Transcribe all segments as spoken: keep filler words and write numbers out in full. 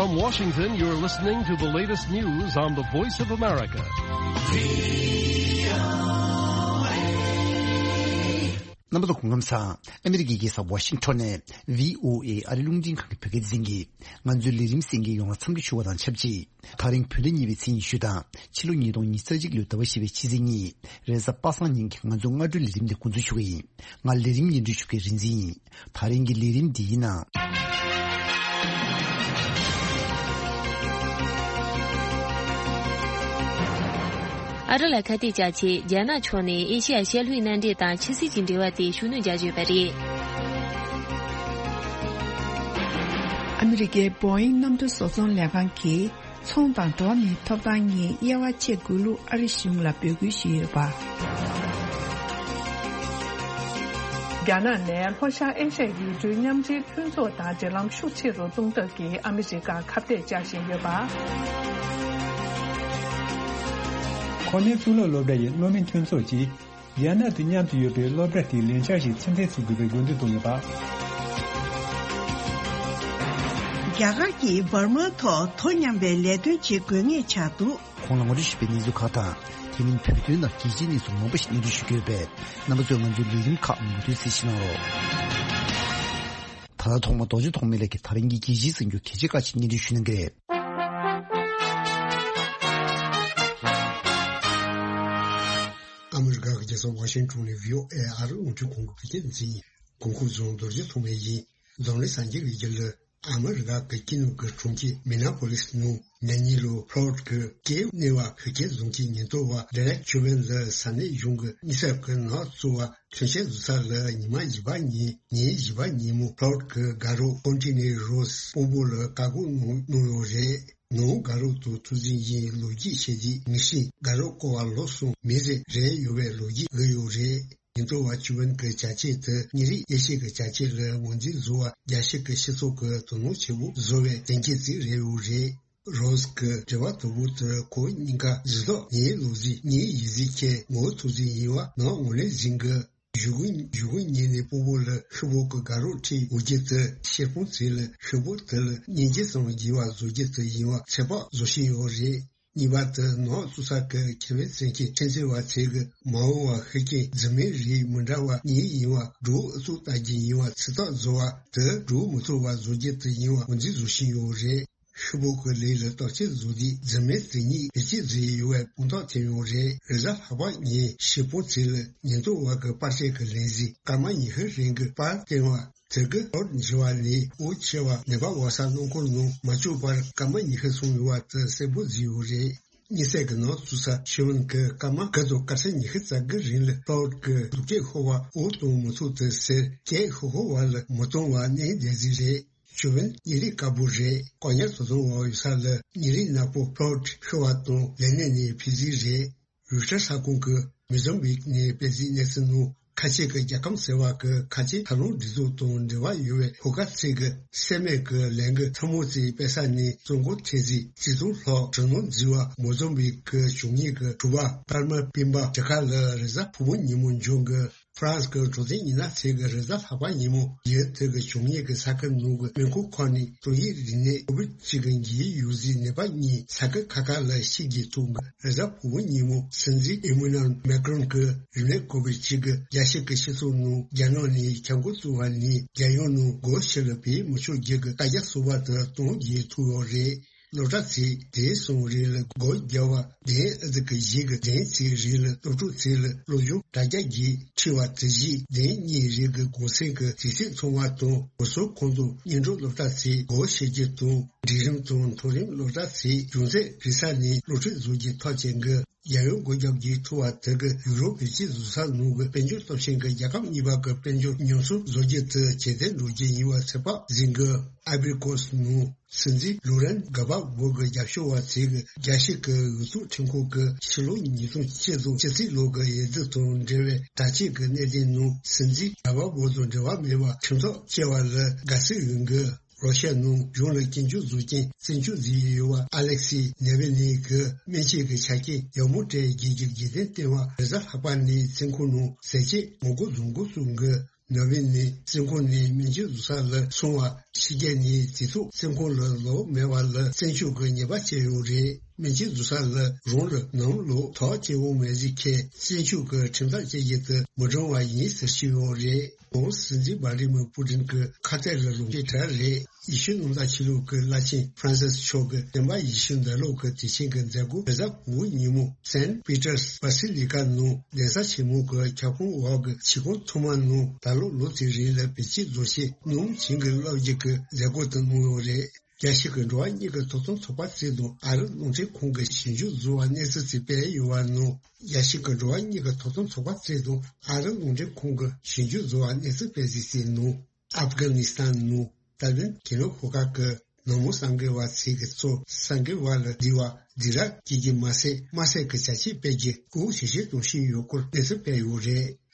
From Washington, you're listening to the latest news on the Voice of America. རྣམ་པ་ཚོ་སྐུ་ཁམས་བཟང་། ཨ་མི་རི་ཀའི་རྒྱལ་ས་ཝ་ཤིང་ཊོན་ནས་བྷི་ཨོ་ཨེ་ཨ་རི་རླུང་འཕྲིན་ཁང་གི་བོད་སྐད་སྡེ་ཚན་གྱིས་ང་ཚོའི་ལས་རིམ་གསན་མཁན་ཡོངས་ལ་འཚམས་འདྲི་ཞུ་བ་དང་ཆབས་ཅིག་ད་རིང་བོད་ཟླ་གཉིས་པའི་ཚེས་ཉི་ཤུ་དང་ཕྱི་ལོ་ཉིས་སྟོང་ཉི་ཤུ་རྩ་གཅིག་ལོའི་ཟླ་བ་བཞི་པའི་ཕྱི་ཚེས་གཉིས་རེས་གཟའ་པ་སངས་ཉིན་གྱི་ང་ཚོའི་སྔ་དྲོའི་ལས་རིམ་འདི་འགོ་འཛུགས་ཞུ་གི་ཡིན། ང་ལས་རིམ་སྙན་སྒྲོན་ཞུ་མཁན་རིག་འཛིན་ཡིན། ད་རིང་གི་ལས་རིམ་འདིའི་ནང་། ཨ་རི་ལ་ཁ་གཏད་བཅག་ཆེད་རྒྱ་ནག་ཕྱོགས་ནས་ཨེ་ཤི་ཡ་ཤར་ལྷོའི་མནའ་འབྲེལ་དང་ཕྱི་སྲིད་ཀྱི་འབྲེལ་བ་དེ་ཤུགས་སྣོན་རྒྱག་བཞིན་པ་རེད། ཨ་མི་རི་ཀའི་བོ་ཨིང་གནམ་གྲུ་བཟོ་ཚོང་ལས་ཁང་གིས། ཚོང་དང་འགྲོ་བ་མིའི་ཐོབ་ཐང་གཉིས་དབྱེ་བ་ཕྱེ་དགོས་ལུགས་ཨ་རི་གཞུང་ལ་འབོད་སྐུལ་ཞུས་ཡོད་པ། རྒྱ་ནག་ནས་ལྷོ་ཤར་ཨེ་ཤ་ཡའི་ཡུལ་གྲུའི་མཉམ་འབྲེལ་མཐུན་ཚོགས་དང་འབྲེལ་ལམ་ཤུགས་ཆེ་རུ་གཏོང་ཐབས་ཀྱི་ཨ་མི་རི་ཀར་ཁ་གཏད་བཅག་བཞིན་ཡོད་པ། ཁོ་ནེ་གཙུག་ལག་སློབ་གྲྭ་ཡི་སློབ་མའི་མཐུན་ཚོགས་ཀྱིས། རྒྱ་ནག་ཏུ་མཉམ་དུ་ཡོད་པའི་སློབ་གྲྭ་དེའི་ལས་འཆར་ཞིག་ཕྱིར་འཐེན་བཟོ་དགོས་པའི་དགོས་འདུན་བཏོན་ཡོད་པ། རྒྱ་གར་གྱིས་འབར་མའི་ཐོག་དོ་མཉམ་པའི་ལས་དོན་བྱེད་དགོས་ངེས་ཆགས་འདུག་ཁོང་ལ་ངོ་སྤྲོད་ཞུས་པའི་གནས་ཚུལ་ཁག་དང་། དེ་མིན་བོད་དོན་དང་རྒྱལ་སྤྱིའི་གནས་ཚུལ་མང་པོ་ཞིག་སྙན་སྒྲོན་ཞུ་གི་ཡོད་པས། རྣམ་པ་ཚོས་ང་ཚོའི་ལས་རིམ་ཁག་མུ་མཐུད་གསན་གཟིགས་གནང་རོགས། ད་ལྟ་ཐོག་མར་རྡོ་རྗེ་ཐོགས་མེད་ལགས་ཀྱིས་ད་རིང་གི་རྒྱལ་སྤྱིའི་གསར་འགྱུར་གལ་ཆེ་ཁག་ཅིག་སྙན་སྒྲོན་ཞུ་གནང་གི་རེད། ཨ་མི་རི་ཀ་གི་རྒྱལ་ས་ཝ་ཤིང་ཊོན་ནས་བྷི་ཨོ་ཨེ་ཨ་རི་རླུང་འཕྲིན་ཁང་གི་བོད་སྐད་སྡེ་ཚན་ཡིན། གོང་འཁོད་བཟུང་རྡོ་རྗེ་ཐོགས་མེད་ཡིན། འཛམ་གླིང་གསར་འགྱུར་གྱི་རྒྱབ་ལ། ཨ་མི་རི་ཀ་གི་ཀི་ནུ་གི་གྲོང་ཁྱེར་མི་ནེ་པོ་ལིས་ནང་ན་ནིང་ལོ་ཕོ་ལོ་ཌི་གི་སྐྱེས་གནས་བ་བོད་སྐྱེས་བཟུང་གི་ཉེན་རྟོག་པ་ཌེ་རེག་ཅུ་ཝེན་ལ་ས་གནས་གཞུང་གི་དམིགས་བསལ་གྱི་ནག་བཙུགས་པ་ཐོན་སྐྱེད་བཟོ་ས་ལ་ཉི་མ་བཞི་པ་ཉིན་ཉིན་བཞི་པ་ཉིན་མོ་ཕོ་ལོ་ཌི་གི་དགའ་རོགས་ཀོན་ཊི་ནེ་རོ་སི་སྤོ་བོ་ལ་བཀག་སྒོ་གནང་གནང་ཡོད་རེད། ནང་དགའ་རོགས་དང་ཐུག་འཛིང་ཡིན་ལོ་རྒྱུས་བཤད་རྗེས་མི་ཤེས། དགའ་རོགས་སྐོར་བ་ལོ་གསུམ་མི་རེ་རེ་ཡོད་པའི་ལོ་རྒྱུས་བརྒྱབ་ཡོད་རེད། ཉེན་རྟོག་པ་ཅུ་ཝེན་གྱི་བྱ་སྤྱོད་དེ་ཉིན་རེའི་ཨེ་ཤི་ཡའི་བྱ་སྤྱོད་ལ་ངོས་འཛིན་བཟོ་བར་རྒྱལ་སྤྱི་གི་སྤྱི་ཚོགས་ཀྱིས་དོ་སྣང་ཆེན་པོ་བཟོ་བའི་གཏན་འཁེལ་ཅིག་རེད་ཡོད་རེད། རོ་སི་གི་དྲི་བ་དང་པོ་དེ་ཁོ་གཉིས་ཀ་གཟིགས་རྟོག་ངའི་ལོ་རྒྱུས་ངའི་ཡིག་གཟུགས་ཁྱེད་ངོ་ཐུག་འཛིང་ཡིན་པ་ནང་ངོས་ལེན་ཟིན་གི། གཞུག་གུ་གཞུག་གུ་ཉིན་ནས་སྤོ་བོ་ལ་ཤོག་བུ་གི་དགའ་རོགས་ཁྲིད་འོ་རྒྱུ་དེ་ཤེལ་སྤང་ཚིག་ལ་ཤོག་བུ་དེ་ལ་སྙིང་རྗེ་ཙམ་དགེ་བ་བཟོ་རྒྱུ་དེ་ཡིན་པ་ཚོད་དཔག་བཟོ་བཞིན་ཡོད་རེད། གཉིས་པ་དེ་ནག་བཙུགས་ས་གི་ཁེ་ཕན་བཙན་གྱི་ཁྲིམས་འཛིན་པ་ཚོས་གི་མ་འོངས་པ་ཤུགས་རྐྱེན་འཛིན་མའི་རིགས་མི་འདྲ་བ་གཉིས་ཡིན་པ་སྒྲུག་ཨུ་ཚུགས་ལྟ་རྒྱུ་ཡིན་པ་ཚོད་ལྟ་བཟོ་བ་དེ་སྒྲུག་མི་ཐུབ་པ་བཟོ་རྒྱུ་དེ་ཡིན་པ་ངོས་འཛིན་བཟོ་བཞིན་ཡོད་རེད། ཤོག་བུ་གི་ལས་ལ་བརྟག་དཔྱད་བཟོ་དུས་འཛིན་མའི་དེ་ཉིད་བེད་སྤྱོད་བཟོས་ཡོད་པའི་དཔང་རྟགས་ཐོན་ཡོད་རེད། རེས་གཟའ་ལྷག་པ་ཉིན་ཤེལ་སྤང་ཚིག་ལ་ཉེན་རྟོག་པ་གི་པར་ཆས་ཀྱི་ལས་གཞི་སྐར་མ་ཉི་ཤུ་རིང་གི་པར་བསྟན་པ་དེ་གི་ཨོར་འཇི་བ་ནས་འོ་ཆེ་བ་ནད་པ་འོག་ས་རླངས་འཁོར་ནང་མ་བཅུག་པར་སྐར་མ་ཉི་ཤུ་སོང་ཡོད་པ་དེ་གསལ་པོ་བཟོས་ཡོད་རེད། དམིགས་བསལ་གྱི་ནག་བཙུགས་ས་ཤེས་ཡོན་གྱི་སྐར་མ་དགུ་དང་སྐར་ཆ་ཉི་ཤུ་རྩ་དགུ་རིང་ལ་ལྷོ་ཀྱི་སྡུག་སྐད་ཤོར་བ་འོ་གཏོང་མི་ཐུབ་དེ་ཟེར་སྐད་ཤོར་ཤོར་བ་ལ་མི་གཏོང་བ་གནས་བསྡད་རྩིས་རེད། ཞུ་བན་ཉིན་རེའི་དཀར་པོ་རེད། ཀོ་ཉར་དོ་དོ་བ་ཡོད་ས་ལ་ཉིན་རེའི་ནག་པོ་ཕོ་ལོ་ཤི་བ་དང་ལས་གནས་ནས་ཕི་ཟི་རེད། རུ་ཤ་ས་ཁོངས་ཀྱི་མི་ཟོམ་བིག་ནས་སྤེལ་རྩིས་གནས་ཚུལ་ནང་ཁ་ཆེ་གི་རྒྱལ་ཁམས་ཟེར་བ་གི་ཁ་ཆེ་ཐབས་ལམ་སྒྲིག་འཛུགས་དང་འབྲེལ་བ་ཡོད་པའི་ཧོ་ཀ་ཚིག་གི་སེ་མེད་ཀྱི་ལས་འགུལ་ཐུན་མོང་རྩིས་སྤེལ་ས་ནས་བཙོན་འགོག་ཐེབས་རྩིས་རྩིས་ཐོ་ལྷག་དྲི་སྣང་བརྫིས་པ་མི་ཟོམ་བིག་གི་གཞུང་གཉེར་གྱི་དྲུག་པ་པར་མ་པིན་པ་ཇ་ཁ་ལ་རེས་གཟའ་ཕུར་བུ་ཉིན་མོ་འབྱོར་གི། ཧྥ་རན་སི་གི་གྲོས་ཚོགས་ཉི་ན་ཚེས་ཀྱི་རེས་གཟའ་ལྷག་པ་ཉིན་མོ་ཡུལ་དེ་གི་གཞུང་གཉེར་གྱི་ས་ཁུལ་ནང་གི་སྨན་ཁང་ཁག་ནས་ཏོག་དབྱིབས་རིམས་ནད་ཀོ་བིད་གཅིག་གི་འགོས་ཡོད་རྩིས་ནད་པ་གཉིས་ས་ཁུལ་ཁག་ཁག་ལ་ཤི་རྒྱུ་ཐུག་གི། རེས་གཟའ་ཕུར་བུ་ཉིན་མོ་སྲིད་འཛིན་ཨི་མུ་ནལ་མེ་ཀྲོན་གྱིས་རིམས་ནད་ཀོ་བིད་གཅིག་གི་རྒྱལ་སྤྱི་གི་སྤྱི་ཚོགས་ནང་རྒྱ་ནག་ནས་ཁྱབ་འགོ་བཙུགས་པ་ནས་རྒྱལ་ཡོངས་ནང་སྒོ་ཕྱི་ལ་བེད་མི་ཆོག་རྒྱུ་གི་བཀའ་རྒྱ་བཟོ་བ་དེ་གཏོང་རྒྱུ་ཐུག་ཡོད་རེད། སློབ་གྲྭ་ཚིག་དེ་གསུམ་རེ་ལ་སྒོ་བརྒྱབ་པ། དེ་ཨ་ཙི་གི་གཞི་གི་དེ་ཚིག་རེ་ལ་སློབ་ཕྲུག་ཚིག་ལ་སློབ་སྦྱོང་དྲ་རྒྱ་བརྒྱུད་ཁྲིད་པ་དེ་བཞིན་དེ་གཉིས་རེ་གི་གུང་སེང་གི་དུས་ཚིགས་ཚང་བ་དང་། སྒོ་ཟོག་ཁོངས་གཏོགས་སྙན་སྒྲོན་སློབ་གྲྭ་ཚིག་སྒོ་ཕྱེ་རྒྱུ་དང་། འབྲིང་རིམ་དང་མཐོ་རིམ་སློབ་གྲྭ་ཚིག་རྒྱུ་མཚན་རེ་ས་ནས་སློབ་ཁྲིད་བཟོ་རྒྱུ་ཐག་བཅད་གི། རྒྱལ་ཡོངས་སྒོ་རྒྱག་རྒྱུའི་ཐུ་བ་དེ་གི་ཡུ་རོབ་བེད་སྤྱོད་བཟོ་ས་ནང་གི་དཔལ་འབྱོར་སྟོབས་ཆེན་གྱི་རྒྱལ་ཁབ་གཉིས་པ་གི་དཔལ་འབྱོར་ཉམས་གསོ་བཟོ་རྒྱུ་དེ་ཇེ་བརྟན་འགྲོ་རྒྱུ་ཡིན་པ་ཚོད་དཔག་འཛིན་གི། ཨ་བི་རི་ཀོ་སི་ནང་སྲིད་འཛིན་ལུ་རན་གྷ་བ་བོ་གི་རྒྱབ་སྐྱོར་བ་ཚོས་གི་རྒྱལ་སྤྱི་གི་འོས་བཙུགས་ཁྲིམས་ཁང་གི་ཕྱི་ལོ་ཉིས་སྟོང་བཅུ་དང་ཕྱི་ཚེས་ལོ་གི་འོས་བསྡུ་དང་འབྲེལ་བའི་དྲ་ཕྱོགས་ཀྱི་གནད་དོན་ནང་སྲིད་འཛིན་གྷ་བ་བོ་དང་འབྲེལ་བ་མེད་པ་ཁྲིམས་ཐག་བཅད་པ་ལ་དགའ་བསུ་ཡོད་གི། རོ་ཤ་ནང་གཞུང་ལ་སྐྱོན་བརྗོད་བཟོ་མཁན་བཙོན་འཇུག་བཟོས་ཡོད་པ་ཨ་ལེག་སི་ནེ་ཝི་ལི་གི་སྨན་བཅོས་ཀྱི་ཆ་རྐྱེན་ཡག་མོ་སྤྲད་རྒྱུ་གི་རྒྱུ་མཚན་བསྟན་པ་རེས་གཟའ་ལྷག་པ་ནས་བཙོན་ཁང་ནང་ཟས་བཅད་ངོ་རྒོལ་བཟོ་འགོ་བཙུགས་གི། ནབ་བེ་ནས་བཙོན་ཁང་ནས་སྨན་བཅོས་བཟོ་ས་ལ་སོང་བ། ཕྱི་རྒྱལ་ནས་དེ་ཐོག་བཙོན་ཁང་ལ་ལོག་མེད་པ་ལ་བཙོན་འཇུག་གི་ཉེས་པ་བཅད་ཡོད་རེད། སྨན་བཅོས་བཟོ་ས་ལ་རང་ལ་ནམ་ལོག་ཐོག་སྐྱེ་བོ་མེད་ཟིག་ཁས་བཙོན་འཇུག་གི་ཁྲིམས་ཐག་བཅད་རྒྱུ་དེ་མི་འགྲིག་པ་ཡིན་ཟེར་བཤད་ཡོད་རེད། ཁོང་སྲིད་འཛིན་བྷ་ལ་ཌི་མིར་པུ་ཏིན་གྱི་ཁ་གཏད་ལ་ལོག་རྒྱུ་གྲལ་རེད། ཡེ་ཤུ་གནམ་བདག་ཆོས་ལུགས་ཀྱི་བླ་ཆེན་ཧྥ་རན་སིས་མཆོག་གི་བསྟན་པ་ཡེ་ཤུ་འདྲ་ལུགས་ཀྱི་དུས་ཆེན་གྱི་མཛད་སྒོ་རེས་གཟའ་ཕུར་བུ་ཉིན་མོ་སན་པི་ཏར་སྦ་སི་ལི་ཀ་ནང་གདན་ས་ཆེན་མོ་གི་ཁྱབ་ཁོངས་འོག་གི་ཆིབས་ཁང་ཐོག་མ་ནང་ད་ལོ་ལོ་དེའི་རིང་ལ་བེད་སྤྱོད་བཟོ་ཆེད་སྣུམ་བྱིངས་ཀྱི་བློ་སྒྱུར་གྱི་མཛད་སྒོ་དེ་གནང་ཡོད་རེད། རྒྱལ་སྤྱི་གི་འགྲོ་བ་མིའི་ཐོབ་ཐང་ཚོགས་པ་གཙོས་དང་ཨ་རི་རླུང་འཕྲིན་ཁང་གི་ཞིབ་འཇུག་བཟོ་བ་གནས་ཚུལ་དེ་སྤེལ་ཡོད་པ་ནང་། རྒྱལ་སྤྱི་གི་འགྲོ་བ་མིའི་ཐོབ་ཐང་ཚོགས་པ་གཙོས་དང་ཨ་རི་རླུང་འཕྲིན་ཁང་གི་ཞིབ་འཇུག་བཟོ་བ་གནས་ཚུལ་སྤེལ་གཟིགས་བྱས་ནང་། ཨབ་གྷ་ནི་སི་ཐན་ནང་ཏཱ་ལི་བན་གྱེན་ལོག་ཤོག་ཁག་གི་ནག་མོ་གསར་འགོད་པ་ཚོས་ཀྱི་ཚོ་གསར་འགོད་པ་ལ་འདྲི་བ་འདི་ར་སྐྱེལ་རྒྱུ་མ་ཟད་དམར་གསོད་ཀྱི་བྱ་སྤྱོད་སྤེལ་རྒྱུ་སྐུ་ཞིབ་བཤེར་གཏོང་བཞིན་ཡོད་སྐོར་གནས་ཚུལ་སྤེལ་ཡོད་རེད།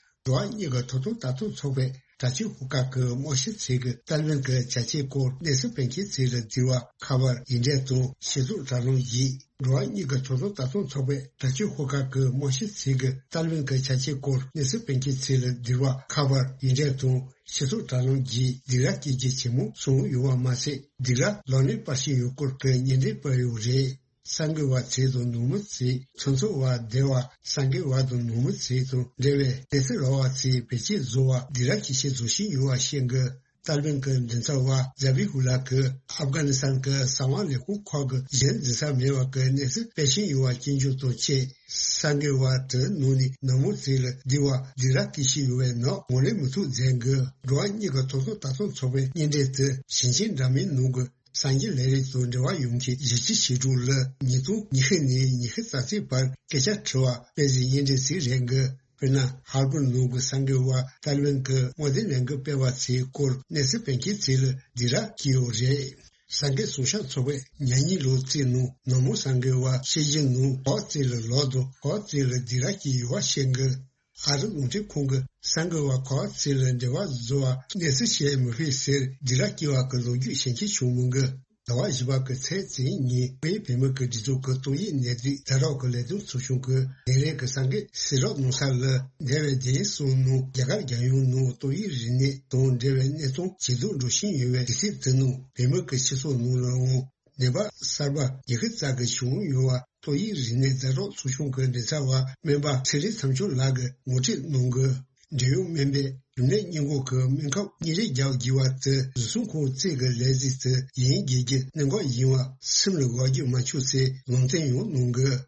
འགྲོ་བ་མིའི་ཐོབ་ཐང་ལྟ་རྟོག་ཚོགས་པས་དྲག་སྤྱོད་ཤོག་ཁག་གི་དམག་ཞབས་ཚོས་ཀྱི་ཏཱ་ལི་བན་གྱི་བྱ་སྤྱོད་སྐོར་གནས་ཚུལ་སྤེལ་མཁན་ཚོ་ལ་འདྲི་བ་ཁ་པར་ཡིག་འབྲེལ་དང་ཞིབ་འཚོལ་དྲ་ལམ་བརྒྱུད། འགྲོ་བ་མིའི་ཐོབ་ཐང་ལྟ་རྟོག་ཚོགས་པས་དྲག་སྤྱོད་ཤོག་ཁག་གི་དམག་ཞབས་ཚོས་ཀྱི་ཏཱ་ལི་བན་གྱི་བྱ་སྤྱོད་སྐོར་གནས་ཚུལ་སྤེལ་མཁན་ཚོ་ལ་འདྲི་བ་ཁ་པར་ཡིག་འབྲེལ་དང་ཞིབ་འཚོལ་དྲ་ལམ་བརྒྱུད་སྡིགས་ར་སྐྱེལ་རྒྱུ་ཇེ་མང་སོང་ཡོད་པ་མ་ཟད། སྡིགས་ར་ལག་ལེན་སྤར་བཞིན་ཡོད་སྐོར་གྱི་སྙན་འགྲེལ་སྤེལ་ཡོད་རེད། གསར་འགོད་པ་ཚོས་དང་ནང་མི་ཚོས་ཚོང་ཚོགས་པ་སྡེ་བ་གསར་འགོད་པ་དང་ནང་མི་ཚོས་དང་འབྲེལ་བའི་གནས་ཚུལ་རག་པ་ཚོས་བེད་སྤྱོད་བཟོ་བ་སྡིགས་ར་སྐྱེལ་ཆེད་བཟོ་བཞིན་ཡོད་པ་བཤད་འདུག་ཏཱ་ལི་བན་གྱི་མགྲིན་ཚབ་པ་ཛ་བི་ཧུ་ལ་གིས་ཨབ་གྷ་ནི་སི་ཐན་གྱི་གསང་བ་ལས་ཁུངས་ཁག་གི་གཞན་འཛིན་ས་མེད་པ་གི་གནས་ཚུལ་སྤེལ་བཞིན་ཡོད་པ་སྐྱོན་བརྗོད་དང་བཅས། གསར་འགོད་པ་དེའི་ནང་ནས་ནག་མོ་ཚོ་ལ་འདྲི་བ་འདི་ར་སྐད་ཤེས་ཡོད་པའི་ནང་ངོས་ལེན་མི་ཐུབ་མཛད་འདུག་འགྲོ་བ་མིའི་ཐོབ་ཐང་ལྟ་རྟོག་ཚོགས་པའི་སྙན་འགྲེལ་དེ་ཞིང་ཆེན་འདྲ་མིན་ནང་གི་སངས་རྒྱས་ལས་རིགས་དང་འབྲེལ་བ་ཡོད་མཁན་གཞིས་བྱེས་ཞི་ཀྲུག་ལ་ཉིས་སྟོང་ཉི་ཤུ་ནས་ཉི་ཤུ་རྩ་གཅིག་བར་སྐད་ཆ་དྲི་བ་སྤེལ་སའི་སྙན་འགྲེལ་ཞིག་རེད་འདུག་དཔེར་ན། ཧར་པར་ནང་གི་གསར་འགོད་པ་ཏཱ་ལི་བན་གྱི་དམག་དོན་ལས་འགུལ་སྤེལ་བ་ཚོའི་སྐོར་གནས་ཚུལ་སྤེལ་མཁན་ཚོ་ལ་འདི་ར་སྐྱེལ་ཡོད་རེད། གསར་འགོད་སྲུང་སྐྱོབ་ཚོགས་པས་ཉ་ཉི་ལོ་རྩིས་ནང་ནག་མོ་གསར་འགོད་པ་ཕྱི་རྒྱལ་ནང་གོ་བ་རྩིས་ལ་ལོག་དང་གོ་བ་རྩིས་ལ་འདི་ར་སྐྱེལ་ཡོད་པ་བཤད་འདུག་ཨ་རི་རླུང་འཕྲིན་ཁང་གི་གསར་འགོད་པ་གོ་བ་རྩིས་ལ་འབྲེལ་བ་བཟོ་བ་གནས་ཚུལ་བཤད་མི་ཕོད་ཟེར་འདི་ར་སྐྱེལ་བ་གི་ལོ་རྒྱུས་ཞིབ་འཇུག་བྱུང་མི་འདུག་ཟླ་བ་བཞི་པ་གི་ཚེས་བཅུ་གཉིས་ཉིན་བོད་བོད་མི་གི་སྒྲིག་འཛུགས་ཀྱི་ཏོག་དབྱིབས་ནད་དུག་ཟླ་རོགས་ཀྱི་ལས་དོན་ཚོགས་ཆུང་གི་ལས་རིམ་གྱི་གསར་འགོད་གསལ་བསྒྲགས་གནང་ས་ལ། འདས་པའི་བདུན་གསུམ་ནང་རྒྱ་གར་རྒྱལ་ཡོངས་ནང་ཏོག་དབྱིབས་རིམས་ནད་དང་འབྲེལ་བའི་གནས་སྟངས་ཇེ་སྡུག་འགྲོ་བཞིན་ཡོད་པའི་དུས་ཚོད་དེ་ནང་བོད་མི་གི་སྤྱི་ཚོགས་ནང་ལའང་ནད་པ་གསར་པ་ཉི་ཤུ་རྩ་གི་བྱུང་ཡོད་པ་ཏོག་དབྱིབས་རིམས་ནད་ཟླ་རོགས་ཚོགས་ཆུང་གི་མགྲིན་ཚབ་པ་སྨན་པ་ཚེ་རིང་མཚམས་སྦྱོར་ལགས་ཀྱིས་ངོ་སྤྲོད་གནང་དགོས། འབྲེལ་ཡོད་སྨན་པས་རིམས་ནད་སྔོན་འགོག་གི་སྨན་ཁབ་གཉན་རིམས་རྒྱག་དགོས་པ་དེ་རུལ་སུངས་ཁང་བཙུགས་ཀྱི་ལས་རྩིས་དེ་ཡིན་དགོས་རྒྱུ་གནད་འགག་ཡིན་པ་སེམས་ལ་འགོག་རྒྱུ་མ་བྱུང་ཚེ་ལུང་བསྟན་ཡང་གནང་དགོས།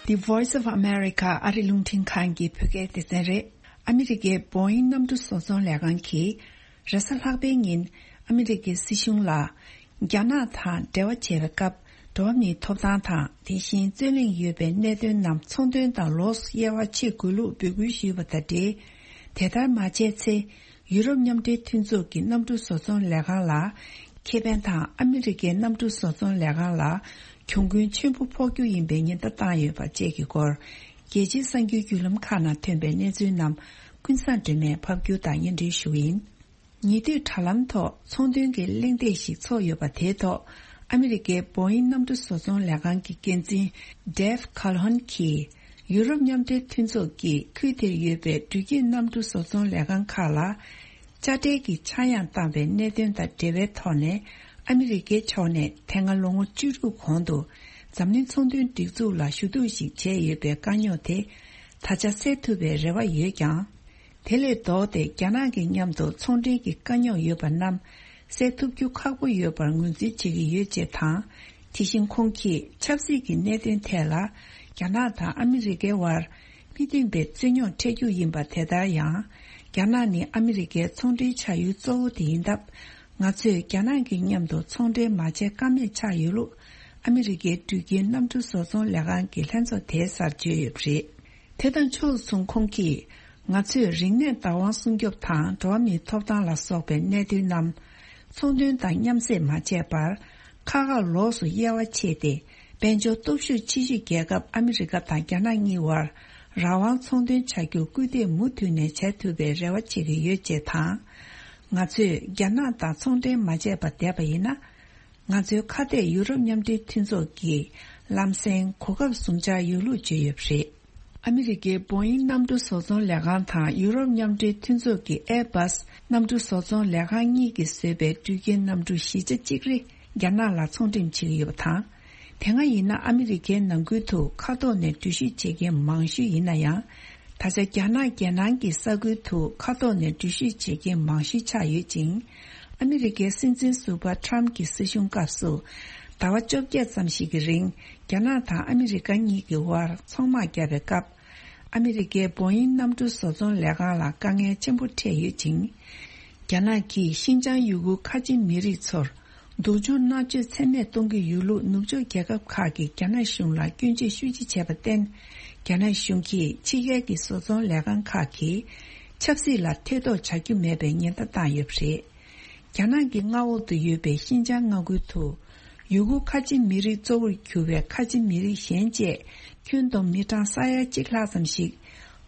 The Voice of America ཨ་རི་རླུང་འཕྲིན་ཁང་གི་བོད་སྐད་སྡེ་ཚན་རེད། ཨ་མི་རི་ཀའི་བོ་ཨིན་གནམ་གྲུ་བཟོ་ཚོང་ལས་ཁང་གིས་རེས་གཟའ་ལྷག་པའི་ཉིན་ཨ་མི་རི་ཀའི་སྲིད་གཞུང་ལ། རྒྱ་ནག་དང་འབྲེལ་བ་བྱེད་པའི་སྐབས་འགྲོ་བ་མིའི་ཐོབ་ཐང་དང་དེ་བཞིན་རྩོད་གླེང་ཡོད་པའི་གནད་དོན་རྣམས་ཚོང་དོན་དང་ལོགས་སུ་དབྱེ་བ་ཕྱེ་དགོས་ལུགས་འབོད་སྐུལ་ཞུས་པ་དང་འབྲེལ། དེ་ལྟར་མ་བྱས་ཚེ་ཡུ་རོབ་མཉམ་འབྲེལ་མཐུན་ཚོགས་ཀྱི་གནམ་གྲུ་བཟོ་ཚོང་ལས་ཁང་ལ་ཁེ་ཕན་དང་ཨ་མི་རི་ཀའི་གནམ་གྲུ་བཟོ་ཚོང་ལས་ཁང་ལ་གྱོང་གུན་ཆེན་པོ་ཕོག་རྒྱུ་ཡིན་པའི་ཉེན་བརྡ་བཏང་ཡོད་པ་བཅས་ཀྱི་སྐོར་རྒྱལ་སྤྱིའི་གསར་འགྱུར་བརྒྱུད་ལམ་ཁག་ནང་ཐོན་པའི་གནས་ཚུལ་རྣམས་ཀུན་བཟང་སྒྲོལ་མས་ཕབ་སྒྱུར་དང་སྙན་སྒྲོན་ཞུ་གི་ཡིན། ཉེ་དུས་དྲ་ལམ་ཐོག་ཚོང་དོན་གྱི་གླེང་སྟེགས་ཤིག་ཚོགས་ཡོད་པ་དེའི་ཐོག་ཨ་མི་རི་ཀའི་བོ་ཨིན་གནམ་གྲུ་བཟོ་ཚོང་ལས་ཁང་གི་འགན་འཛིན་Dave Calhoun གྱིས་ཡུ་རོབ་མཉམ་འབྲེལ་མཐུན་ཚོགས་ཀྱིས་ཁུལ་དེར་ཡོད་པའི་འགྲུལ་སྐྱེལ་གནམ་གྲུ་བཟོ་ཚོང་ལས་ཁང་ཁག་ལ་དཔྱ་ཁྲལ་གྱི་ཆག་ཡང་བཏང་བའི་གནད་དོན་དང་འབྲེལ་བའི་ཐོག་ནས་ཨ་མི་རི་ཀའི་ཕྱོགས་ནས་དེ་སྔ་ལོ་ངོ་བཅུ་དྲུག་གོང་དུ་འཛམ་གླིང་ཚོང་དོན་སྒྲིག་འཛུགས་ལ་ཞུ་གཏུག་ཞིག་བྱས་ཡོད་པའི་དཀའ་རྙོག་དེ་ད་ཆ་སེལ་ཐུབ་པའི་རེ་བ་ཡོད་ཀྱང་། དེ་ལས་ལྡོག་སྟེ་རྒྱ་ནག་གི་མཉམ་དུ་ཚོང་འབྲེལ་གྱི་དཀའ་རྙོག་ཡོད་པ་རྣམས་སེལ་ཐུབ་རྒྱུ་ཁག་པོ་ཡོད་པར་ངོས་འཛིན་བྱེད་ཀྱི་ཡོད་ཅེས་དང་། དེ་བཞིན་ཁོང་གིས་ཆབ་སྲིད་ཀྱི་གནད་དོན་ཐད་ལ་རྒྱ་ནག་དང་ཨ་མི་རི་ཀའི་དབར་མི་མཐུན་པའི་རྩོད་རྙོག་འཕྲད་རྒྱུ་ཡིན་པ། དེ་ལྟར་ཡང་རྒྱ་ནག་ནི་ཨ་མི་རི་ཀའི་ཚོང་འབྲེལ་བྱ་ཡུལ་གཙོ་བོ་དེ་ཡིན་སྟབས། ང་ཚོས་རྒྱ་ནག་གི་མཉམ་དུ་ཚོང་འབྲེལ་མ་བྱས་ཀ་མེད་ཆགས་ཡོད་ལུགས་ཨ་མི་རི་ཀའི་འགྲུལ་སྐྱེལ་གནམ་གྲུ་བཟོ་ཚོང་ལས་ཁང་གི་ལྷན་ཚོགས་དེའི་སར་བརྗོད་ཡོད་པ་རེད། དེ་དང་ཕྱོགས་མཚུངས་ཁོང་གིས། ང་ཚོས་རིག་གནས་བདག་དབང་སྲུང་སྐྱོབ་དང་འགྲོ་བ་མིའི་ཐོབ་ཐང་ལ་སོགས་པའི་གནད་དོན་རྣམས་ཚོང་དོན་དང་མཉམ་བསྲེས་མ་བྱས་པར། ཁག་ཁག་ལོགས་སུ་དབྱེ་བ་ཕྱེས་ཏེ། དཔལ་འབྱོར་སྟོབས་ཤུགས་ཆེ་ཤོས་རྒྱལ་ཁབ་ཨ་མི་རི་ཀ་དང་རྒྱ་ནག་གཉིས་བར་རང་དབང་ཚོང་དོན་བྱ་རྒྱུར་སྐུལ་འདེད་མུ་མཐུད་ནས་བྱ་ཐུབ་པའི་རེ་བ་བྱེད་ཀྱི་ཡོད་ཅེས་དང་། ང་ཚོས་རྒྱ་ནག་དང་ཚོང་འབྲེལ་མ་བྱས་པ་བསྡད་པ་ཡིན་ན། ང་ཚོའི་ཁ་གཏད་ཡུ་རོབ་མཉམ་འབྲེལ་མཐུན་ཚོགས་ཀྱིས་ ལམ་སེང་གོ་སྐབས་བཟུང་འཆར་ཡོད་ལུགས་བརྗོད་ཡོད་པ་རེད། ཨ་མི་རི་ཀའི་བོ་ཨིང་གནམ་གྲུ་བཟོ་ཚོང་ལས་ཁང་དང་ཡུ་རོབ་མཉམ་འབྲེལ་མཐུན་ཚོགས་ཀྱི་ཨེར་བྷ་སི་གནམ་གྲུ་བཟོ་ཚོང་ལས་ཁང་གཉིས་ཀྱིས་བཟོས་པའི་འགྲུལ་སྐྱེལ་གནམ་གྲུ་བཞི་ཆ་གཅིག་རེ་རྒྱ་ནག་ལ་ཚོང་འགྲེམས་བྱེད་ཀྱི་ཡོད་པ་དང་། དེ་སྔ་ཡིན་ན་ཨ་མི་རི་ཀའི་ནང་ཁུལ་དུ་མཁའ་ཐོག་ནས་འགྲུལ་བཞུད་བྱེད་མཁན་མང་ཤོས་ཡིན་ན་ཡང་། ད་ཆ་རྒྱ་ནག་རྒྱལ་ནང་གི་ས་ཁུལ་དུ་མཁའ་ཐོག་ནས་འགྲུལ་བཞུད་བྱེད་མཁན་མང་ཤོས་ཆགས་ཡོད་ཅིང་། ཨ་མི་རི་ཀའི་སྲིད་འཛིན་ཟུར་པ་ཊམ་གྱི་སྲིད་གཞུང་སྐབས་སུ། ཟླ་བ་བཅོ་བརྒྱད་ཙམ་ཞིག་གི་རིང་རྒྱ་ནག་དང་ཨ་མི་རི་ཀ་གཉིས་ཀྱི་དབར་ཚོང་དམག་བརྒྱབ་པའི་སྐབས། ཨ་མི་རི་ཀའི་བོ་ཨིང་གནམ་གྲུ་བཟོ་ཚོང་ལས་ཁང་ལ་དཀའ་ངལ་ཆེན་པོ་འཕྲད་ཡོད་ཅིང་། རྒྱ་ནག་གིས་ཤིན་ཅང་ཡུ་གུར་ཁ་ཆེ་མི་རིགས་ཚོར་སྡུག་སྦྱོང་མནར་གཅོད་ཚད་མེད་གཏོང་གི་ཡོད་ལུགས་ནུབ་ཕྱོགས་རྒྱལ་ཁབ་ཁག་གིས་རྒྱ་ནག་གཞུང་ལ་སྐྱོན་བརྗོད་ཤུགས་ཆེ་བྱས་པར་བརྟེན། རྒྱ་ནག་གཞུང་གིས་ཕྱི་རྒྱལ་གྱི་བཟོ་ཚོང་ལས་ཁང་ཁག་གིས་ཆབ་སྲིད་ལ་ཐེ་གཏོགས་བྱ་རྒྱུ་མེད་པའི་ཉེན་བརྡ་བཏང་ཡོད་པ་རེད། རྒྱ་ནག་གི་མངའ་འོག་ཏུ་ཡོད་པའི་ཤིན་ཅང་མངའ་ཁུལ་དུ། ཡུ་གུར་ཁ་ཆེ་མི་རིགས་གཙོ་བོར་གྱུར་པའི་ཁ་ཆེ་མི་རིགས་གཞན་བཅས་ཁྱོན་བསྡོམས་མི་གྲངས་ས་ཡ་གཅིག་ལྷག་ཙམ་ཞིག་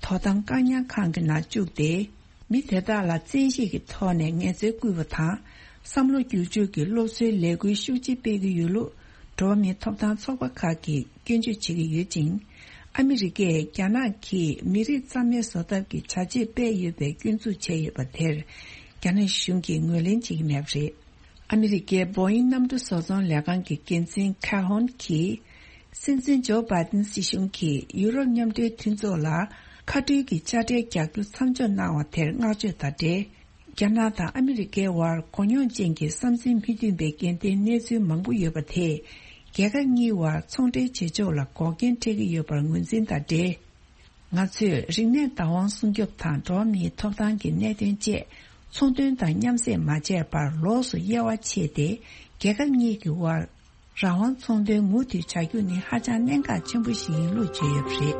དོ་དམ་བཀག་ཉར་ཁང་གི་ནང་བཅུག་སྟེ། མི་དེ་དག་ལ་བཙན་ཤེད་ཀྱི་ཐོག་ནས་ངལ་རྩོལ་བསྐུལ་བ་དང་། བསམ་བློ་བསྒྱུར་བཅོས་ཀྱི་སློབ་གསོའི་ལས་འགུལ་ཤུགས་ཆེ་སྤེལ་གྱི་ཡོད་ལུགས་འགྲོ་བ་མིའི་ཐོབ་ཐང་ཚོགས་པ་ཁག་གིས་སྐྱོན་བརྗོད་བྱེད་ཀྱི་ཡོད་ཅིང་། ཨ་མི་རི་ཀས་རྒྱ་ནག་གིས་མི་རིགས་རྩ་མེད་བཟོ་ཐབས་ཀྱི་བྱ་སྤྱོད་སྤེལ་ཡོད་པའི་སྐྱོན་འཛུགས་བྱས་ཡོད་པ་དེར། རྒྱ་ནག་གཞུང་གིས་ངོས་ལེན་བྱེད་ཀྱི་མེད་པ་རེད། ཨ་མི་རི་ཀའི་བོ་ཨིང་གནམ་གྲུ་བཟོ་ཚོང་ལས་ཁང་གི་འགན་འཛིན་ཁ་ཧོན་གྱིས། སྲིད་འཛིན་ཇོ་བྷའི་ཏིན་སྲིད་གཞུང་གིས་ཡུ་རོབ་མཉམ་འབྲེལ་མཐུན་ཚོགས་ལ་མཁའ་འགྲུལ་གྱི་དཔྱ་ཁྲལ་རྒྱག་རྒྱུ་མཚམས་འཇོག་གནང་བ་དེར་བསྔགས་བརྗོད་དང་འབྲེལ། རྒྱ་ནག་དང་ཨ་མི་རི་ཀའི་དབར་གོ་མྱོང་ཅན་གྱི་བསམ་ཚུལ་མི་མཐུན་པའི་འགལ་ཟླའི་གནས་ཚུལ་མང་པོ་ཡོད་པ་དེས། རྒྱལ་ཁབ་གཉིས་དབར་ཚོང་འབྲེལ་བྱེད་ཕྱོགས་ལ་འགོག་རྐྱེན་འཕྲད་ཀྱི་ཡོད་པར་ངོས་འཛིན་དང་འབྲེལ། ང་ཚོས་རིག་གནས་བདག་དབང་སྲུང་སྐྱོབ་དང་འགྲོ་བ་མིའི་ཐོབ་ཐང་གི་གནད་དོན་བཅས་ཚོང་དོན་དང་མཉམ་བསྲེས་མ་བྱས་པར་ལོགས་སུ་དབྱེ་བ་ཕྱེས་ཏེ། རྒྱལ་ཁབ་གཉིས་ཀྱི་དབར་རང་དབང་ཚོང་དོན་མུ་མཐུད་བྱ་རྒྱུ་ནི་ཧ་ཅང་གནད་འགག་ཆེན་པོ་ཞིག་ཡིན་ལུགས་བརྗོད་ཡོད་པ་རེད།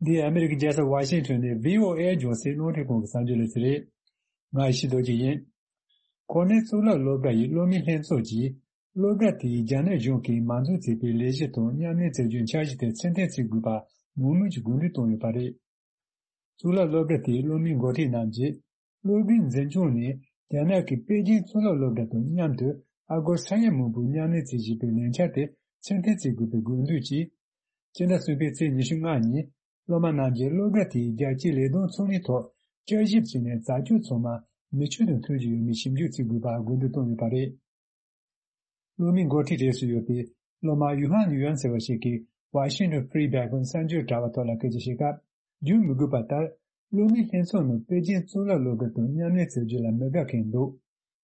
འདི་ཨ་མི་རི་ཀའི་རྒྱལ་ས་ཝ་ཤིང་ཊོན་ནས་བྷི་ཨོ་ཨེ་རྒྱང་སྲིང་རླུང་འཕྲིན་ཁང་གི་གསར་འགྱུར་ལས་ཚན་རེད། ང་ཡེ་ཤེས་རྡོ་རྗེ་ཡིན། གོ་གནས་གཙུག་ལག་སློབ་གྲྭ་ཡི་སློབ་མའི་ལྷན་ཚོགས་ཀྱིས་སློབ་གྲྭ་དེས་རྒྱ་ནག་གཞུང་གིས་མ་འཛུགས་བྱས་པའི་ལས་གཞི་དང་མཉམ་ལས་བྱ་རྒྱུའི་འཆར་གཞི་དེར་ཚུལ་མཐུན་བྱེད་དགོས་པ་མང་མོས་ཀྱིས་དགོས་འདུན་བཏོན་ཡོད་པ་རེད། གཙུག་ལག་སློབ་གྲྭ་དེའི་སློབ་མའི་འགོ་ཁྲིད་རྣམས་ཀྱིས་སློབ་གྲྭའི་འཛིན་སྐྱོང་ནས་རྒྱ་ནག་གི་པེ་ཅིང་གཙུག་ལག་སློབ་གྲྭ་དང་མཉམ་དུ་ཨ་སྒོར་ས་ཡ་མང་པོའི་མཉམ་ལས་བྱེད་བཞིན་པའི་ལས་འཆར་དེ་ཚུལ་མཐུན་བྱེད་དགོས་པའི་དགོས་འདུན་གྱིས། སྤྱི་ཟླ་གསུམ་པའི་ཚེས་ཉི་ཤུ་ལྔ་ཉིན། སློབ་མ་རྣམས་ཀྱིས་སློབ་གྲྭ་དེའི་རྒྱལ་སྤྱིའི་ལས་དོན་ཚོགས་འདུའི་ཐོག་བསྐྱར་ཞིབ་བྱས་ནས་རྩད་གཅོད་ཚང་མ་མི་ཆོས་དང་མཐུན་གྱི་ཡོད་མེད་ཞིབ་འཇུག་བྱེད་དགོས་པར་དགོས་འདུན་བཏོན་ཡོད་པ་རེད། སློབ་མའི་འགོ་ཁྲིད་གྲས་སུ་ཡོད་པའི་སློབ་མ་ཡུ་ཧན་ཡུ་ཡན་ཟེར་བ་ཞིག་གིས་Washington Free Beacon གསར་འགྱུར་དྲ་བ་ཐོག་ལ་སྐད་ཆ་བཤད་སྐབས། བརྗོད་མི་དགོས་པ་ལྟར། སློབ་མའི་ལྷན་ཚོགས་ནང་པེ་ཅིང་གཙུག་ལག་སློབ་གྲྭ་དང་མཉམ་ལས་བྱ་རྒྱུ་ལ་མི་དགའ་མཁན་འདུག་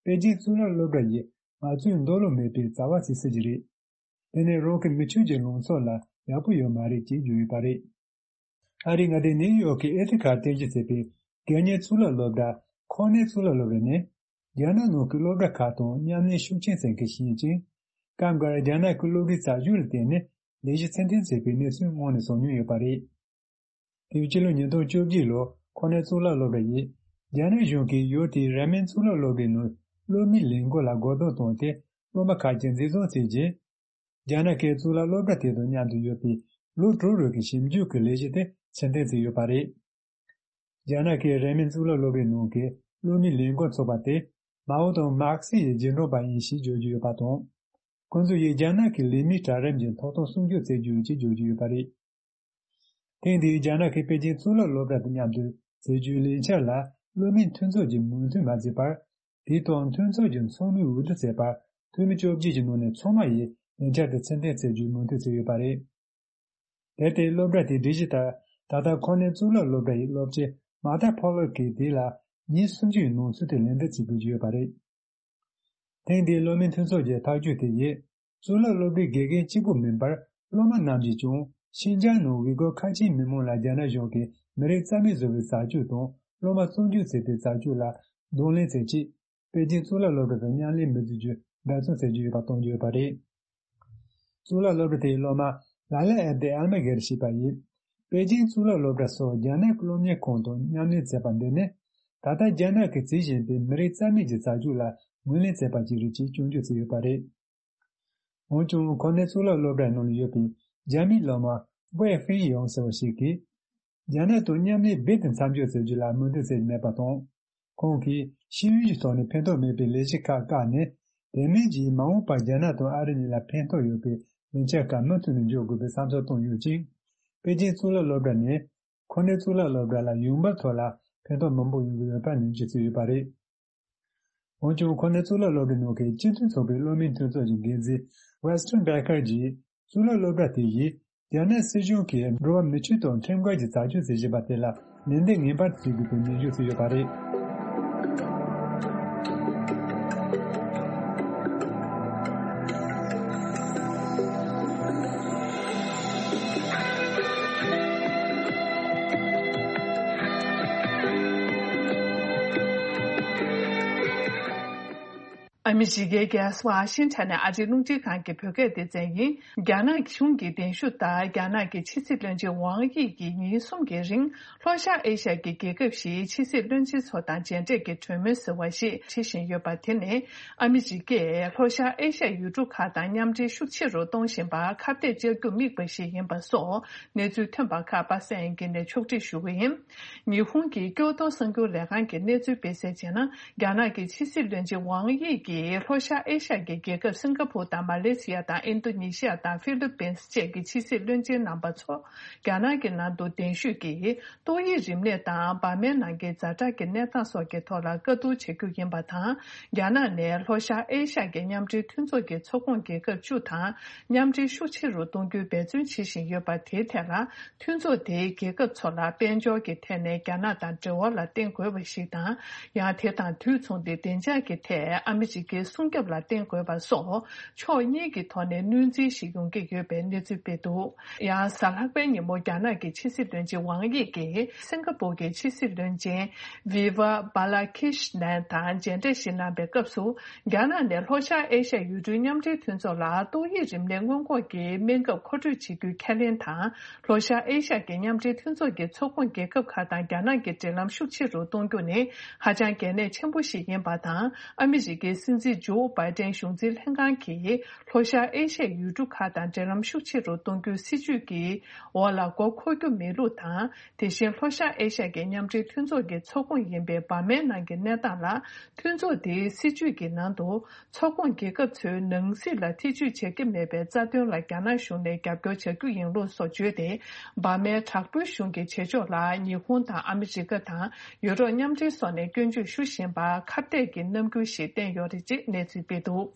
པེ་ཅིང་གཙུག་ལག་སློབ་གྲྭ་ཡིས་ང་ཚོའི་འདོད་བློ་མེད་པའི་བྱ་བ་ཞིག་བྱེད་ཀྱི་རེད། དེ་ནི་རང་གི་མི་ཆོས་ཀྱི་ལངས་ཕྱོགས་ལ་ཡག་པོ་ཡོད་མ་རེད་ཅེས་བརྗོད་ཡོད་པ་རེད། ཨ་རིའི་མངའ་སྡེ་ནིའུ་ཡོག་གི་ཨེ་ཐི་ཁ་རྟེན་གཞི་བྱས་པའི་སྒེར་གཉེར་གཙུག་ལག་སློབ་གྲྭ་ཁོ་ནའི་གཙུག་ལག་སློབ་གྲྭ་ནི། རྒྱ་ནག་ནང་གི་སློབ་གྲྭ་ཁག་དང་མཉམ་ལས་ཤུགས་ཆེན་བྱེད་མཁན་ཞིག་ཡིན་ཅིང་། སྐབས་འགར་རྒྱ་ནག་གི་སློབ་གྲྭའི་རྩ་ཆེན་ལ་བརྟེན་ནས་ལས་གཞི་ཚུལ་མཐུན་བྱས་པའི་གནས་ཚུལ་སྔོན་ནས་བྱུང་མྱོང་ཡོད་པ་རེད། དེའི་སྤྱི་ལོ་ཉིས་སྟོང་བཅོ་བརྒྱད་ལོར་ཁོ་ནའི་གཙུག་ལག་སློབ་གྲྭ་ཡིས། རྒྱ་ནག་གཞུང་གིས་ཡུལ་དེའི་རན་མིན་གཙུག་ལག་སློབ་གྲྭའི་ནང་སློབ་མའི་ལས་འགུལ་ལ་རྒོལ་རྡུང་བཏང་སྟེ། སློབ་མ་ཁག་ཅིག་འཛིན་བཟུང་བྱས་རྗེས། རྒྱ་ནག་གིས་གཙུག་ལག་སློབ་གྲྭ་དེ་དང་མཉམ་དུ་ཡོད་པའི་ལོ་དྲུག་རིང་གི་ཞིབ་འཇུག་གི་ལས་གཞི་དེ་ཕྱིར་འཐེན་བྱས་ཡོད་པ་རེད། རྒྱ་ནག་གིས་རན་མིན་གཙུག་ལག་སློབ་གྲྭའི་ནང་གི་སློབ་མའི་ལས་འགུལ་ཚོགས་པ་དེ། མའོ་དང་མར་ཁེ་སི་ཡི་རྗེས་འབྲང་པ་ཡིན་ཞེས་བརྗོད་ཀྱི་ཡོད་པ་དང་། ཁོང་ཚོ་ཡིས་རྒྱ་ནག་གི་ལས་མིའི་གྲལ་རིམ་གྱི་ཐོབ་ཐང་སྲུང་སྐྱོབ་བྱེད་རྒྱུ་ཡིན་ཞེས་བརྗོད་ཀྱི་ཡོད་པ་རེད། ཐེངས་འདིའི་རྒྱ་ནག་གིས་པེ་ཅིང་གཙུག་ལག་སློབ་གྲྭ་དང་མཉམ་དུ་བྱེད་རྒྱུའི་ལས་འཆར་ལ་སློབ་མའི་མཐུན་ཚོགས་ཀྱིས་མོས་མཐུན་མ་བྱས་པར། དེའི་ཐོག་མཐུན་ཚོགས་ཀྱི་ཚོགས་མིས་འོས་བསྡུ་བྱས་པར། འཐུས་མི་བཅོ་བརྒྱད་ཀྱི་ནང་ནས་ཚང་མ་ཡིས་ལས་འཆར་དེ་ཕྱིར་འཐེན་བྱེད་རྒྱུའི་མོས་མཐུན་བྱས་ཡོད་པ་རེད། དེར་བརྟེན་སློབ་གྲྭ་དེའི་སྒྲིག་གཞི་ལྟར། ད་ལྟ་ཁོ་ནའི་གཙུག་ལག་སློབ་གྲྭ་ཡི་སློབ་སྤྱི་མ་ཐ་ཕོ་ལོ་གིས་དེ་ལ་ཉིན་སུམ་ཅུ་ཡི་ནང་ཚུད་དེ་ལན་འདེབས་བྱེད་དགོས་ཀྱི་ཡོད་པ་རེད། ཐེངས་འདིའི་སློབ་མའི་མཐུན་ཚོགས་ཀྱི་ཐག་གཅོད་དེ་ཡིས། གཙུག་ལག་སློབ་གྲྭའི་དགེ་རྒན་གཅིག་པུ་མིན་པར། སློབ་མ་རྣམས་ཀྱིས་ཀྱང་ཤིན་ཅང་ནང་ཝི་གོ་ཁ་ཆེའི་མི་མང་ལ་རྒྱ་ནག་གཞུང་གིས་མི་རིགས་རྩ་མེད་བཟོ་བའི་རྩ་ཆོས་དང་སློབ་མ་བཙོན་འཇུག་བྱེད་པའི་རྩ་ཆོས་ལ་གདོང་ལེན་བྱེད་ཆེད། པེ་ཅིང་གཙུག་ལག་སློབ་གྲྭ་དང་མཉམ་ལས་མི་བྱེད་རྒྱུ་འབད་བརྩོན་བྱེད་ཀྱི་ཡོད་པ་སྟོན་གྱི་ཡོད་པ་རེད། གཙུག་ལག་སློབ་གྲྭ་དེའི་སློབ་མ་ལ་ལ་ཨེབ་དེ་ཨལ་མ་གེར་ཞེས་པ་ཡིས། པེ་ཅིང་གཙུག་ལག་སློབ་གྲྭ་སོགས་རྒྱ་ནག་གི་སློབ་གཉེར་ཁང་དང་མཉམ་ལས་བྱས་པ་འདི་ནི། ད་ལྟ་རྒྱ་ནག་གིས་བྱེད་བཞིན་པའི་མི་རིགས་རྩ་མེད་ཀྱི་རྩ་ཆོས་ལ་ངོས་ལེན་བྱས་པ་ཞིག་རེད་ཅེས་སྐྱོན་བརྗོད་བྱས་ཡོད་པ་རེད། འོན་ཀྱང་ཁོ་ནའི་གཙུག་ལག་སློབ་གྲྭའི་ནང་ལ་ཡོད་པའི་རྒྱ་མིའི་སློབ་མ་ཝེ་ཧྥེ་ཡོང་ཟེར་བ་ཞིག་གིས། རྒྱ་ནག་དང་མཉམ་ལས་རྦད་དེ་མཚམས་འཇོག་བྱེད་རྒྱུ་ལ་མོས་མཐུན་བྱས་མེད་པ་དང་། ཁོང་གིས་ཤེས་ཡོན་གྱི་ཐོག་ནས་ཕན་ཐོགས་མེད་པའི་ལས་གཞི་ཁག་བཀག་ནས། དེ་མིན་གྱིས་མ་འོངས་པར་རྒྱ་ནག་དང་ཨ་རི་གཉིས་ལ་ཕན་ཐོགས་ཡོད་པའི་ལས་འཆར་ཁག་མུ་མཐུད་ནས་འཇོག་དགོས་པའི་བསམ་ཚུལ་བཏོན་ཡོད་ཅིང་། པེ་ཅིང་གཙུག་ལག་སློབ་གྲྭ་ནས་ཁོ་ནའི་གཙུག་ལག་སློབ་གྲྭ་ལ་ཡོང་འབབ་ཐོག་ལ་ཕན་ཐོགས་མང་པོ་ཡོང་གི་ཡོད་པ་ནས་བརྗོད་ཀྱི་ཡོད་པ་རེད། འོན་ཀྱང་། ཁོ་ནའི་གཙུག་ལག་སློབ་གྲྭའི་ནང་གི་སྤྱི་མཐུན་ཚོགས་པའི་སློབ་མའི་མཐུན་ཚོགས་ཀྱི་འགན་འཛིན་Weston Baker གྱིས། གཙུག་ལག་སློབ་གྲྭ་དེ་ཡིས་རྒྱ་ནག་སྲིད་གཞུང་གིས་འགྲོ་བ་མིའི་ཆོས་དང་ཁྲིམས་འགལ་གྱི་བྱ་སྤྱོད་བྱེད་བཞིན་པ་དེ་ལ་ལན་འདེབས་ངེས་པར་བྱེད་དགོས་པའི་ནན་བརྗོད་བྱས་ཡོད་པ་རེད། ཨ་མི་རི་ཀའི་རྒྱལ་ས་ཝ་ཤིང་ཊོན་ནས་ཨ་རིའི་རླུང་འཕྲིན་ཁང་གི་བོད་སྐད་སྡེ་ཚན་ཡིན། རྒྱ་ནག་གཞུང་གི་གདན་ཞུ་ལྟར། རྒྱ་ནག་གི་ཕྱི་སྲིད་བློན་ཆེན་ཝང་དབྱི་གིས་ཉིན་གསུམ་གྱི་རིང་ལྷོ་ཤར་ཨེ་ཤ་ཡའི་རྒྱལ་ཁབ་བཞིའི་ཕྱི་སྲིད་བློན་ཆེན་ཚོ་དང་མཇལ་འཕྲད་ཀྱི་གྲོས་མོལ་ཟེར་བ་ཞིག་བྱེད་བཞིན་ཡོད་པ། དེ་ནི་ཨ་མི་རི་ཀས་ལྷོ་ཤར་ཨེ་ཤ་ཡུལ་གྲུ་ཁག་དང་མཉམ་འབྲེལ་ཤུགས་ཆེ་རུ་གཏོང་བཞིན་པར་ཁ་གཏད་བཅག་རྒྱུར་དམིགས་པ་ཞིག་ཡིན་པ་སོགས་གནས་ཚུལ་ཐོན་པ་ཁག་པ་སངས་དབྱངས་སྐྱིད་ནས་ཕྱོགས་སྒྲིག་ཞུ་གི་ཡིན། ཉི་ཧོང་གི་ཀྱོ་ཏོ་གསར་འགྱུར་ལས་ཁང་གིས་གནས་ཚུལ་སྤེལ་གསལ་བྱས་ན། རྒྱ་ནག་གི་ཕྱི་སྲིད་བློན་ཆེན་ཝང་དབྱི་གིས་ལྷོ་ཤར་ཨེ་ཤ་ཡའི་རྒྱལ་ཁབ་སིང་ག་པུར་དང་མ་ལེ་ཤི་ཡ་དང་ཨིན་རྡོ་ནེ་ཤི་ཡ་དང་ཧྥི་ལི་པིན་བཅས་ཀྱི་ཕྱི་སྲིད་བློན་ཆེན་རྣམ་པ་ཚོ་རྒྱ་ནག་གི་ནང་དུ་གདན་ཞུས་ཀྱིས་ཏོག་དབྱིབས་རིམས་ནད་དང་འབར་མའི་ནང་གི་ཛ་དྲག་གི་གནས་སྟངས་སོགས་ཀྱི་ཐོག་ལ་བཀའ་བསྡུར་བྱ་རྒྱུ་ཡིན་པ་དང་། རྒྱ་ནག་ནས་ལྷོ་ཤར་ཨེ་ཤ་ཡའི་མཉམ་འབྲེལ་མཐུན་ཚོགས་ཀྱི་ཚོགས་ཁོངས་རྒྱལ་ཁབ་བཅུ་དང་མཉམ་འབྲེལ་ཤུགས་ཆེ་རུ་གཏོང་རྒྱུའི་འབད་བརྩོན་བྱེད་བཞིན་ཡོད་པ། དེའི་ཐད་ལ། མཐུན་ཚོགས་དེའི་རྒྱལ་ཁབ་ཚོ་ལ་དཔལ་འབྱོར་གྱི་ཐད་ནས་རྒྱ་ནག་དང་འབྲེལ་བ་ལ་བརྟེན་དགོས་པ་ཞིག་དང་། ཡང་དེ་དང་དུས་མཚུངས་ཏེ་བདེ་འཇགས་ཀྱི་ཐད་ཨ་མི་རི་ཀའི་སྲུང་སྐྱོབ་ལ་བརྟེན་དགོས་པ་སོགས་ཕྱོགས་གཉིས་ཀྱི་ཐོག་ནས་གནོད་འཚེ་ཞིག་ཡོང་གི་ཡོད་པའི་གནས་ཚུལ་སྤེལ་འདུག། ཡང་གཟའ་ལྷག་པའི་ཉིན་མོ་རྒྱ་ནག་གི་ཕྱི་སྲིད་བློན་ཆེན་ཝང་དབྱི་གིས་སིང་ག་པུར་གྱི་ཕྱི་སྲིད་བློན་ཆེན་Viva Balakrishnan དང་མཇལ་འཕྲད་ཞིག་གནང་པའི་སྐབས་སུ། རྒྱ་ནག་ནས་ལྷོ་ཤར་ཨེ་ཤ་ཡའི་ཡུལ་གྲུའི་མཉམ་འབྲེལ་མཐུན་ཚོགས་ལ་ཏོག་དབྱིབས་རིམས་ནད་སྔོན་འགོག་གི་སྨན་ཁབ་མཁོ་སྤྲོད་བྱེད་རྒྱུའི་ཁས་ལེན་དང་། ལྷོ་ཤར་ཨེ་ཤ་ཡའི་མཉམ་འབྲེལ་མཐུན་ཚོགས་ཀྱི་ཚོགས་ཁོངས་རྒྱལ་ཁབ་ཁག་དང་རྒྱ་ནག་གི་འབྲེལ་ལམ་ཤུགས་ཆེ་རུ་གཏོང་རྒྱུ་ནི་ཧ་ཅང་གལ་གནད་ཆེན་པོ་ཞིག་ཡིན་པ་དང་། ཨ་མི་རི་ཀའི་སྲིད་འཛིན་ཇོ་བྷའི་ཏན་གཞུང་འཛིན་ལྷན་ཁང་གིས་ལྷོ་ཤར་ཨེ་ཤ་ཡའི་ཡུལ་གྲུ་ཁག་དང་འབྲེལ་ལམ་ཤུགས་ཆེ་རུ་གཏོང་རྒྱུའི་སྲིད་ཇུས་ཀྱི་འོག་ལ་མགོ་འཁོར་རྒྱུ་མེད་ལུགས་དང་། དེ་བཞིན་ལྷོ་ཤར་ཨེ་ཤ་ཡའི་མཉམ་འབྲེལ་མཐུན་ཚོགས་ཀྱི་ཚོགས་ཁོངས་ཡིན་པའི་འབར་མའི་ནང་གི་གནས་སྟངས་ལ། མཐུན་ཚོགས་དེའི་སྲིད་ཇུས་ཀྱི་ནང་དུ། ཚོགས་ཁོངས་རྒྱལ་ཁབ་ཚོའི་ནང་སྲིད་ལ་ཐེ་ཇུས་བྱེད་ཀྱི་མེད་པའི་རྩ་དོན་ལ་རྒྱ་ནག་གཞུང་ནས་རྒྱབ་སྐྱོར་བྱ་རྒྱུ་ཡིན་ལུགས་སོགས་བརྗོད་དེ། འབར་མའི་དྲག་པོའི་གཞུང་གི་བྱེད་ཕྱོགས་ལ་ཉི་ཧོང་དང་ཨ་མི་རི་ཀ་དང་ཡུ་རོབ་མཉམ་འབྲེལ་སོགས་ནས་སྐྱོན་བརྗོད་ཞུ་བཞིན་པར་ཁ་གཏད་ཀྱི་རྣམ་འགྱུར་ཞིག་བསྟན་ཡོད་རེད་ཅེས་གནས་ཚུལ་སྤེལ་འདུག།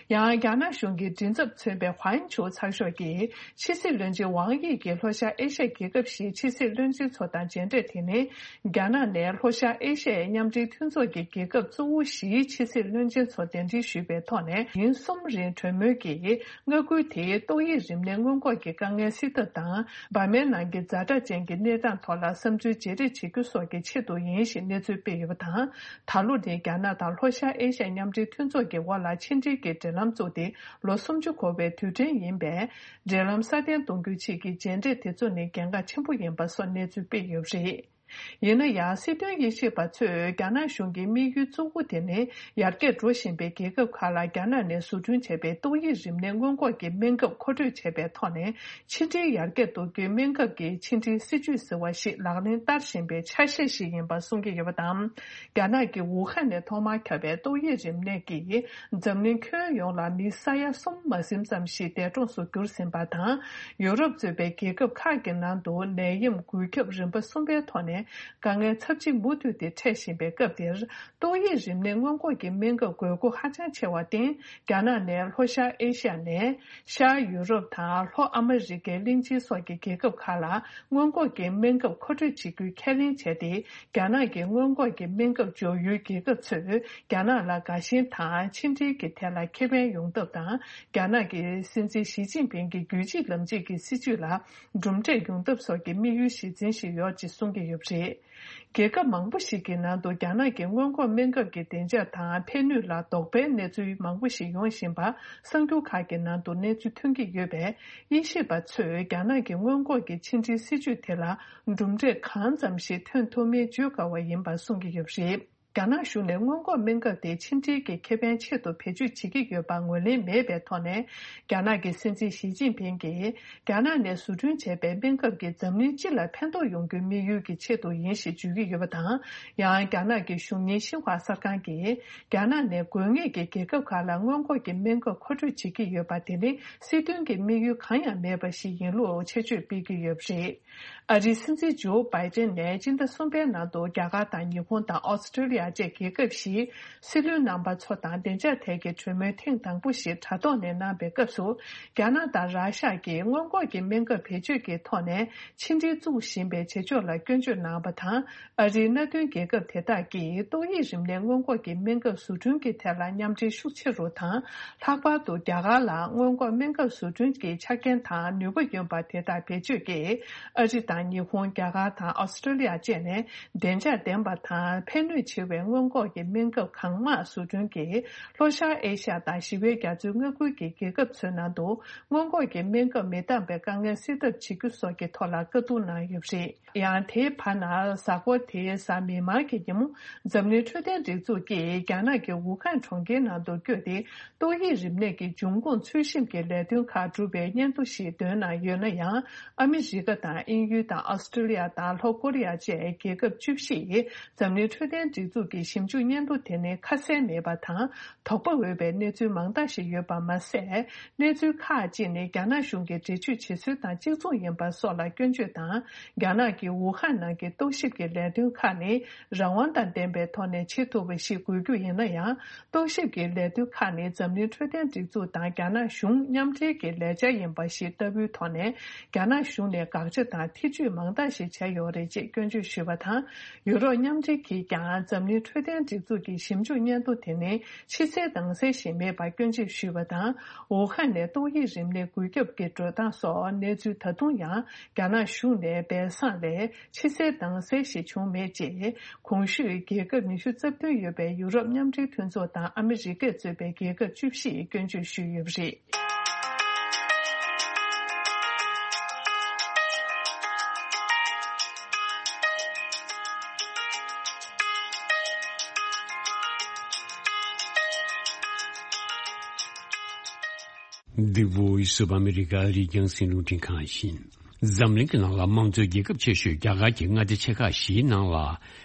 ཡང་རྒྱ་ནག་གཞུང་གི་མགྲིན་ཚབ་མཚོན་པའི་ཧུའན་ཆུའུ་ཚགས་ཤོག་གིས། ཕྱི་སྲིད་བློན་ཆེན་ཝང་དབྱི་གིས་ལྷོ་ཤར་ཨེ་ཤ་ཡའི་རྒྱལ་ཁབ་བཞིའི་ཕྱི་སྲིད་བློན་ཆེན་ཚོ་དང་མཇལ་འཕྲད་དེ་ནི། རྒྱ་ནག་ནས་ལྷོ་ཤར་ཨེ་ཤ་ཡའི་མཉམ་འབྲེལ་མཐུན་ཚོགས་ཀྱི་རྒྱལ་ཁབ་གཙོ་བོ་བཞིའི་ཕྱི་སྲིད་བློན་ཆེན་ཚོ་གདན་འདྲེན་ཞུས་པའི་ཐོག་ནས། ཉིན་གསུམ་རིང་གྲོས་མོལ་གྱིས་མངའ་ཁུལ་དེའི་ཏོག་དབྱིབས་རིམས་ནད་སྔོན་འགོག་གི་དཀའ་ངལ་སེལ་ཐབས་དང་། འབར་མའི་ནང་གི་ཛ་དྲག་ཅན་གྱི་གནས་སྟངས་ཐོག་ལ་བསམ་ཚུལ་བརྗེ་རེས་བྱེད་རྒྱུ་སོགས་ཀྱི་ཆེད་དུ་ཡིན་ཞེས་གནས་ཚུལ་སྤེལ་ཡོད་པ་དང་། ད་ལོ་ནི་རྒྱ་ནག་དང་ལྷོ་ཤར་ཨེ་ཤ་ཡའི་མཉམ་འབྲེལ་མཐུན་ཚོགས་ཀྱི་དབར་ལ་ཕྱི་འབྲེལ་གྱི་འབྲེལ་ལམ་བཙུགས་ཏེ་ལོ་སུམ་ཅུ་འཁོར་བའི་དུས་དྲན་ཡིན་པས། འབྲེལ་ལམ་སྲ་བརྟན་གཏོང་རྒྱུའི་ཆེད་ཀྱི་མཇལ་འཕྲད་དེ་ཚོ་ནི་གལ་འགངས་ཆེན་པོ་ཡིན་པ་སོགས་གནས་ཚུལ་སྤེལ་ཡོད་པ་རེད། ཡིན་ན་ཡང་། སྲིད་དོན་དབྱེ་ཞིབ་པ་ཚོས་རྒྱ་ནག་གཞུང་གི་དམིགས་ཡུལ་གཙོ་བོ་དེ་ནི། ཡར་རྒྱས་འགྲོ་བཞིན་པའི་རྒྱལ་ཁབ་ཁག་ལ་རྒྱ་ནག་ནས་བཟོ་སྐྲུན་བྱས་པའི་ཏོག་དབྱིབས་རིམས་ནད་སྔོན་འགོག་གི་སྨན་ཁབ་མཁོ་སྤྲོད་བྱས་པའི་ཐོག་ནས། ཕྱི་འབྲེལ་ཡར་རྒྱས་གཏོང་རྒྱུའི་སྨན་ཁབ་ཀྱི་ཕྱི་འབྲེལ་སྲིད་ཇུས་ཟེར་བ་ཞིག་ལག་ལེན་བསྟར་བཞིན་པའི་ཆ་ཤས་ཤིག་ཡིན་པ་གསུང་གི་ཡོད་པ་དང་། རྒྱ་ནག་གི་ཝུ་ཧན་ནས་ཐོག་མར་ཁྱབ་པའི་ཏོག་དབྱིབས་རིམས་ནད་ཀྱིས། འཛམ་གླིང་ཁྱོན་ཡོངས་ལ་མི་ས་ཡ་གསུམ་མ་ཟིན་ཙམ་ཞིག་འདས་གྲོངས་སུ་གྱུར་ཟིན་པ་དང་། ཡུ་རོབ་གཙོས་པའི་རྒྱལ་ཁབ་ཁག་གི་ནང་དུ་ནད་ཡམས་འགོས་ཁྱབ་རིམ་པ་གསུམ་པའི་ཐོག་ནས་དཀའ་ངལ་ཚབས་ཆེ་མུ་མཐུད་དེ་འཕྲད་བཞིན་པའི་སྐབས་འདིར། ཏོག་དབྱིབས་རིམས་ནད་སྔོན་འགོག་གི་སྨན་ཁབ་དགོས་མཁོ་ཧ་ཅང་ཆེ་བར་བརྟེན། རྒྱ་ནག་ནས་ལྷོ་ཤར་ཨེ་ཤ་ཡ་ནས་ཤར་ཡུ་རོབ་དང་ལྷོ་ཨ་མི་རི་ཀའི་གླིང་ཆེན་སོགས་ཀྱི་རྒྱལ་ཁབ་ཁག་ལ་སྔོན་འགོག་གི་སྨན་ཁབ་མཁོ་སྤྲོད་བྱེད་རྒྱུའི་ཁས་ལེན་བྱས་ཏེ། རྒྱ་ནག་གི་སྔོན་འགོག་གི་སྨན་ཁབ་འཇོག་ཡུལ་རྒྱལ་ཁབ་ཚོས་རྒྱ་ནག་ལ་དགའ་ཞེན་དང་ཕྱི་འབྲེལ་གྱི་ཐད་ལ་ཁེ་ཕན་ཡོང་ཐབས་དང་། རྒྱ་ནག་གི་སྲིད་འཛིན་ཞི་ཅིན་ཕིང་གི་རྒྱུད་གཅིག་ལམ་གཅིག་གི་སྲིད་བྱུས་ལ་གྲུབ་འབྲས་ཡོང་ཐབས་སོགས་ཀྱི་དམིགས་ཡུལ་གཞི་འཛིན་ཞིག་ཡོད་ཅེས་གསུང་གི་ཡོད་པ་རེད། རྒྱལ་ཁབ་མང་པོ་ཞིག་གི་ནང་དུ་རྒྱ་ནག་གི་སྔོན་འགོག་སྨན་ཁབ་ཀྱི་བདེ་འཇགས་དང་ཕན་ནུས་ལ་དོགས་པའི་གནས་ཚུལ་མང་པོ་ཞིག་ཡོང་བཞིན་པ་གསར་འགྱུར་ཁག་གི་ནང་དུ་གནས་ཚུལ་ཐོན་གྱི་ཡོད་པས། དབྱེ་ཞིབ་པ་ཚོས་རྒྱ་ནག་གི་སྔོན་འགོག་གི་ཕྱི་འབྲེལ་སྲིད་བྱུས་དེ་ལ་གྲུབ་འབྲས་གང་ཙམ་ཞིག་ཐོན་ཐུབ་མིན་བརྗོད་དཀའ་བ་ཡིན་པ་གསུང་གི་ཡོད་པ་རེད། རྒྱ་ནག་གཞུང་ནས་སྔོན་འགོག་སྨན་ཁབ་དེ་ཕྱི་འབྲེལ་གྱི་ཁེ་ཕན་ཆེད་དུ་བེད་སྤྱོད་བྱེད་ཀྱི་ཡོད་པ་ངོས་ལེན་མེད་པའི་ཐོག་ནས། རྒྱ་ནག་གི་སྲིད་འཛིན་ཞི་ཅིན་ཕིང་གིས། རྒྱ་ནག་ནས་བཟོ་སྐྲུན་བྱས་པའི་སྨན་ཁབ་ཀྱིས་འཛམ་གླིང་སྤྱི་ལ་ཕན་ཐོགས་ཡོང་རྒྱུའི་དམིགས་ཡུལ་གྱི་ཆེད་དུ་ཡིན་ཞེས་བརྗོད་ཀྱི་ཡོད་པ་དང་། ཡང་། རྒྱ་ནག་གི་གཞུང་གཉེར་ཤིན་ཧྭ་གསར་ཁང་གིས། རྒྱ་ནག་ནས་དགོས་ངེས་ཀྱི་རྒྱལ་ཁབ་ཁག་ལ་སྔོན་འགོག་གི་སྨན་ཁབ་མཁོ་སྤྲོད་བྱེད་ཀྱི་ཡོད་པ། དེ་ནི་སྲིད་དོན་གྱི་དམིགས་ཡུལ་གང་ཡང་མེད་པ་ཞིག་ཡིན་ལུགས་ཆེད་བརྗོད་སྤེལ་གྱི་ཡོད་པ་རེད། ཨ་རིའི་སྲིད་འཛིན་ཇོ་བྷའི་ཏན་ནས་སྤྱི་ཟླ་གསུམ་པའི་ནང་དུ་རྒྱ་གར་དང་ཉི་ཧོང་དང་ཨོ་སི་ཀྲི་ལི་ཡ་བཅས་རྒྱལ་ཁབ་བཞིའི་སྲིད་བློན་རྣམ་པ་ཚོ་དང་བདེ་འཇགས་ཐད་ཀྱི་གྲོས་མོལ་ཐེངས་དང་པོ་ཞིག་དྲ་ཐོག་ནས་གནང་པའི་སྐབས་སུ། རྒྱ་ནག་དང་ར་ཤ་གིས་སྔོན་འགོག་གི་སྨན་ཁབ་བེད་སྤྱོད་ཀྱི་ཐོག་ནས་ཕྱི་འབྲེལ་བཙུགས་བཞིན་པའི་བྱེད་ཕྱོགས་ལ་སྐྱོན་བརྗོད་གནང་བ་དང་། ཨ་རིའི་མནའ་མཐུན་རྒྱལ་ཁབ་དེ་དག་གིས་ཏོག་དབྱིབས་རིམས་ནད་སྔོན་འགོག་གི་སྨན་ཁབ་བཟོ་སྐྲུན་གྱི་ཐད་ལ་མཉམ་འབྲེལ་ཤུགས་ཆེ་རུ་དང་། ལྷག་པར་དུ་རྒྱ་གར་ལ་སྔོན་འགོག་སྨན་ཁབ་བཟོ་སྐྲུན་གྱི་ཆ་རྐྱེན་དང་ནུས་པ་ཡོད་པ་དེ་དག་བེད་སྤྱོད་ཀྱིས། ཨ་རི་དང་ཉི་ཧོང་། རྒྱ་གར་དང་ཨོ་སི་ཀྲི་ལི་ཡ་བཅས་ནས་བདེ་འཇགས་ལྡན་པ་དང་ཕན་ནུས་ཆེ་བའི་སྔོན་འགོག་གི་སྨན་ཁབ་གང་མང་བཟོ་སྐྲུན་གྱིས། ལྷོ་ཤར་ཨེ་ཤ་ཡ་དང་ཞི་བའི་རྒྱ་མཚོའི་མངའ་ཁུལ་གྱི་རྒྱལ་ཁབ་ཚོའི་ནང་དུ་སྔོན་འགོག་གི་སྨན་ཁབ་མི་འདང་བའི་དཀའ་ངལ་སེལ་ཐབས་བྱེད་རྒྱུ་སོགས་ཀྱི་ཐོག་ལ་བཀའ་བསྡུར་གནང་ཡོད་པ་རེད། ཡང་། དེའི་བར་ན། གཟའ་འཁོར་དེའི་གཟའ་མིག་དམར་གྱི་ཉིན་མོ། འཛམ་གླིང་འཕྲོད་བསྟེན་སྒྲིག་འཛུགས་ཀྱིས་རྒྱ་ནག་གི་ཝུ་ཧན་གྲོང་ཁྱེར་ནང་དུ་བསྐྱོད་དེ། ཏོག་དབྱིབས་རིམས་ནད་ཀྱི་འབྱུང་ཁུངས་འཚོལ་ཞིབ་ཀྱི་ལས་དོན་ཁག་སྒྲུབ་པའི་སྙན་ཐོ་ཞིག་འདོན་གནང་ཡོད་ན་ཡང་། ཨ་མི་རི་ཀ་དང་དབྱིན་ཡུལ་དང་ཨོ་སི་ཀྲི་ལི་ཡ་དང་ལྷོ་ཀོ་རི་ཡ་བཅས་རྒྱལ་ཁབ་བཅུ་བཞིས་འཛམ་གླིང་འཕྲོད་བསྟེན་སྒྲིག་འཛུགས་ཀྱི་ཞིབ་འཇུག་སྙན་ཐོ་དེ་ནི་ཁ་གསལ་མེད་པ་དང་། དོགས་པ་འོས་པའི་གནས་ཚུལ་མང་དག་ཞིག་ཡོད་པ་མ་ཟད། གནས་ཚུལ་ཁག་ཅིག་ནི་རྒྱ་ནག་གཞུང་གིས་འགྲེལ་བརྗོད་བྱེད་སྲོལ་དང་གཅིག་མཚུངས་ཡིན་པ་སོགས་ལ་སྐྱོན་བརྗོད་དང་། རྒྱ་ནག་གི་ཝུ་ཧན་ནང་གི་རྟོག་ཞིབ་ཀྱི་ལས་དོན་ཁག་ནི་རང་དབང་དང་ལྡན་པའི་ཐོག་ནས་བྱེད་ཐུབ་པ་ཞིག་དགོས་རྒྱུ་ཡིན་ན་ཡང་། རྟོག་ཞིབ་ཀྱི་ལས་དོན་ཁག་ནི་འཛམ་གླིང་འཕྲོད་བསྟེན་སྒྲིག་འཛུགས་དང་རྒྱ་ནག་གཞུང་མཉམ་འབྲེལ་གྱི་ལས་འཆར་ཡིན་པ་ཞིག་ལྟ་བུའི་ཐོག་ནས། རྒྱ་ནག་གཞུང་ནས་དགག་བྱ་དང་ཐེ་བྱུས་མང་དག་ཞིག་བྱས་ཡོད་རེད་ཅེས་སྐྱོན་བརྗོད་ཞུས་པ་དང་། ཡུ་རོབ་མཉམ་འབྲེལ་གྱིས་ཀྱང་འཛམ་གླིང་འཕྲོད་བསྟེན་སྒྲིག་འཛུགས་ཀྱི་ཞིབ་འཇུག་སྙན་ཐོ་དེ་ནི་ཕྱི་གསལ་ནང་གསལ་ཞིག་མེད་པར་སྐྱོན་བརྗོད་ཞུས་པ་དང་། ཝུ་ཧན་ནས་ཏོག་དབྱིབས་རིམས་ནད་འགོས་ཁྱབ་ཀྱི་འགྲོ་སྟངས་སོགས་གནས་ཚུལ་ད་དུང་ཡང་རྒྱ་ནག་གཞུང་ནས་སྦས་གསང་ལས་ཕྱི་གསལ་ནང་གསལ་ཞིག་བྱུང་མེད་ཅེས། གོང་ཞུས་རྒྱལ་ཁབ་ཉི་ཤུ་རྩ་བདུན་ཡོད་པའི་ཡུ་རོབ་མཉམ་འབྲེལ་མཐུན་ཚོགས་དང་ཨ་མི་རི་ཀས་གཙོས་པའི་རྒྱལ་ཁབ་བཅུ་བཞི་ཡིས་སྐྱོན་བརྗོད་ཞུས་ཡོད་པ་རེད། འདི་Voice of America ཨ་རིའི་རྒྱང་སྲིང་རླུང་འཕྲིན་ཁང་ཡིན། འཛམ་གླིང་གི་ནང་ལ་དམངས་གཙོའི་རྒྱལ་ཁབ་ཆེ་ཤོས་རྒྱ་གར་གྱི་མངའ་སྡེ་ཆེ་ཁག་བཞིའི་ནང་ལ།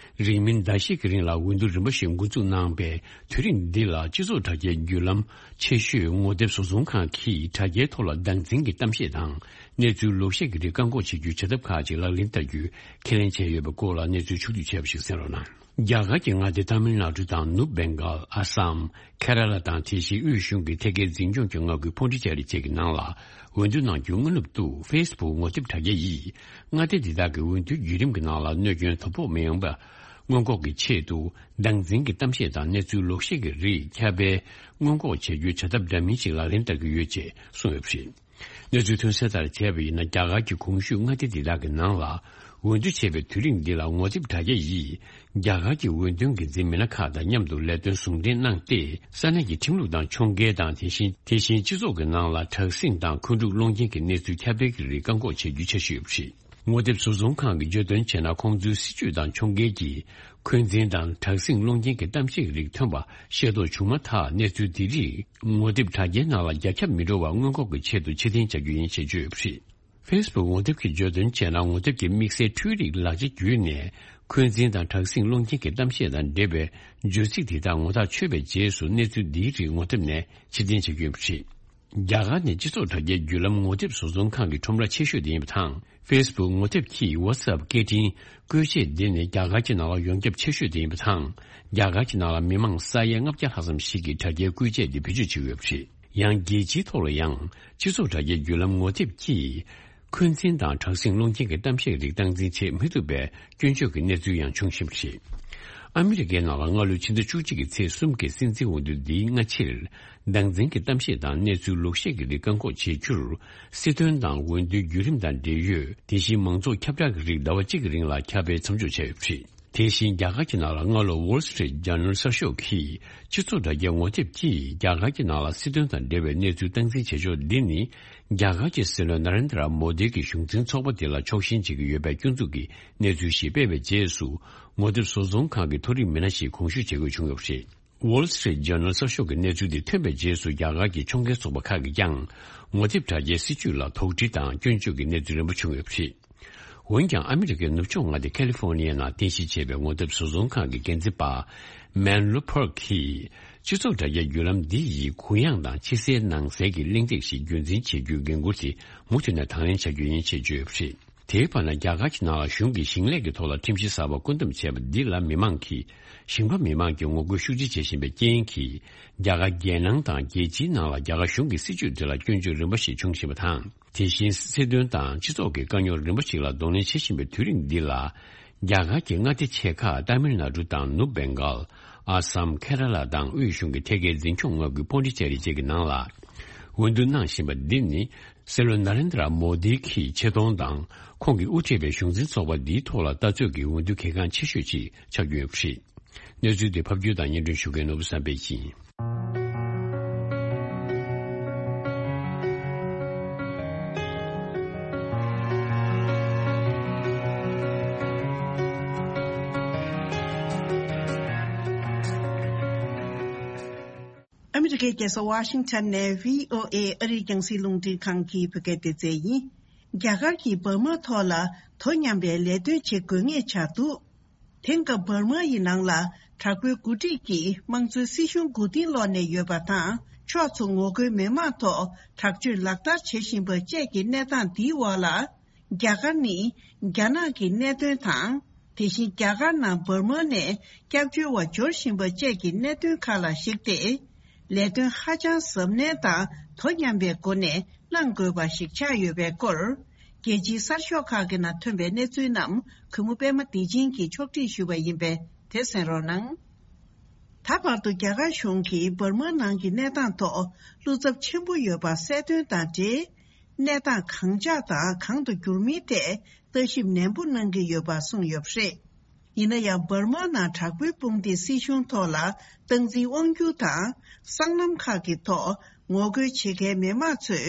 རིང་མིན་ཟླ་ཤས་ཀྱི་རིང་ལ་འོས་བསྡུ་རིམ་པ་ཞིག་འགོ་འཛུགས་གནང་པའི་དུས་རིང་འདི་ལ། སྤྱི་ཚོགས་དྲ་རྒྱའི་བརྒྱུད་ལམ་ཆེ་ཤོས་ངོ་དེབ་བཟོ་ཚོང་ཁང་གིས་དྲ་རྒྱའི་ཐོག་ལ་སྡང་འཛིན་གྱི་གཏམ་བཤད་དང་། གནས་ཚུལ་ལོག་བཤད་ཀྱི་རིགས་བཀག་འགོག་བྱེད་རྒྱུའི་བྱ་ཐབས་ཁག་ཅིག་ལག་ལེན་བསྟར་རྒྱུའི་ཁས་ལེན་བྱས་ཡོད་པའི་སྐོར་ལ། གནས་ཚུལ་ཕྱོགས་བསྡུས་བྱས་པ་ཞིག་གསན་རོགས་གནང་། རྒྱ་གར་གྱི་མངའ་སྡེ་ཏཱ་མིལ་ནཱ་ཌུ་དང་ནུབ་བེང་གཱལ། ཨ་སམ། ཁེ་ར་ལ་དང་། དེ་བཞིན་དབུས་གཞུང་གི་ཐད་ཀའི་འཛིན་སྐྱོང་གི་མངའ་ཁུལ་ཕོན་ཌི་ཅེ་རི་བཅས་ཀྱི་ནང་ལ། འོས་བསྡུ་གནང་རྒྱུའི་སྔ་ནུབ་ཏུ། ཕེ་སི་བུག་ངོ་དེབ་དྲ་རྒྱ་ཡིས། མངའ་སྡེ་འདི་དག་གི་འོས་བསྡུའི་བརྒྱུད་རིམ་གྱི་ནང་ལ། གནོད་སྐྱོན་དོ་ཕོག་མི་ཡོང་བ་སྔོན་འགོག་གི་ཆེད་དུ། སྡང་འཛིན་གྱི་གཏམ་བཤད་དང་། གནས་ཚུལ་ལོག་བཤད་ཀྱི་རིགས་ཁྱབ་སྤེལ་སྔོན་འགོག་བྱ་རྒྱུའི་བྱ་ཐབས་འདྲ་མིན་ཞིག་ལག་ལེན་བསྟར་གྱི་ཡོད་ཅེས་གསུངས་ཡོད་པ་རེད། གནས་ཚུལ་ཐོན་གསལ་ལྟར་བྱས་པ་ཡིན་ན། རྒྱ་གར་གྱི་གོང་ཞུས་མངའ་སྡེ་འདི་དག་གི་ནང་ལ། འོས་བསྡུ་བྱས་པའི་དུས་རིང་འདི་ལ། ངོ་དེབ་དྲ་རྒྱ་ཡིས། རྒྱ་གར་གྱི་འོས་འདེམས་ཀྱི་འཛིན་མི་སྣ་ཁག་དང་མཉམ་དུ་ལས་དོན་ཟུང་འབྲེལ་གནང་སྟེ། ས་གནས་ཀྱི་ཁྲིམས་ལུགས་དང་ཁྱོང་འགལ་དང་། དེ་བཞིན། དེ་བཞིན་སྤྱི་ཚོགས་ཀྱི་ནང་ལ་དྲག་ཟིང་དང་། འཁོན་འཁྲུག་སློང་རྐྱེན་གྱི་གནས་ཚུལ་ཁྱབ་སྤེལ་གྱི་རིགས་བཀག་འགོག་བྱེད་རྒྱུའི་འཆར་གཞི་ཡོད་པ་རེད། ངོ་དེབ་བཟོ་ཚོང་ཁང་གིས་བརྗོད་དོན་བྱས་ན། ཁོང་ཚོའི་སྲིད་བྱུས་དང་ཁྱོང་འགལ་གྱིས། འཁོན་འཛིན་དང་དྲག་ཟིང་སློང་རྐྱེན་གྱི་གཏམ་བཤད་རིགས་ཐོན་པ་ཤེས་རྟོགས་བྱུང་མ་ཐག། གནས་ཚུལ་འདི་རིགས་ངོ་དེབ་དྲ་རྒྱའི་ནང་ལ་རྒྱ་ཁྱབ་མི་འགྲོ་བར་སྔོན་འགོག་གི་ཆེད་དུ་ཕྱིར་འཐེན་བྱ་རྒྱུ་ཡིན་ཞེས་བརྗོད་ཡོད་པ་རེད། ཕེ་སི་བུག་ངོ་དེབ་ཀྱིས་བརྗོད་དོན་བྱས་ན། ངོ་དེབ་ཀྱི་དམིགས་བསལ་འཕྲུལ་རིག་ལག་ཆ་བརྒྱུད་ནས། འཁོན་འཛིན་དང་དྲག་ཟིང་སློང་རྐྱེན་གྱི་གཏམ་བཤད་དང་འབྲེལ་བའི་བརྗོད་ཚིག་དེ་དག་ངོ་ཐག་ཆོད་པའི་རྗེས་སུ། གནས་ཚུལ་འདིའི་རིགས་ངོ་དེབ་ནས་ཕྱིར་འཐེན་བྱེད་ཀྱི་ཡོད་པ་རེད། རྒྱ་གར་ནི་སྤྱི་ཚོགས་དྲ་རྒྱའི་བརྒྱུད་ལམ་ངོ་དེབ་བཟོ་ཚོང་ཁང་གི་ཁྲོམ་ར་ཆེ་ཤོས་དེ་ཡིན་པ་དང་། ཕེ་སི་བུག་ངོ་དེབ་ཀྱི་ཝ་ཊི་སི་ཨེབ་སྐད་འཕྲིན་བཀོལ་ཆས་འདི་ནི་རྒྱ་གར་གྱི་ནང་ལ་ཡོངས་ཁྱབ་ཆེ་ཤོས་དེ་ཡིན་པ་དང་། རྒྱ་གར་གྱི་ནང་ལ་མི་མང་ས་ཡ་ལྔ་བརྒྱ་ལྷག་ཙམ་ཞིག་གིས་དྲ་རྒྱའི་བཀོལ་ཆས་འདི་བེད་སྤྱོད་བྱེད་ཀྱི་ཡོད་པ་རེད། ཡང་རྒྱལ་སྤྱིའི་ཐོག་ལ་ཡང་། སྤྱི་ཚོགས་དྲ་རྒྱའི་བརྒྱུད་ལམ་ངོ་དེབ་ཀྱིས། འཁོན་འཛིན་དང་དྲག་ཟིང་སློང་རྐྱེན་གྱི་གཏམ་བཤད་རིགས་སྟངས་འཛིན་བྱེད་མི་ཐུབ་པའི་སྐྱོན་བརྗོད་ཀྱི་གནས་ཚུལ་ཡང་བྱུང་བཞིན་པ་རེད། ཨ་མི་རི་ཀའི་ནང་ལ་སྔ་ལོའི་ཕྱི་ཟླ་བཅུ་གཅིག་གི་ཚེས་གསུམ་གྱི་སྲིད་འཛིན་འོས་བསྡུ་འདིའི་སྔ་ཕྱིར། སྡང་འཛིན་གྱི་གཏམ་བཤད་དང་གནས་ཚུལ་ལོག་བཤད་ཀྱི་རིགས་བཀག་འགོག་བྱེད་རྒྱུར། སྲིད་དོན་དང་འོས་བསྡུའི་བརྒྱུད་རིམ་དང་འབྲེལ་ཡོད། དེ་བཞིན་མང་ཚོགས་ཁྱབ་བསྒྲགས་ཀྱི་རིགས་ཟླ་བ་གཅིག་གི་རིང་ལ་ཁྱབ་སྤེལ་མཚམས་འཇོག་བྱས་ཡོད་པ་རེད། དེ་བཞིན་རྒྱ་གར་གྱི་ནང་ལ་སྔ་ལོ་Wall Street Journal་གསར་ཤོག་གིས་སྤྱི་ཚོགས་དྲ་རྒྱའི་ངོ་དེབ་ཀྱིས་རྒྱ་གར་གྱི་ནང་ལ་སྲིད་དོན་དང་འབྲེལ་བའི་གནས་ཚུལ་སྟངས་འཛིན་བྱེད་ཕྱོགས་འདི་ནི་རྒྱ་གར་གྱི་སྲིད་བློན་ན་རེན་དྲ་མོ་དི་གི་གཞུང་འཛིན་ཚོགས་པ་འདི་ལ་ཕྱོགས་ཞེན་བྱེད་ཀྱི་ཡོད་པའི་སྐྱོན་འཛུགས་ཀྱི་གནས་ཚུལ་ཞིག་སྤེལ་བའི་རྗེས་སུ། ངོ་དེབ་བཟོ་ཚོང་ཁང་གི་མཐོ་རིམ་མི་སྣ་ཞིག་དགོངས་ཞུ་བྱེད་དགོས་བྱུང་ཡོད་པ་རེད། Wall Street Journal་གསར་ཤོག་གི་གནས་ཚུལ་འདི་ཐོན་པའི་རྗེས་སུ་རྒྱ་གར་གྱི་ཕྱོགས་འགལ་ཚོགས་པ་ཁག་གིས་ཀྱང་ངོ་དེབ་དྲ་རྒྱའི་སྲིད་བྱུས་ལ་དོགས་འདྲི་དང་སྐྱོན་བརྗོད་ཀྱི་གནས་ཚུལ་རིམ་པ་བྱུང་ཡོད་པ་རེད། འོན་ཀྱང་ཨ་མི་རི་ཀའི་ནུབ་ཕྱོགས་མངའ་སྡེ་ཁ་ལི་ཧྥོ་ནི་ཡའི་ནང་རྟེན་གཞི་བྱས་པའི་ངོ་དེབ་བཟོ་ཚོང་ཁང་གི་འགན་འཛིན་པ་Mel Lupert་གྱིས་སྤྱི་ཚོགས་དྲ་རྒྱའི་བརྒྱུད་ལམ་འདི་ཡིས་གུ་ཡངས་དང་ཕྱི་གསལ་ནང་གསལ་གྱི་གླེང་སྟེགས་ཤིག་རྒྱུན་འཛིན་བྱེད་རྒྱུའི་འགན་འཁུར་དེ་མུ་མཐུད་ནས་དང་ལེན་བྱ་རྒྱུ་ཡིན་ཞེས་བརྗོད་ཡོད་པ་རེད། དེའི་བར་ན་རྒྱ་གར་གྱི་ནང་ལ་གཞུང་གིས་ཞིང་ལས་ཀྱི་ཐོག་ལ་ཁྲིམས་གཞི་གསར་པ་བཀོད་འདོམས་བྱས་པ་འདི་ལ་མི་མང་གིས་ཞིང་པ་མི་མང་གིས་ངོ་རྒོལ་ཤུགས་ཆེ་བྱེད་བཞིན་པའི་རྐྱེན་གྱིས་རྒྱ་གར་རྒྱལ་ནང་དང་རྒྱལ་སྤྱིའི་ནང་ལ་རྒྱ་གར་གཞུང་གི་སྲིད་བྱུས་འདི་ལ་སྐྱོན་བརྗོད་རིམ་པ་ཞིག་འབྱུང་བཞིན་པ་དང་། དེ་བཞིན་སྲིད་དོན་དང་སྤྱི་ཚོགས་ཀྱི་དཀའ་རྙོག་རིམ་པ་ཞིག་ལ་གདོང་ལེན་བྱེད་བཞིན་པའི་དུས་རིང་འདི་ལ། རྒྱ་གར་གྱི་མངའ་སྡེ་ཆེ་ཁག་ཏཱ་མིལ་ནཱ་ཌུ་དང་ནུབ་བེང་གཱལ། ཨ་སམ། ཁེ་ར་ལ་དང་དབུས་གཞུང་གི་ཐད་ཀའི་འཛིན་སྐྱོང་མངའ་ཁུལ་པོན་ཌི་ཅེ་རི་བཅས་ཀྱི་ནང་ལ། འོས་བསྡུ་གནང་བཞིན་པ་འདི་ནི། སྲིད་བློན་ན་རེན་དྲ་མོ་དི་གི་ཆེ་མཐོང་དང་། ཁོང་གིས་དབུ་ཁྲིད་པའི་གཞུང་འཛིན་ཚོགས་པ་འདིའི་ཐོག་ལ་ལྟ་ཚོད་ཀྱི་འོས་བསྡུ་གལ་འགངས་ཆེ་ཤོས་ཅིག་ཆགས་ཀྱི་ཡོད་པ་རེད། གནས་ཚུལ་འདི་ཕབ་སྒྱུར་དང་སྙན་སྒྲོན་ཞུ་མཁན་ནོར་བུ་བསམ་འཕེལ་ཡིན། ཨ་མི་རི་ཀའི་རྒྱལ་ས་ཝ་ཤིང་ཊོན་ནས་བྷི་ཨོ་ཨེ་ཨ་རིའི་རྒྱང་སྲིང་རླུང་འཕྲིན་ཁང་གི་བོད་སྐད་སྡེ་ཚན་ཡིན། རྒྱ་གར་གྱིས་འབར་མ་ཐོག་ལ་དོ་མཉམ་པའི་ལས་དོན་བྱེད་དགོས་ངེས་ཆགས་འདུག་དེང་སྐབས་འབར་མ་ཡི་ནང་ལ་དྲག་པོའི་འགོ་ཁྲིད་ཀྱིས་དམངས་གཙོའི་སྲིད་གཞུང་མགོ་རྟིང་སློག་ནས་ཡོད་པ་དང་། ཕྱོགས་མཚུངས་ངོ་རྒོལ་མི་མང་ཐོག་དྲག་སྤྱོད་ལག་བསྟར་བྱེད་བཞིན་པ་བཅས་ཀྱི་གནས་སྟངས་འདིའི་འོག་ལ། རྒྱ་གར་ནི་རྒྱ་ནག་གི་གནད་དོན་དང་། དེ་བཞིན་རྒྱ་གར་ནང་འབར་མ་ནས་སྐྱབས་བཅོལ་བ་འབྱོར་བཞིན་པ་བཅས་ཀྱི་གནད་དོན་ཁག་ལ་གཞིགས་ཏེ། ལས་དོན་ཧ་ཅང་གཟབ་ནན་དང་དོ་མཉམ་པའི་སྒོ་ནས་གནང་དགོས་པ་ཞིག་ཆགས་ཡོད་པའི་སྐོར། རྒྱལ་སྤྱིའི་གསར་ཤོག་ཁག་གི་ནང་ཐོན་པའི་གནས་ཚུལ་རྣམས་གུས་མོ་པད་མ་བདེ་ཆེན་གྱིས་ཕྱོགས་སྒྲིག་ཞུས་པ་ཡིན་པས་དེ་གསན་རོགས་གནང་། ད་བར་དུ་རྒྱ་གར་གཞུང་གིས་འབར་མ་ནང་གི་གནས་སྟངས་ཐོག་བློ་འཚབ་ཆེན་པོ་ཡོད་པ་གསལ་སྟོན་དང་འབྲེལ། གནས་སྟངས་གང་འཇགས་དང་གང་དུ་འགྱུར་མིན་ཐད་ལྟ་ཞིབ་ནན་པོ་གནང་གི་ཡོད་པ་གསུངས་ཡོད་པ་རེད། ཡིན་ན་ཡང་འབར་མ་ནང་དྲག་པོའི་དཔུང་སྡེས་སྲིད་གཞུང་ཐོག་ལ་སྟངས་འཛིན་དབང་སྒྱུར་དང་སྲང་ལམ་ཁག་གི་ཐོག་ངོ་རྒོལ་བྱེད་མཁན་མི་མང་ཚོས་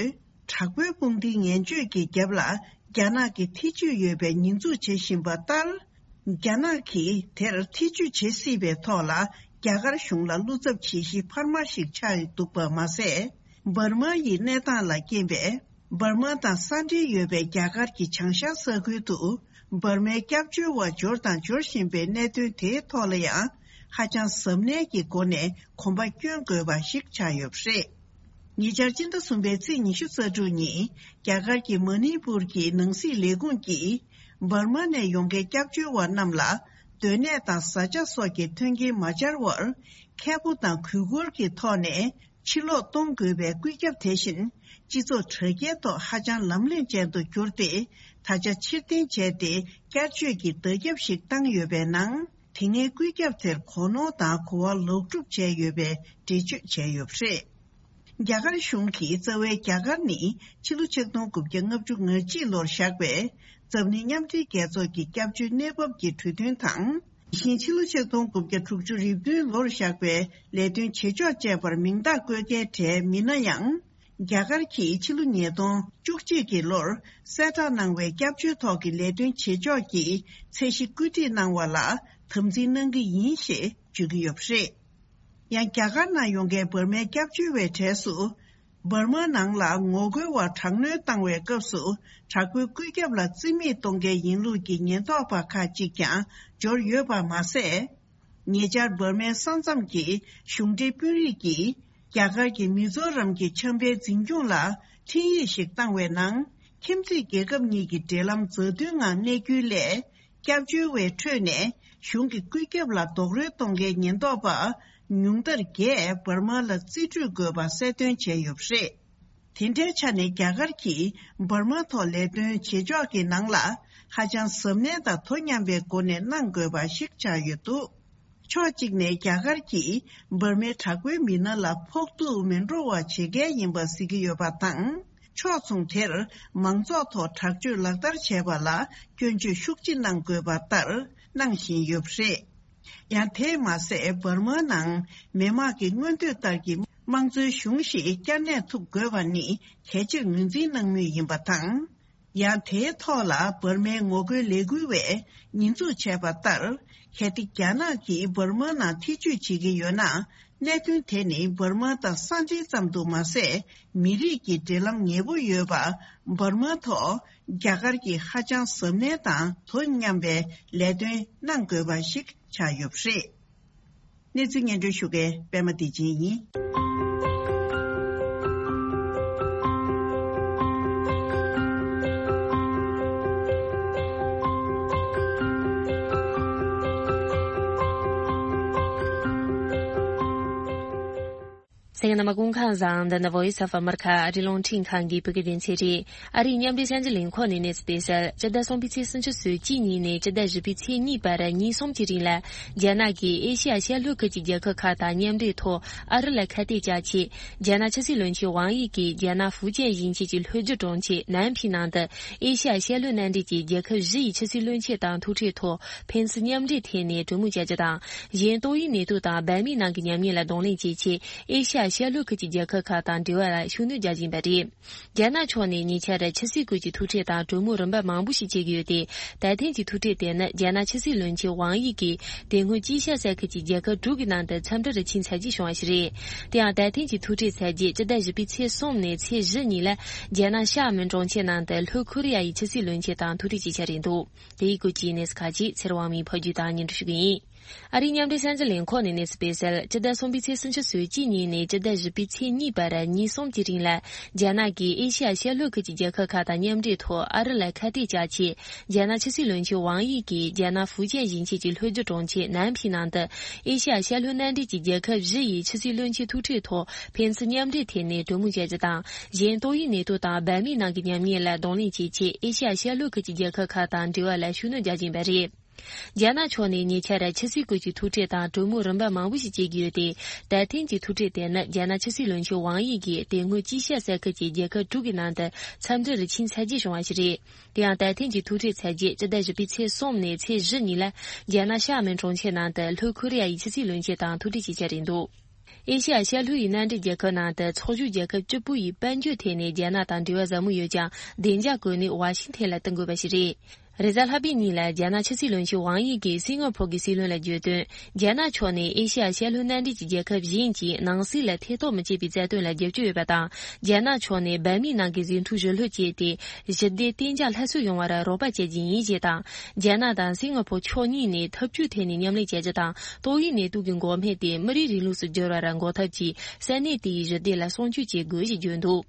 དྲག་པོའི་དཔུང་སྡེའི་ངན་སྤྱོད་ཀྱི་རྒྱབ་ལ་རྒྱ་ནག་གི་ཐེ་ཇུས་ཡོད་པའི་ཉེས་འཛུགས་བྱེད་བཞིན་པ་ལྟར། རྒྱ་ནག་གིས་དེར་ཐེ་ཇུས་བྱེད་སྲིད་པའི་ཐོག་ལ་རྒྱ་གར་གཞུང་ལ་བློ་འཚབ་བྱེད་གཞི་འཕར་མ་ཞིག་ཆགས་འདུག་པ་མ་ཟད། འབར་མ་ཡི་གནས་སྟངས་ལ་རྐྱེན་པས། འབར་མ་དང་ས་འབྲེལ་ཡོད་པའི་རྒྱ་གར་གྱི་བྱང་ཤར་ས་ཁུལ་དུ། འབར་མའི་སྐྱབས་བཅོལ་བ་འབྱོར་དང་འབྱོར་བཞིན་པའི་གནད་དོན་དེའི་ཐོག་ལ་ཡང་། ཧ་ཅང་གཟབ་ནན་གྱི་སྒོ་ནས་གོམ་པ་སྐྱོན་དགོས་པ་ཞིག་ཆགས་ཡོད་པ་རེད། ཉེ་ཆར་སྤྱི་ཟླ་གསུམ་པའི་ཚེས་ཉི་ཤུ་རྩ་དྲུག་ཉིན། རྒྱ་གར་གྱི་མ་ནི་པུར་གྱི་ནང་སྲིད་ལས་ཁུངས་ཀྱིས། འབར་མ་ནས་ཡོང་མཁན་སྐྱབས་བཅོལ་བ་རྣམས་ལ། སྡོད་གནས་དང་བཟའ་བཅའ་སོགས་ཀྱི་མཐུན་རྐྱེན་མ་སྦྱར་བར། མཁས་པོ་དང་གུས་བཀུར་གྱི་ཐོག་ནས། ཕྱིར་ལོག་གཏོང་དགོས་པའི་བཀོད་ཁྱབ་དེ་བཞིན། སྤྱི་ཚོགས་དྲ་རྒྱའི་ཐོག་ཧ་ཅང་ལམ་ལྷོང་ཅན་དུ་གྱུར་ཏེ། ད་ཆ་ཕྱིར་འཐེན་བྱས་ཏེ། བསྐྱར་བཅོས་ཀྱི་བརྡ་ཁྱབ་ཞིག་བཏང་ཡོད་པའི་ནང་། དེ་སྔའི་བཀོད་ཁྱབ་དེར་གོ་ནོར་དང་གོ་བ་ལོག་སྒྲུབ་བྱས་ཡོད་པའི་འགྲེལ་བརྗོད་བྱས་ཡོད་པ་རེད། རྒྱ་གར་གཞུང་གིས་རྩ་བའི་རྒྱ་གར་ནི་ཕྱི་ལོ་ཆིག་སྟོང་དགུ་བརྒྱ་ལྔ་བཅུ་ང་གཅིག་ལོར་བཞག་པའི་འཛམ་གླིང་མཉམ་འབྲེལ་རྒྱལ་ཚོགས་ཀྱི་སྐྱབས་བཅོལ་གནས་བབ་ཀྱི་གྲོས་མཐུན་དང་། དེ་བཞིན་ཕྱི་ལོ་ཆིག་སྟོང་དགུ་བརྒྱ་དྲུག་ཅུ་རེ་བདུན་ལོར་བཞག་པའི་ལས་དོན་བྱེད་ཕྱོགས་བཅས་པར་མིང་རྟགས་བཀོད་མཁན་གྲས་མིན་ན་ཡང་། རྒྱ་གར་གྱིས་ཕྱི་ལོ་ཉིས་སྟོང་བཅུ་གཅིག་གི་ལོར་གསལ་བསྒྲགས་གནང་བའི་སྐྱབས་བཅོལ་ཐོག་གི་ལས་དོན་བྱེད་ཕྱོགས་ཀྱི་ཚད་གཞི་བཀོད་སྒྲིག་གནང་བ་ལ་དམ་འཛིན་གནང་གི་ཡིན་ཞེས་བརྗོད་ཀྱི་ཡོད་པ་རེད། ཡང་རྒྱ་གར་ནང་ཡོང་མཁན་འབར་མའི་སྐྱབས་བཅོལ་བའི་གྲས་སུ། འབར་མ་ནང་ལ་ངོ་རྒོལ་བ་དྲག་གནོན་བཏང་བའི་སྐབས་སུ་དྲག་པོའི་བཀོད་ཁྱབ་ལ་རྩིས་མེད་གཏོང་མཁན་ཡིན་ལུགས་ཀྱི་ཉེན་རྟོག་པ་ཁག་ཅིག་ཀྱང་འབྱོར་ཡོད་པ་མ་ཟད། ཉེ་ཆར་འབར་མའི་ས་མཚམས་ཀྱི་གཞུང་འབྲེལ་དཔོན་རིགས་ཀྱིས་རྒྱ་གར་གྱི་མི་ཛོ་རམ་གྱི་ཆབ་དཔལ་འཛིན་སྐྱོང་ལ་འཕྲིན་ཡིག་ཞིག་བཏང་བའི་ནང་། ཁྱིམ་མཚེས་རྒྱལ་ཁབ་གཉིས་ཀྱི་འབྲེལ་ལམ་མཛའ་མཐུན་ངང་གནས་རྒྱུའི་སླད། སྐྱབས་བཅོལ་བའི་ཁྲོད་ནས་གཞུང་གི་བཀོད་ཁྱབ་ལ་རྡོག་རོལ་གཏོང་མཁན་ཉེན་རྟོག་པ་ཉུང་མཐར་བརྒྱད་འབར་མ་ལ་རྩིས་སྤྲོད་དགོས་པ་གསལ་སྟོན་བྱས་ཡོད་པ་རེད། དེ་འདྲའི་ཆ་ནས་རྒྱ་གར་གྱིས་འབར་མ་ཐོག་ལས་དོན་བྱེད་ཕྱོགས་ཀྱི་ནང་ལ་ཧ་ཅང་གཟབ་ནན་དང་དོ་མཉམ་པའི་སྒོ་ནས་གནང་དགོས་པ་ཞིག་ཆགས་ཡོད་འདུག་ཕྱོགས་གཅིག་ནས་རྒྱ་གར་གྱིས་འབར་མའི་དྲག་པོའི་མི་སྣ་ལ་ཕོག་ཐུག་མི་འགྲོ་བ་བྱེད་མཁན་ཡིན་པ་གཟིགས་ཀྱི་ཡོད་པ་དང་། ཕྱོགས་མཚུངས་དེར་མང་ཚོགས་ཐོག་དྲག་སྤྱོད་ལག་བསྟར་བྱས་པ་ལ་སྐྱོན་བརྗོད་ཤུགས་ཆེ་གནང་དགོས་པ་ལྟར། གནང་བཞིན་ཡོད་པ་རེད། ཡང་དེས་མ་ཟད་འབར་མའི་ནང་མི་དམངས་ཀྱི་མངོན་འདོད་ལྟར་གྱི་དམངས་གཙོའི་གཞུང་ཞིག་བསྐྱར་གནས་ཐུབ་དགོས་པ་ནི་གལ་ཆེར་ངོས་འཛིན་གནང་མུས་ཡིན་པ་དང་། ཡང་དེའི་ཐོག་ལ་འབར་མའི་ངོ་རྒོལ་ལས་འགུལ་བས་ཉེས་འཛུགས་བྱས་པ་ལྟར། གལ་ཏེ་རྒྱ་ནག་གིས་འབར་མ་ནང་ཐེ་བྱུས་བྱེད་ཀྱི་ཡོད་ན། གནད་དོན་དེ་ནི་འབར་མ་དང་ས་འབྲེལ་ཙམ་དུ་མ་ཟད། མི་རིགས་ཀྱི་འབྲེལ་ལམ་ཉེ་པོ་ཡོད་པ། འབར་མ་ཐོག་རྒྱ་གར་གྱིས་ཧ་ཅང་གཟབ་ནན་དང་དོ་མཉམ་པའི་ལས་དོན་གནང་དགོས་པ་ཞིག་ཆགས་ཡོད་པ་རེད། གནས་ཚུལ་སྙན་སྒྲོན་ཞུ་མཁན་པད་མ་བདེ་ཆེན་ཡིན། གསན་མཁན་རྣམ་པ་སྐུ་ཁམས་བཟང་། འདི་ནི་Voice of America ཨ་རིའི་རླུང་འཕྲིན་ཁང་གི་བོད་སྐད་སྡེ་ཚན་རེད། ཨ་རིའི་མཉམ་འབྲེལ་གསར་འགྱུར་ལས་ཁུངས་ནས་གནས་ཚུལ་སྤེལ་གསལ། སྤྱི་ཟླ་གསུམ་པའི་ཚེས་སུམ་ཅུ་སོ་གཅིག་ཉིན་ནས་སྤྱི་ཟླ་བཞི་པའི་ཚེས་གཉིས་བར་ཉིན་གསུམ་གྱི་རིང་ལ། རྒྱ་ནག་གིས་ཨེ་ཤི་ཡ་ཤར་ལྷོ་ཁུལ་གྱི་རྒྱལ་ཁབ་ཁག་དང་མཉམ་འབྲེལ་ཐོག་ཨ་རི་ལ་ཁ་གཏད་བཅག་ཆེད། རྒྱ་ནག་ཕྱི་སྲིད་བློན་ཆེན་ཝང་དབྱི་གིས་རྒྱ་ནག་ཧྥུ་ཅན་ཞིང་ཆེན་གྱི་ལྷོ་རྒྱུད་གྲོང་ཁྱེར་ནན་ཕིང་ནང་དུ། ཨེ་ཤི་ཡ་ཤར་ལྷོའི་མནའ་འབྲེལ་གྱི་རྒྱལ་ཁབ་བཞི་ཡི་ཕྱི་སྲིད་བློན་ཆེན་དང་ཐུག་འཕྲད་ཐོག་ཕན་ཚུན་མཉམ་འབྲེལ་ཐད་ནས་གྲོས་མོལ་བྱ་རྒྱུ་དང་། གཞན་ཏོག་དབྱིབས་ནད་དུག་དང་འབར་མའི་ནང་གི་ཉམས་ཉེས་ལ་གདོང་ལེན་བྱེད་ཆེད། ཨེ་ཤ་ཡ་ཤར་ལྷོ་ཁུལ་གྱི་རྒྱལ་ཁབ་ཁག་དང་འབྲེལ་བ་ལ་ཤུགས་སྣོན་རྒྱག་བཞིན་པ་རེད། རྒྱ་ནག་ཕྱོགས་ནས་ཉེ་ཆར་ཕྱི་སྲིད་སྐོར་གྱི་ཐུག་འཕྲད་དང་གྲོས་མོལ་རིམ་པ་མང་པོ་ཞིག་བྱེད་ཀྱི་ཡོད་དེ། ད་ཐེངས་ཀྱི་ཐུག་འཕྲད་དེ་ནི་རྒྱ་ནག་ཕྱི་སྲིད་བློན་ཆེན་ཝང་དབྱི་གིས་དེ་སྔོན་དཀྱིལ་ཤར་ས་ཁུལ་གྱི་རྒྱལ་ཁབ་དྲུག་གི་ནང་དུ་འཚམས་འདྲིར་ཕྱིན་ཚར་རྗེས་བྱུང་བ་ཞིག་རེད། དེ་ཡང་ད་ཐེངས་ཀྱི་ཐུག་འཕྲད་ཚར་རྗེས་སྤྱི་ཟླ་བཞི་པའི་ཚེས་གསུམ་ནས་ཚེས་བཞི་ཉིན་ལ་རྒྱ་ནག་ཤར་མོན་གྲོང་ཁྱེར་ནང་དུ་ལྷོ་ཁོ་རེ་ཡ་ཡི་ཕྱི་སྲིད་བློན་ཆེན་དང་ཐུག་འཕྲད་བྱེད་འཆར་ཡིན་འདུག་དེའི་སྐོར་གྱི་གནས་ཚུལ་ཁག་ཅིག་ཚེ་རིང་དབང་མོས་ཕབ་སྒྱུར་དང་སྙན་སྒྲོན་ཞུ་གི་ཡིན། ཨ་རིའི་མཉམ་འབྲེལ་གསར་འགྱུར་ལས་ཁུངས་ནས་གནས་ཚུལ་སྤེལ་གསལ། སྤྱི་ཟླ་གསུམ་པའི་ཚེས་སུམ་ཅུ་སོ་གཅིག་ཉིན་ནས་སྤྱི་ཟླ་བཞི་པའི་ཚེས་གཉིས་བར་ཉིན་གསུམ་གྱི་རིང་ལ། རྒྱ་ནག་གིས་ཨེ་ཤ་ཡ་ཤར་ལྷོ་ཁུལ་གྱི་རྒྱལ་ཁབ་ཁག་དང་མཉམ་འབྲེལ་ཐོག་ཨ་རི་ལ་ཁ་གཏད་བཅག་ཆེད། རྒྱ་ནག་ཕྱི་སྲིད་བློན་ཆེན་ཝང་དབྱི་གིས་རྒྱ་ནག་ཧྥུ་ཅན་ཞིང་ཆེན་གྱི་ལྷོ་རྒྱུད་གྲོང་ཁྱེར་ནན་ཕིང་ནང་དུ། ཨེ་ཤ་ཡ་ཤར་ལྷོའི་མནའ་འབྲེལ་གྱི་རྒྱལ་ཁབ་བཞི་ཡི་ཕྱི་སྲིད་བློན་ཆེན་ཐུག་འཕྲད་ཐོག་ཕན་ཚུན་མཉམ་འབྲེལ་ཐད་ནས་གྲོས་མོལ་བྱ་རྒྱུ་དང་། གཞན་ཏོག་དབྱིབས་ནད་དུག་དང་འབར་མའི་ནང་གི་ཉམས་ཉེས་ལ་གདོང་ལེན་བྱེད་ཆེད། ཨེ་ཤ་ཡ་ཤར་ལྷོ་ཁུལ་གྱི་རྒྱལ་ཁབ་ཁག་དང་འབྲེལ་བ་ལ་ཤུགས་སྣོན་རྒྱག་བཞིན་པ་རེད། རྒྱ་ནག་ཕྱོགས་ནས་ཉེ་ཆར་ཕྱི་སྲིད་སྐོར་གྱི་ཐུག་འཕྲད་དང་གྲོས་མོལ་རིམ་པ་མང་པོ་ཞིག་བྱེད་ཀྱི་ཡོད་དེ། ད་ཐེངས་ཀྱི་ཐུག་འཕྲད་དེ་ནི་རྒྱ་ནག་ཕྱི་སྲིད་བློན་ཆེན་ཝང་དབྱི་གིས་དེ་སྔོན་དཀྱིལ་ཤར་ས་ཁུལ་གྱི་རྒྱལ་ཁབ་དྲུག་གི་ནང་དུ་འཚམས་འདྲིར་ཕྱིན་ཚར་རྗེས་བྱུང་བ་ཞིག་རེད། དེ་ཡང་ད་ཐེངས་ཀྱི་ཐུག་འཕྲད་ཚར་རྗེས་སྤྱི་ཟླ་བཞི་པའི་ཚེས་གསུམ་ནས་ཚེས་བཞི་ཉིན་ལ་རྒྱ་ནག་ཤར་མོན་གྲོང་ཁྱེར་ནང་དུ་ལྷོ་ཁོ་རེ་ཡ་ཡི་ཕྱི་སྲིད་བློན་ཆེན་དང་ཐུག་འཕྲད་བྱེད་འཆར་རེད་འདུག་ཨེ་ཤ་ཡ་ཤར་ལྷོ་ཡི་མནའ་འབྲེལ་རྒྱལ་ཁབ་ནང་དུ་ཚོགས་ཞུགས་རྒྱལ་ཁབ་བཅུ་པོ་ཡི་དཔལ་འབྱོར་ཐད་ནས་རྒྱ་ནག་དང་འབྲེལ་བ་ཟབ་མོ་ཡོད་ཀྱང་། བདེ་འཇགས་གོ་གནས་ཝ་ཤིང་ཐན་ལ་བསྟུན་དགོས་པ་ཞིག་རེད། རེས་གཟའ་ལྷག་པའི་ཉིན་ལ་རྒྱ་ནག་ཕྱི་སྲིད་བློན་ཆེན་ཝང་དབྱི་གིས་སིང་ག་ཕོར་གྱི་སྲིད་བློན་ལ་བརྗོད་དོན། རྒྱ་ནག་ཕྱོགས་ནས་ཨེ་ཤ་ཡ་ཤར་ལྷོའི་མནའ་འབྲེལ་གྱི་རྒྱལ་ཁབ་གཞན་གྱིས་ནང་སྲིད་ལ་ཐེ་གཏོགས་མི་བྱེད་པའི་རྩ་དོན་ལ་རྒྱབ་སྐྱོར་ཡོད་པ་དང་། རྒྱ་ནག་ཕྱོགས་ནས་འབར་མའི་ནང་གི་ཟིང་འཁྲུག་ཞི་ལྷོད་བྱས་ཏེ། ཞི་བདེ་གཏན་འཇགས་སླར་གསོ་ཡོང་བར་རོགས་པ་བྱེད་ཀྱི་ཡིན་ཞེས་དང་། རྒྱ་ནག་དང་སིང་ག་ཕོར་ཕྱོགས་གཉིས་ནས་འཐབ་ཇུས་ཐད་ནས་མཉམ་ལས་བྱ་རྒྱུ་དང་། ཏོག་དབྱིབས་ནད་དུག་གི་འགོག་སྨན་དེ་མི་རིགས་རིང་ལུགས་སུ་བསྒྱུར་བར་འགོག་ཐབས་ཀྱིས་ས་གནས་དེ་ཡི་ཞི་བདེ་ལ་སྲུང་སྐྱོབ་བྱེད་དགོས་ཞེས་བརྗོད་འདུག་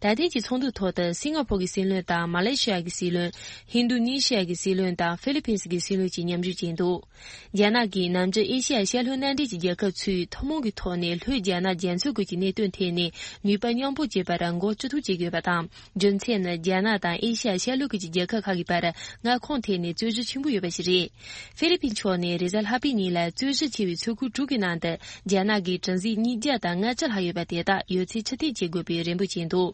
ད་ཐེངས་ཀྱི་ཚོགས་འདུའི་ཐོག་ཏུ་སིང་ག་ཕོར་གྱི་སྲིད་བློན་དང་། མ་ལེ་ཤི་ཡ་གི་སྲིད་བློན། ཧིན་རྡུ་ནི་ཤི་ཡ་གི་སྲིད་བློན་དང་། ཧྥི་ལི་ཕིན་སི་གི་སྲིད་བློན་བཅས་མཉམ་ཞུགས་བྱས་འདུག་རྒྱ་ནག་གིས་ནམ་རྒྱུན་ཨེ་ཤི་ཡ་ཤར་ལྷོའི་མནའ་འབྲེལ་གྱི་རྒྱལ་ཁབ་ཚོས་ཐུན་མོང་གི་ཐོག་ནས་ལྷོའི་རྒྱ་ནག་རྒྱ་མཚོའི་ཁུལ་གྱི་གནད་དོན་ཐད་ནས་ནུས་པ་མཉམ་སྤུངས་བྱེད་པར་འགོ་ཁྲིད་ཐུབ་བྱེད་དགོས་པ་དང་། རྒྱུ་མཚན་ནི་རྒྱ་ནག་དང་ཨེ་ཤི་ཡ་ཤར་ལྷོའི་ཁུལ་གྱི་རྒྱལ་ཁབ་ཁག་གི་བར་མངའ་ཁོངས་ཐད་ནས་རྩོད་གཞི་ཆེན་པོ་ཡོད་པ་ཞིག་རེད། ཧྥི་ལི་ཕིན་ཕྱོགས་ནས་རེས་གཟའ་ལྷག་པའི་ཉིན་ལ་རྩོད་གཞི་ཆེ་བའི་མཚོ་ཁུལ་དྲུག་གི་ནང་དུ་རྒྱ་ནག་གི་གྲུ་གཟིངས་ཉིས་བརྒྱ་དང་ལྔ་བཅུ་ལྷག་ཡོད་པ་དེ་དག་ཡོད་ཚད་ཕྱིར་འཐེན་བྱེད་དགོས་པའི་རེ་འབོད་བྱས་འདུག་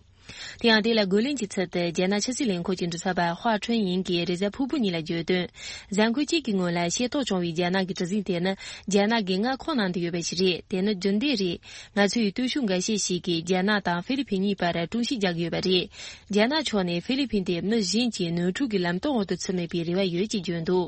དེ་ཡང་དེ་ལ་རྒོལ་ལན་གྱི་ཚུལ་དུ་རྒྱ་ནག་ཕྱི་སྲིད་ལས་ཁུངས་ཀྱི་མགྲིན་ཚབ་པ་ཧྭ་ཁྲུན་ཡིན་གྱིས་རེས་གཟའ་ཕུར་བུ་ཉིན་ལ་བརྗོད་དོན། གཟའ་འཁོར་གཅིག་གི་སྔོན་ལ་ཤེས་རྟོགས་བྱུང་བའི་རྒྱ་ནག་གི་གྲུ་གཟིངས་དེ་ནི་རྒྱ་ནག་གི་མངའ་ཁོངས་ནང་དུ་ཡོད་པ་ཞིག་རེད། དེ་ནི་རྒྱུན་ལྡན་རེད། ང་ཚོའི་སྟོབས་ཤུགས་འགའ་ཤས་ཤིག་གིས་རྒྱ་ནག་དང་ཧྥི་ལི་ཕིན་གཉིས་བར་དཀྲུག་ཤིང་རྒྱག་གི་ཡོད་པ་རེད། རྒྱ་ནག་ཕྱོགས་ནས་ཧྥི་ལི་ཕིན་དེ་མི་གཞན་གྱིས་ནོར་འཁྲུལ་གྱི་ལམ་སྟོན་འོག་ཏུ་ཚུད་མེད་པའི་རེ་བ་ཡོད་ཅེས་བརྗོད་འདུག་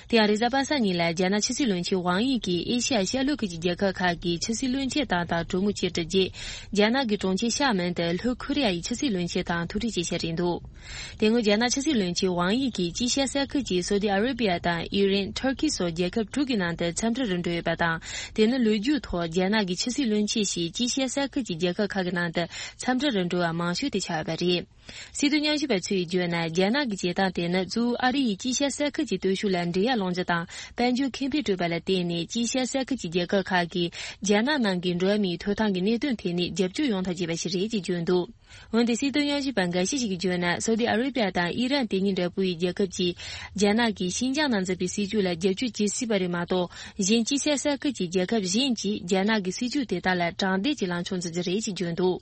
དེ་ཡང་རེས་གཟའ་པ་སངས་ཉིན་ལ་རྒྱ་ནག་ཕྱི་སྲིད་བློན་ཆེན་ཝང་དབྱི་གིས་ཨེ་ཤ་ཡ་ཤར་ལྷོ་ཁུལ་གྱི་རྒྱལ་ཁབ་ཁག་གི་ཕྱི་སྲིད་བློན་ཆེན་དག་དང་གྲོས་མོལ་བྱེད་གྲུབ་རྗེས། རྒྱ་ནག་གི་གྲོང་ཁྱེར་ཤར་མོན་དུ་ལྷོ་ཁོ་རེ་ཡ་ཡི་ཕྱི་སྲིད་བློན་ཆེན་དང་ཐུག་འཕྲད་བྱེད་འཆར་རེད་འདུག་དེ་སྔོན་རྒྱ་ནག་ཕྱི་སྲིད་བློན་ཆེན་ཝང་དབྱི་གིས་དཀྱིལ་ཤར་ས་ཁུལ་གྱི་སོ་ཏི་ཨ་རེ་བྷི་ཡ་དང་ཨི་རན། ཐུར་ཁི་སོགས་རྒྱལ་ཁབ་དྲུག་གི་ནང་དུ་འཚམས་འདྲིར་འགྲོ་ཡོད་པ་དང་། དེ་ནི་ལོ་རྒྱུས་ཐོག་རྒྱ་ནག་གི་ཕྱི་སྲིད་བློན་ཆེན་ཞིག་དཀྱིལ་ཤར་ས་ཁུལ་གྱི་རྒྱལ་ཁབ་ཁག་གི་ནང་དུ་འཚམས་འདྲིར་འགྲོ་བ་མང་ཤོས་དེ་ཆགས་ཡོད་པ་རེད། སྲིད་དོན་ཉམས་ཞིབ་པ་ཚོས་བརྗོད་ན། རྒྱ་ནག་གི་བྱེད་སྟངས་དེ་ནི་གཙོ་བོ་ཨ་རི་ཡིས་དཀྱིལ་ཤར་ས་ཁུལ་གྱི་སྟོབས་ཤུགས་ལ་འགྲན་ཡ་སློང་རྒྱུ་དང་། དཔལ་འབྱོར་ཁེ་ཕན་སྤྲོད་པ་ལ་བརྟེན་ནས་དཀྱིལ་ཤར་ས་ཁུལ་གྱི་རྒྱལ་ཁབ་ཁག་གིས་རྒྱ་ནག་ནང་གི་འགྲོ་བ་མིའི་ཐོབ་ཐང་གི་གནད་དོན་ཐད་ནས་རྒྱབ་སྐྱོར་ཡོང་ཐབས་བྱས་པ་ཞིག་རེད་ཅེས་བརྗོད་འདུག་འོན་ཏེ་སྲིད་དོན་ཉམས་ཞིབ་པ་འགའ་ཤས་ཤིག་གིས་བརྗོད་ན། སོ་ཏི་ཨ་རེ་བྷི་ཡ་དང་ཨི་རན་དེ་གཉིས་འདྲ་པོའི་རྒྱལ་ཁབ་ཀྱིས་རྒྱ་ནག་གིས་ཤིན་ཅང་ནང་འཛིན་པའི་སྲིད་བྱུས་ལ་རྒྱབ་སྐྱོར་བྱེད་སྲིད་པ་རེད་མ་གཏོགས། གཞན་དཀྱིལ་ཤར་ས་ཁུལ་གྱི་རྒྱལ་ཁབ་གཞན་གྱིས་རྒྱ་ནག་གི་སྲིད་བྱུས་དེ་དག་ལ་དྲང་བདེན་གྱི་ལངས་ཕྱོགས་འཛིན་རྒྱུ་རེད་ཅེས་བརྗོད་འདུག་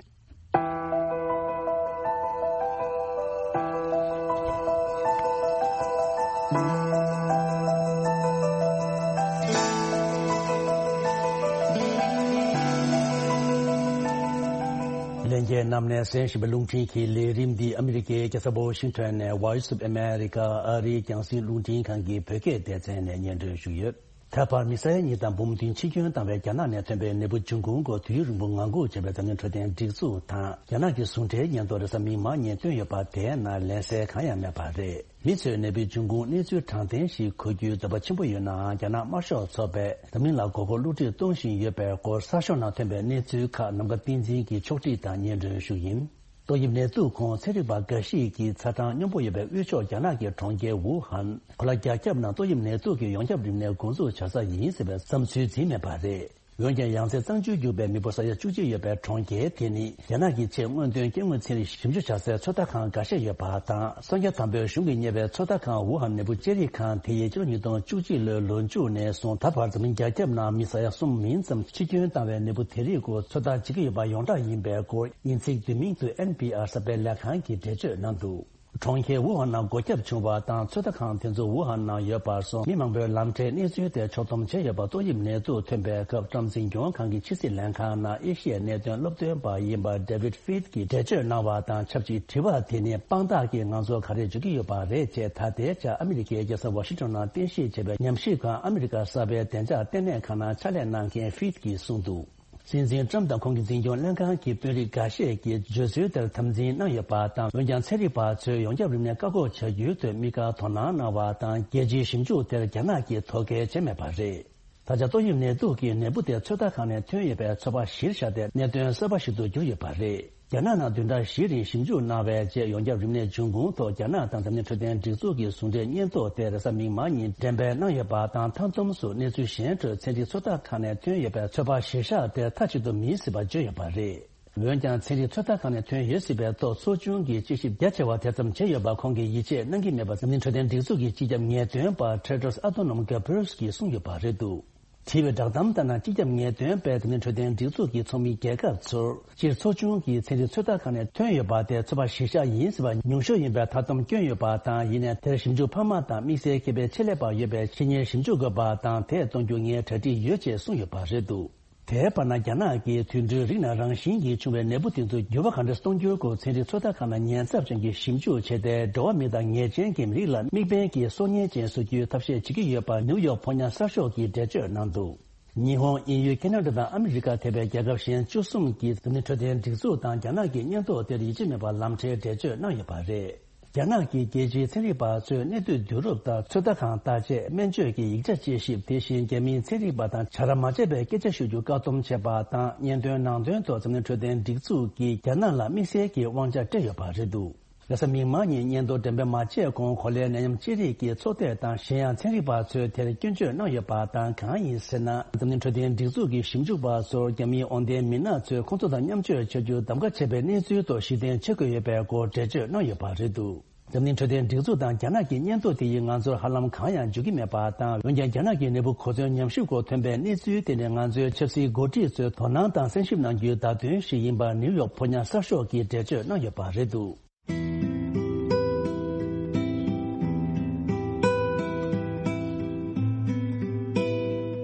ལྷན་རྒྱས་རྣམས་ནས་གསན་བཞིན་པའི་རླུང་འཕྲིན་གྱི་ལས་རིམ་འདི་ཨ་མི་རི་ཀའི་རྒྱལ་ས་ཝ་ཤིང་ཊོན་ནས་Voice of America ཨ་རིའི་རྒྱང་སྲིང་རླུང་འཕྲིན་ཁང་གི་བོད་སྐད་སྡེ་ཚན་ནས་སྙན་སྒྲོན་ཞུས་ཡོད། ད་བར་མི་ས་ཡ་གཉིས་དང་འབུམ་བདུན་འཆི་སྐྱོན་བཏང་བའི་རྒྱ་ནག་ནས་ཐོན་པའི་ནད་འབུ་འབྱུང་ཁུངས་སྐོར་དུས་ཡུན་རིང་པོ་ངང་སྒུག་བྱས་པའི་འཛམ་གླིང་འཕྲོད་བསྟེན་སྒྲིག་འཛུགས་དང་རྒྱ་ནག་གི་ཟུང་འབྲེལ་སྙན་ཐོ་རེས་གཟའ་མིག་དམར་ཉིན་བཏོན་ཡོད་པ་དེའི་ནང་ལན་གསལ་གང་ཡང་མེད་པ་རེད། མི་ཚོས་ནད་འབུའི་འབྱུང་ཁུངས་གནས་ཚུལ་དྲང་བདེན་ཞིག་གོ་རྒྱུའི་འདོད་པ་ཆེན་པོ་ཡོད་ནའང་རྒྱ་ནག་དམར་ཤོག་ཚོགས་པས་འཛམ་གླིང་ལ་མགོ་སྐོར་བསླུ་བྲིད་གཏོང་བཞིན་ཡོད་པའི་སྐོར་གསར་ཤོག་ནང་ཐོན་པའི་གནས་ཚུལ་ཁག་ནམ་མཁའ་བསྟན་འཛིན་གྱིས་ཕྱོགས་སྒྲིག་དང་སྙན་སྒྲོན་ཞུ་ཡིན། ཏོག་དབྱིབས་ནད་དུག་ཁོངས་ཚན་རིག་པ་འགའ་ཞིག་གིས་ཚ་གྲང་སྙོམས་པོ་ཡོད་པའི་དབུས་ཕྱོགས་རྒྱ་ནག་གི་གྲོང་ཁྱེར་ཝུ་ཧན། གོ་ལ་རྒྱ་ཁྱབ་ནང་ཏོག་དབྱིབས་ནད་དུག་གི་ཡོངས་ཁྱབ་རིམས་ནད་འགོ་འཛུགས་བྱ་ས་ཡིན་ཟེར་བའི་བསམ་ཚུལ་འཛིན་མེད་པ་རེད། འོན་ཀྱང་ཡང་སེ་གཙང་ཆུ་རྒྱུག་པའི་མི་འབོར་ས་ཡ་བཅུ་གཅིག་ཡོད་པའི་གྲོང་ཁྱེར་དེ་ནི་རྒྱ་ནག་གི་ཆེས་སྔོན་ཐོན་སྐྱེ་དངོས་ཚན་རིག་ཞིབ་འཇུག་བྱ་སའི་ཚོད་ལྟ་ཁང་འགའ་ཤས་ཡོད་པ་དང་། གསང་རྒྱ་དམ་པའི་གཞུང་གིས་གཉེར་བའི་ཚོད་ལྟ་ཁང་ཝུ་ཧན་ནད་འབུ་དཔྱད་རིག་ཁང་དེ་ཡིས་ཕྱི་ལོ་ཉིས་སྟོང་བཅུ་གཅིག་ལོའི་ལོ་མཇུག་ནས་བཟུང་ད་བར་འཛམ་གླིང་རྒྱ་ཁྱབ་ནང་མི་ས་ཡ་གསུམ་མིན་ཙམ་འཆི་སྐྱོན་བཏང་བའི་ནད་འབུ་དེ་རིགས་སྐོར་ཚོད་ལྟ་བྱེད་ཀྱི་ཡོད་པ་ཡོངས་གྲགས་ཡིན་པའི་སྐོར་དབྱིན་ཚིག་བསྡུས་མིང་དུ་ཨེན་པི་ཨར་གསར་སྤེལ་ལས་ཁང་གིས་འགྲེལ་བརྗོད་གནང་འདུག་གྲོང་ཁྱེར་ཝུ་ཧན་ནང་སྒོ་བརྒྱབ་བྱུང་བ་དང་། ཚོད་ལྟ་ཁང་དེ་ཚོ་ཝུ་ཧན་ནང་ཡོད་པར་སོང་མི་མང་པོས་ལམ་འཕྲལ་གནས་ཚུལ་དེ་ཕྱོགས་བསྡོམས་བྱས་ཡོད་པ། ཏོག་དབྱིབས་ནད་དུག་ཐོན་པའི་སྐབས་ཊམ་འཛིན་སྐྱོང་ཁང་གི་ཕྱི་སྲིད་ལྷན་ཁང་ནང་ཨེ་ཤི་ཡའི་གནད་དོན་སློབ་སྟོན་པ་ཡིན་པ་David Feit གྱིས་འགྲེལ་བརྗོད་གནང་བ་དང་ཆབས་ཅིག་དྲི་བ་དེ་ནི་དཔང་རྟགས་ཀྱི་ང་ཚོར་ག་རེ་བརྗོད་ཀྱི་ཡོད་པ་རེད་ཅེས་ད་ལྟའི་ཆར་ཨ་མི་རི་ཀའི་རྒྱལ་ས་ཝ་ཤིང་ཊོན་ནང་རྟེན་གཞི་བྱས་པའི་ཉམས་ཞིབ་ཁང་ཨ་མི་རི་ཀ་གསར་པའི་བདེ་འཇགས་ལྟེ་གནས་ཁང་ནང་ཕྱག་ལས་གནང་མཁན་Feit གྱིས་གསུངས་འདུག་སྲིད་འཛིན་ཊམ་དང་ཁོང་གི་འཛིན་སྐྱོང་ལྷན་ཁང་གི་དཔོན་རིགས་འགའ་ཤས་ཀྱིས་བརྗོད་ཚུལ་དེར་དམ་འཛིན་གནང་ཡོད་པ་དང་། འོན་ཀྱང་ཚན་རིག་པ་ཚོས་ཡོངས་ཁྱབ་རིམས་ནད་བཀག་འགོག་བྱ་རྒྱུའི་ཐོག་དམིགས་བཀར་དོ་སྣང་གནང་བ་དང་། རྒྱལ་སྤྱིའི་ཞིབ་འཇུག་དེར་རྒྱ་ནག་གིས་དོ་ཁུར་བྱས་མེད་པ་རེད། ད་ཆ་ཏོག་དབྱིབས་ནད་དུག་གི་ནད་འབུ་དེ་ཚོད་ལྟ་ཁང་ནས་ཐོན་ཡོད་པའི་ཚོད་དཔག་གཞིར་བཞག་སྟེ་གནད་དོན་གསར་པ་ཞིག་ཏུ་གྱུར་ཡོད་པ་རེད། རྒྱ་ནག་ནང་བདུན་ཕྲག་བཞིའི་རིང་ཞིབ་འཇུག་གནང་བའི་རྗེས་ཡོངས་ཁྱབ་རིམས་ནད་འབྱུང་ཁུངས་ཐོག་རྒྱ་ནག་དང་འཛམ་གླིང་འཕྲོད་བསྟེན་སྒྲིག་འཛུགས་ཀྱི་ཟུང་འབྲེལ་སྙན་ཐོ་དེ་རེས་གཟའ་མིག་དམར་ཉིན་འགྲེམས་སྤེལ་གནང་ཡོད་པ་དང་། མཐའ་བསྡོམས་སུ་གནས་ཚུལ་གཞན་ཁྲོད་ཚན་རིག་ཚོད་ལྟ་ཁང་ནས་ཐོན་ཡོད་པའི་ཚོད་དཔག་གཞིར་བཞག་དེ་མཐའ་གཅིག་ཏུ་མིན་སྲིད་པ་བརྗོད་ཡོད་པ་རེད། འོན་ཀྱང་ཚན་རིག་ཚོད་ལྟ་ཁང་ནས་ཐོན་ཡོད་སྲིད་པའི་ཐོག་ཚོགས་ཆུང་གིས་དཔྱད་ཞིབ་རྒྱ་ཆེ་བ་དེ་ཙམ་བྱས་ཡོད་པ་ཁོང་གིས་ཡིད་ཆེས་གནང་གི་མེད་པ་འཛམ་གླིང་འཕྲོད་བསྟེན་སྒྲིག་འཛུགས་ཀྱི་སྤྱི་ཁྱབ་ངེས་སྟོན་པ་Tedros Adhanom Ghebreyesus གིས་གསུངས་ཡོད་པ་རེད་འདུག་བྲིས་པའི་བསྒྲགས་གཏམ་ལྟར་ན། སྤྱི་ཁྱབ་ངེས་སྟོན་པས་འཛམ་གླིང་འཕྲོད་བསྟེན་སྒྲིག་འཛུགས་ཀྱི་ཚོགས་མི་རྒྱལ་ཁབ་ཚོར་སྤྱིར་ཚོགས་ཆུང་གིས་ཚན་རིག་ཚོད་ལྟ་ཁང་ནས་ཐོན་ཡོད་པ་དེ་ཚོད་དཔག་གཞིར་བཞག་ཡིན་ཟེར་བ་ཉུང་ཤོས་ཡིན་པའི་མཐའ་སྡོམ་བསྐྱོན་ཡོད་པ་དང་། ཡིན་ནའི་དེར་ཞིབ་འཇུག་འཕར་མ་དང་དམིགས་བསལ་ཁེ་ཕན་ཆེད་ལས་པ་ཡོད་པའི་ཆེད་གཉེར་ཞིབ་འཇུག་དགོས་པ་དང་། དེ་གཏོང་རྒྱུ་ངས་གྲ་སྒྲིག་ཡོད་ཅེས་གསུངས་ཡོད་པ་རེད་འདུག་དེའི་བར་ན། རྒྱ་ནག་གིས་དུད་འགྲོའི་རིགས་ནང་རང་བཞིན་གྱིས་བྱུང་བའི་ནད་འབུ་དེ་ཚོར་འགྱུར་བ་གང་འདྲ་གཏོང་རྒྱུའི་སྐོར་ཚན་རིག་ཚོད་ལྟ་ཁང་ནས་ཉེན་ཚབས་ཅན་གྱི་ཞིབ་འཇུག་བྱས་ཏེ། འགྲོ་བ་མི་དང་ཉེས་ཅན་གྱི་མི་རིགས་ལ་དམིགས་འབེན་གྱིས་སྲོག་ཉེན་ཅན་བཟོ་རྒྱུའི་ཐབས་ཤེས་བྱེད་ཀྱི་ཡོད་པ་ནིའུ་ཡོག་ཕོ་ཉ་གསར་ཤོག་གིས་འགྲེལ་བརྗོད་གནང་འདུག་ཉི་ཧོང་། དབྱིན་ཡུལ། ཁེ་ན་ཌ་དང་ཨ་མི་རི་ཀ་ཐེ་བའི་རྒྱལ་ཁབ་གཞན་བཅུ་གསུམ་གྱིས་འཛམ་གླིང་འཕྲོད་བསྟེན་སྒྲིག་འཛུགས་དང་རྒྱ་ནག་གི་སྙན་ཐོ་དེར་ཡིད་ཆེས་མེད་པར་ལམ་འཕྲལ་འགྲེལ་བརྗོད་གནང་ཡོད་པ་རེད། རྒྱ་ནག་གི་རྒྱལ་སྤྱིའི་ཚན་རིག་པ་ཚོས་གནས་སྡུད་བསྡུ་རུབ་དང་ཚོད་ལྟ་ཁང་བརྟག་དཔྱད། སྨན་བཅོས་ཀྱི་ཡིག་ཆ་དཔྱད་ཞིབ། དེ་བཞིན་རྒྱ་མིའི་ཚན་རིག་པ་དང་བྱ་ར་མ་བྱས་པའི་སྐད་ཆ་ཤོད་རྒྱུ་བཀག་སྡོམ་བྱས་པ་དང་། སྙན་ཐོའི་ནང་དོན་ཐོག་འཛམ་གླིང་འཕྲོད་བསྟེན་སྒྲིག་འཛུགས་ཀྱིས་རྒྱ་ནག་ལ་དམིགས་བསལ་གྱི་དབང་ཆ་སྤྲད་ཡོད་པ་རེད་འདུག་རེས་གཟའ་མིག་དམར་ཉིན་སྙན་ཐོ་འགྲེམས་སྤེལ་མ་བྱས་གོང་། གོ་ལའི་ནད་ཡམས་ཅི་རིགས་ཀྱི་ཚོགས་སྡེ་དང་གཞན་ཡང་ཚན་རིག་པ་ཚོས་དེར་སྐྱོན་བརྗོད་གནང་ཡོད་པ་དང་། གང་ཡིན་ཟེར་ན། འཛམ་གླིང་འཕྲོད་བསྟེན་སྒྲིག་འཛུགས་ཀྱི་ཞིབ་འཇུག་པ་ཚོར་རྒྱ་མིའི་འོས་འདེམས་མི་སྣ་ཚོས་ཁོང་ཚོ་དང་མཉམ་སྤྱོད་བྱ་རྒྱུར་གདམ་ག་བྱས་པའི་གནས་ཚུལ་ཐོག་གཞི་རྟེན་བྱེད་དགོས་ཡོད་པའི་སྐོར་འགྲེལ་བརྗོད་གནང་ཡོད་པ་རེད་འདུག་འཛམ་གླིང་འཕྲོད་བསྟེན་སྒྲིག་འཛུགས་དང་རྒྱ་ནག་གི་སྙན་ཐོ་དེ་ཡིས་ང་ཚོར་ཧ་ལམ་གང་ཡང་འཇུག་གི་མེད་པ་དང་། འོན་ཀྱང་རྒྱ་ནག་གི་ནད་འབུ་གོ་མཚོན་ཉམས་ཞིབ་སྐོར་ཐོན་པའི་གནས་ཚུལ་དེ་ནི་ང་ཚོའི་ཆབ་སྲིད་འགོ་ཁྲིད་ཚོས་དོ་སྣང་དང་གསན་ཞིབ་གནང་རྒྱུའི་བརྡ་དོན་ཞིག་ཡིན་པ་ནིའུ་ཡོག་ཕོ་ཉ་གསར་ཤོག་གིས་འགྲེལ་བརྗོད་གནང་ཡོད་པ་རེད་འདུག་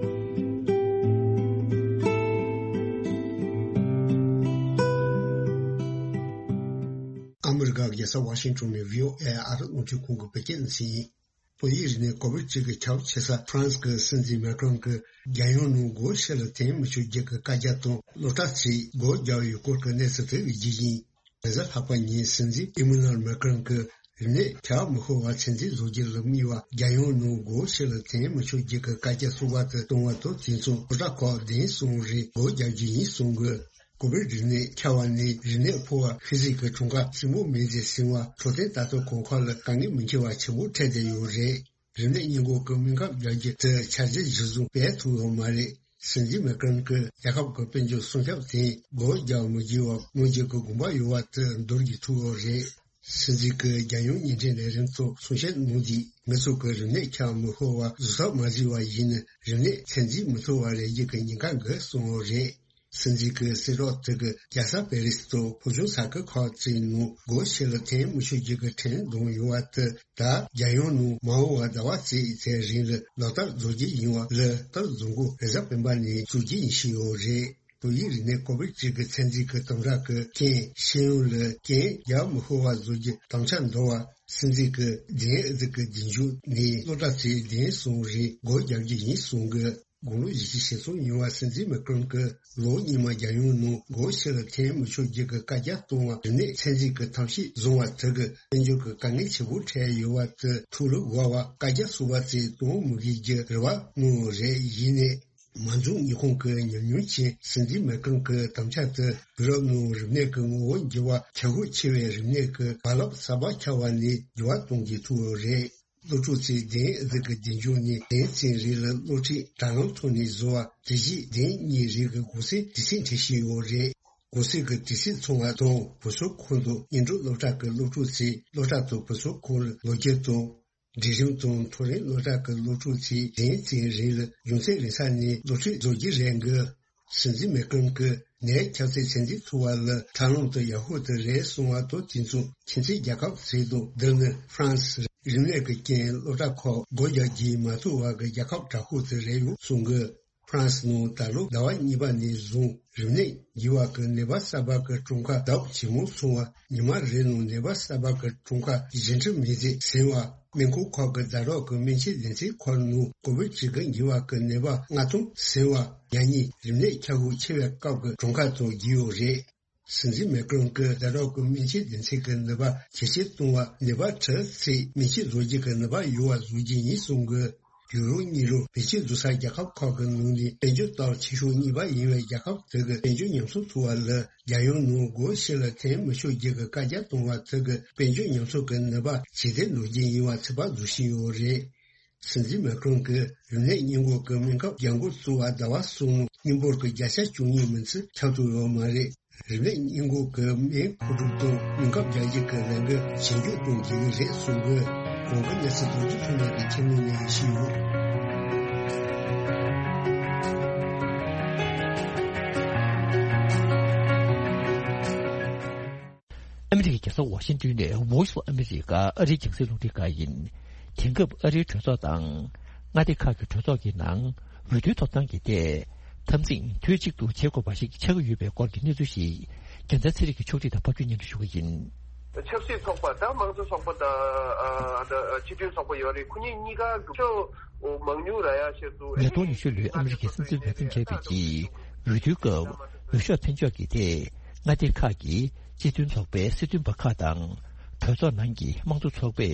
ཨ་མི་རི་ཀ་རྒྱལ་ས་ཝ་ཤིང་ཊོན་ནས་བྷི་ཨོ་ཨེ་ཨ་རི་རླུང་འཕྲིན་ཁང་གི་བོད་སྐད་སྡེ་ཚན་ཡིན། བོད་ཡིག་རིག་གནས་གོ་བོད་སྤྱི་གི་ཁྱབ་ཆེ་ས་ཧྥ་རན་སི་གི་སྲིད་འཛིན་མེ་ཀྲོན་གྱིས་རྒྱལ་ཡོངས་ནང་སྒོ་ཕྱི་ལ་འཐེན་མི་ཆོག་རྒྱུ་གི་བཀའ་རྒྱ་དང་སློབ་གྲྭ་ཚོས་སྒོ་རྒྱག་ཡོད་སྐོར་གྱི་གནས་ཚུལ་ཐོན་ཡོད་རྒྱུ་ཡིན། རེས་གཟའ་ལྷག་པ་ཉིན་སྲིད་འཛིན་ཨི་མ་ནུ་ཨེལ་མེ་ཀྲོན་གྱིས་རིམས་ནད་ཁྱབ་མི་ཤོར་བ་ཚོད་འཛིན་བཟོ་རྒྱུ་ལ་དམིགས་པ་རྒྱལ་ཡོངས་ནང་སྒོ་ཕྱི་ལ་འཐེན་མི་ཆོག་རྒྱུ་གི་བཀའ་རྒྱ་གསར་པ་དེ་བཏང་བ་དང་། དེ་མཚུངས་སློབ་གྲྭ་ཁག་བདུན་གསུམ་རེ་སྒོ་རྒྱག་རྒྱུ་ཡིན་གསུང་གི། ཀོ་བིཌ་རིམས་ནད་ཁྱབ་པ་ནས་རིམས་ནད་ཕོག་པ་ཤི་གསོན་གྱི་གྲངས་ཀ་ཆེན་པོ་མིན་ཟེར་ཟིན་པ། འཕྲོད་བསྟེན་ལྟ་རྟོག་གོང་འཕེལ་ལ་དཀའ་ངལ་མི་འཕྲད་པ་ཆེན་པོ་འཕྲད་བསྡད་ཡོད་རེད། རིམས་ནད་སྔོན་འགོག་གི་སྨན་ཁབ་རྒྱག་རྒྱུ་དེ་འཆར་གཞི་གཞིར་བཟུང་སྤེལ་ཐུབ་ཡོད་མ་རེད། སྲིད་འཛིན་མེ་ཀྲོན་གྱིས་རྒྱལ་ཁབ་ཀྱི་དཔལ་འབྱོར་སྲུང་སྐྱོབ་དེ་སྒོ་རྒྱག་མི་དགོས་པ་སྔོན་འགོག་གི་དགོངས་པ་ཡོད་པ་དེ་འདོར་རྒྱུ་ཐུག་ཡོད་རེད། སྲིད་འཛིན་གྱིས་རྒྱལ་ཡོངས་བརྙན་འཕྲིན་ལས་རིམ་ཐོག་གསུང་བཤད་གནང་དུས། མི་ཚོགས་ཀྱིས་རིམས་ནད་ཁྱབ་མི་ཤོར་བ་བཟོད་ཐབས་མ་བྱས་པ་ཡིན་ན། རིམས་ནད་ཚོད་འཛིན་མི་ཐུབ་པ་རེད་རྒྱུ་གི་ཉེན་ཁ་འགའ་གསུངས་ཡོད་རེད། སྲིད་འཛིན་གྱིས་གསལ་བསྒྲགས་དེ་གིས་རྒྱལ་ས་པེ་རི་སི་དང་ཕོ་བྲང་ས་ཁུལ་ཁག་ཅིག་ནང་སྒོ་ཕྱི་ལ་འཐེན་མི་ཆོག་རྒྱུ་གི་ཁྲིམས་བསྡམས་ཡོད་པ་དེ། ད་རྒྱལ་ཡོངས་ནང་མ་འོངས་པ་ཟླ་བ་གཅིག་ཙམ་རིང་ལ་ལག་བསྟར་བཟོ་རྒྱུ་ཡིན་པ་ལ། ལག་བསྟར་བཟོ་འགོ་རེས་གཟའ་སྤེན་པ་ནས་བཙུགས་རྒྱུ་ཡིན་ཞུས་ཡོད་རེད། ཏོག་དབྱིབས་རིམས་ནད་ཀོ་བིད་བཅུ་དགུ་ཚད་འཛིན་གྱི་དམ་དྲག་གི་རྐྱེན་ཤེས་ཡོན་ལ་རྐྱེན་རྒྱག་མི་ཤོར་བ་བཟོ་རྒྱུ་དམ་བཅའ་འདོར་བ་སྲིད་འཛིན་གྱི་ལྡེན་ཨེ་ཛི་གི་རྒྱུན་འཇུག་ནས་སློབ་གྲྭ་ཚོས་ལྡེན་སོང་རིང་སྒོ་རྒྱག་རྒྱུ་ཡིན་གསུང་གི། དགུང་ལོ་བཞི་བཅུ་ཞེ་གསུམ་ཡིན་པ་སྲིད་འཛིན་མེ་ཀྲོན་གྱིས་ལོ་སྔོན་མ་རྒྱལ་ཡོངས་ནང་སྒོ་ཕྱི་ལ་འཐེན་མི་ཆོག་རྒྱུ་གི་བཀའ་རྒྱ་གཏོང་བ་རིམས་ནད་ཚད་འཛིན་གྱི་ཐབས་ཤེས་བཟུང་བ་དེ་གིས་དཔལ་འབྱོར་གྱི་དཀའ་ངལ་ཆེ་པོ་འཕྲད་ཡོད་པ་དེ་ཐུགས་ལ་དགོས་པ་བཀའ་རྒྱ་གསུངས་པ་ཚོས་གཏོང་མི་དགོས་རྒྱུ་རེ་བ་གནང་བ་རེད། ཡིན་ནའི། མ་འཛོམས་ཉི་ཧོང་གི་ཉམས་མྱོང་ཅན་སྲིད་འཛིན་མེ་ཀྲོན་གྱི་དམ་བཅའ་དེ་དུས་རབས་ནང་རིམས་ནད་ཀྱི་ངོ་བོ་འགྱུར་བ་ཁྱབ་ཤུགས་ཆེ་བའི་རིམས་ནད་ཀྱི་རྦ་རླབས་གསར་པ་ཁྱབ་པ་ནས་འགྱུར་བ་གཏོང་རྒྱུའི་ཐུགས་རེད། སློབ་ཕྲུག་ཚོས་ལྡེན་ཨེ་ཛི་གི་རྒྱུན་འཇུག་ནས་ལྡེན་ཚན་རེ་ལ་སློབ་ཁྲིད་དྲ་ལམ་ཐོག་ནས་བཟོ་བ་དེ་བཞིན་ལྡེན་གཉིས་རེ་གི་གུང་སེང་དུས་ཚོད་འཕྲད་བཞིན་ཡོད་རེད། གུང་སེང་གི་དུས་ཚོད་ཚང་བ་དང་བུ་གསོ་ཁང་དུ་སྔོན་འགྲོ་སློབ་གྲྭ་གི་སློབ་ཕྲུག་ཚོས་སློབ་གྲྭ་དང་བུ་གསོ་ཁང་ལ་ལོག་རྒྱུ་དང་། འབྲིང་རིམ་དང་མཐོ་རིམ་སློབ་གྲྭ་གི་སློབ་ཕྲུག་ཚོས་ལྡེན་ཚན་རེ་ལ་རྒྱུ་མཚན་རིང་ས་ནས་སློབ་ཁྲིད་བཟོ་རྒྱུ་རེད་འགོ། སྲིད་འཛིན་མེ་ཀྲོན་གྱིས་ནད་ཁྱབ་ཚད་ཚད་འཛིན་ཐུབ་པ་ལ་ཐབས་ལམ་དེ་ཡག་ཤོས་དེ་རེད་གསུངས་པ་དང་། དེ་མཚུངས་ཁྱིམ་མཚེས་རྒྱལ་ཁབ་ཚོས་དང་། འདི་ནི་ཧྥ་རན་སི་རིམས་ནད་ཀྱི་རྐྱེན་སློབ་གྲྭ་ཁག་སྒོ་རྒྱག་རྒྱུ་མ་ཐུབ་པ་གི་རྒྱལ་ཁབ་དྲག་ཤོས་དེ་རེད་ཡོད་གསུངས་འགོ། ཧྥ་རན་སི་ནང་ད་ལོ་ཟླ་བ་གཉིས་པ་ནས་བཟུང་རིམས་ནད་འགོས་པ་གི་ནད་པ་གསར་པ་གི་གྲངས་ཀ་ལྡབ་ཇེ་མང་སོང་བ། ཉི་མ་རེའི་ནང་ནད་པ་གསར་པ་གི་གྲངས་ཀ་བཞི་ཁྲི་མི་ཟིན་ཟིན་བ། སྨན་ཁང་ཁག་གི་ཟླ་རོགས་ཀྱི་སྨན་བཅོས་སྡེ་ཚན་ཁག་ནང་ཀོ་བིད་བཅུ་དགུ་འགོས་པ་གི་ནད་པ་ལྔ་སྟོང་ཟིན་བ། ཡང་སྙིང་རིམས་ནད་ཁྱབ་ཤུགས་ཆེ་བའི་སྐབས་ཀྱི་གྲངས་ཀ་དང་རྒྱུས་ཡོད་རེད། སྲིད་འཛིན་མེ་ཀྲོན་གྱིས་ཟླ་རོགས་ཀྱི་སྨན་བཅོས་སྡེ་ཚན་གྱི་ནུས་པ་ཇེ་ཆེར་གཏོང་བ། ནད་པ་ཁྲི་ཚོས་སྨན་བཅོས་བཟོ་རྒྱུ་གི་ནུས་པ་ཡོད་པ་བཟོ་རྒྱུ་ཡིན་གསུང་གི། ཡུ་རོབ་གཉིས་རུ་བེད་སྤྱོད་བཟོ་ས་རྒྱལ་ཁབ་ཁག་གི་ནང་ནས་དཔལ་འབྱོར་སྟོབས་ཆེ་ཤོས་གཉིས་པ་ཡིན་པའི་རྒྱལ་ཁབ་དེ་གི་དཔལ་འབྱོར་ཉམས་གསོ་ཐུབ་པ་ལ་རྒྱལ་ཡོངས་ནང་སྒོ་ཕྱི་ལ་འཐེན་མི་ཆོག་རྒྱུ་གི་བཀའ་རྒྱ་གཏོང་བ་དེ་གི་དཔལ་འབྱོར་ཉམས་གསོ་གི་ནུས་པ་ཇེ་བདེ་འགྲོ་རྒྱུ་ཡིན་པ་ཚོད་དཔག་བཟོ་བཞིན་ཡོད་རེད། སྲིད་འཛིན་མེ་ཀྲོན་གྱིས་རིམས་ནད་སྔོན་འགོག་གི་སྨན་ཁབ་རྒྱག་འགོ་བཙུགས་པ་ཟླ་བ་གསུམ་ནང་སྔོན་འབོར་གྱི་བརྒྱ་ཆ་བཅུ་གཉིས་མིན་ཚད་ཁྱབ་ཐུབ་ཡོད་མ་རེད། རིམས་ནད་སྔོན་འགོག་གི་སྨན་མཁོ་སྒྲུབ་དང་སྨན་ཁབ་རྒྱག་རྒྱུ་གི་ལས་འགུལ་ཇེ་མགྱོགས་གཏོང་དགོས་ཀྱི་རེད་གསུང་གི། གོང་གི་གནས་ཚུལ་རྡོ་རྗེ་ཐོན་ལས་ཀྱིས་ཁྱེར་ནས་ནས་ཡིན་ཞུས་ཡོད། ཨ་མི་རི་ཀའི་རྒྱལ་ས་ཝ་ཤིང་ཏོན་ནས་Voice of America ཨ་རིའི་རྒྱང་སྲིང་རླུང་འཕྲིན་ཁང་ཡིན། དེང་སྐབས་ཨ་རིའི་གྲོས་ཚོགས་དང་མངའ་སྡེ་ཁག་གི་གྲོས་ཚོགས་ཀྱི་ནང་འོས་བསྡུའི་ཐོབ་ཐང་གི་ཐད་འཐབ་འཛིང་དུས་གཅིག་ཏུ་བྱེད་དགོས་པ་ཞིག་ཆགས་ཀྱི་ཡོད་པའི་སྐོར་གྱི་གནས་ཚུལ་ཞིག་རྒྱལ་མཚན་ཚེ་རིང་གིས་ཕྱོགས་སྒྲིག་དང་ཕབ་སྒྱུར་སྙན་སྒྲོན་ཞུ་གི་ཡིན། ཆབ་སྲིད་ཚོགས་པ་དང་དམངས་གཙོ་ཚོགས་པ་དང་ཨ་ཨ་སྤྱི་མཐུན་ཚོགས་པ་ཡོད་རེད། ཁོ་གཉིས་གཉིས་ཀ་གི་མང་ཉུང་ར་ཡ་ཆེད་དུ། ཉིས་སྟོང་ཉི་ཤུ་ལོའི་ཨ་མི་རི་ཀའི་སྲིད་འཛིན་འོས་འདེམས་བྱས་པའི་རྗེས་འོས་བསྡུའི་སྐབས་འོས་ཤོག་འཕེན་ཕྱོགས་ཀྱི་ཐད་མངའ་སྡེ་ཁག་གི་སྤྱི་མཐུན་ཚོགས་པའི་སྲིད་དོན་པ་ཁག་དང་གྲོས་ཚོགས་ནང་གི་དམངས་གཙོ་ཚོགས་པས་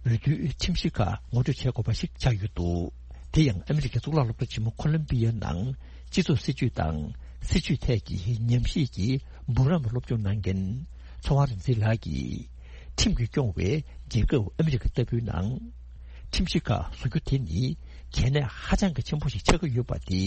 འོས་བསྡུའི་ཁྲིམས་གཞི་ཁག་ངོ་སྤྲོད་བྱེད་དགོས་པ་ཞིག་ཆགས་ཡོད་འདུག་དེ་ཡང་ཨ་མི་རི་ཀའི་གཙུག་ལག་སློབ་གྲྭ་ཆེན་མོ་ཁོ་ལམ་བི་ཡའི་ནང་སྤྱི་ཚོགས་སྲིད་བྱུས་དང་སྲིད་བྱུས་ཐད་ཀྱི་ཉམས་ཞིབ་ཀྱི་འབུམ་རམས་སློབ་སྦྱོང་གནང་མཁན་ཚེ་དབང་རིག་འཛིན་ལགས་ཀྱིས། ཁྲིམས་ཀྱིས་སྐྱོང་བའི་རྒྱལ་ཁབ་ཨ་མི་རི་ཀ་ལྟ་བུའི་ནང་། ཁྲིམས་གཞི་ཁག་བཟོ་རྒྱུ་དེ་ནི་གལ་གནད་ཧ་ཅང་གི་ཆེན་པོ་ཞིག་ཆགས་ཀྱི་ཡོད་པ་དེ་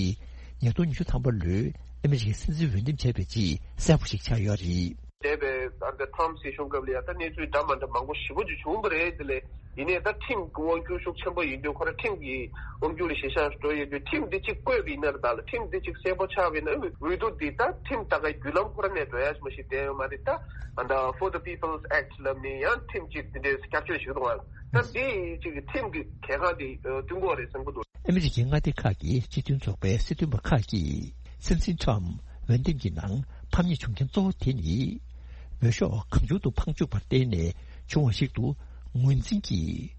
ཉིས་སྟོང་ཉི་ཤུ་ཐམ་པ་ལོའི་ཨ་མི་རི་ཀའི་སྲིད་འཛིན་འོས་འདེམས་བྱས་པའི་རྗེས་གསལ་པོ་ཞིག་ཆགས་ཡོད་རེད། འདས་པའི་ཨ་ད་ཐྲམ་སྲིད་གཞུང་སྐབས་ལ་ཡ་ད་གནས་ཚུལ་འདྲ་མ་འདྲ་མང་པོ་ཞེ་པོ་ཅིག་བྱུང་བ་རེད། དེ་ལས་ཡིན་ནའི་ད་ཁྲིམས་ཀྱི་དབང་སྒྱུར་ཤུགས་ཆེན་པོ་ཡིན་དུས་ཁོ་རང་ཁྲིམས་ཀྱི་དབང་སྒྱུར་ལ་གཞི་བཞག་འགྲོ་ཡོད་དུས་ཁྲིམས་འདི་གཅིག་བཀོད་པ་ཡིན་ན་ར་ད་ལ་ཁྲིམས་འདི་གཅིག་གསལ་པོ་ཆགས་པ་ཡིན་ན་འོས་བསྡུ་འདི་ད་ཁྲིམས་ལྟ་ག་བརྒྱུད་ལམ་ཁོ་རང་ནས་འགྲོ་ཡ་ཞིག་མ་ཞིག་བསྡད་ཡོད་མ་རེད། ད་ཨ་ད་For the People's Act ལབ་ནི་ཡང་ཁྲིམས་གཅིག་འདི་འདྲའི་བསྐྱར་བཅོས་ཞིག་གཏོང་བ་ད་འདི་གཅིག་གི་ཁྲིམས་ཀྱི་གལ་འགངས་འདི་བསྟུན་དགོས་རེད་བསམ་གྱི་འདུག་ཨ་མི་རི་ཀའི་མངའ་སྡེ་ཁག་གི་སྤྱི་མཐུན་ཚོགས་པའི་སྲིད་དོན་པ་ཁག་གིས་སྲིད་འཛིན་ཁྲམ་འོས་འདེམས་ཀྱི་ནང་ཕམ་ཉེས་བྱུང་རྐྱེན་གཙོ་བོ་དེ་ནི། འོས་ཤོག་གང་བྱུང་དུ་འཕང་བཅུག་པར་བརྟེན་ནས་བྱུང་བ་ཞིག་ཏུ་ངོས་འཛིན་གྱིས།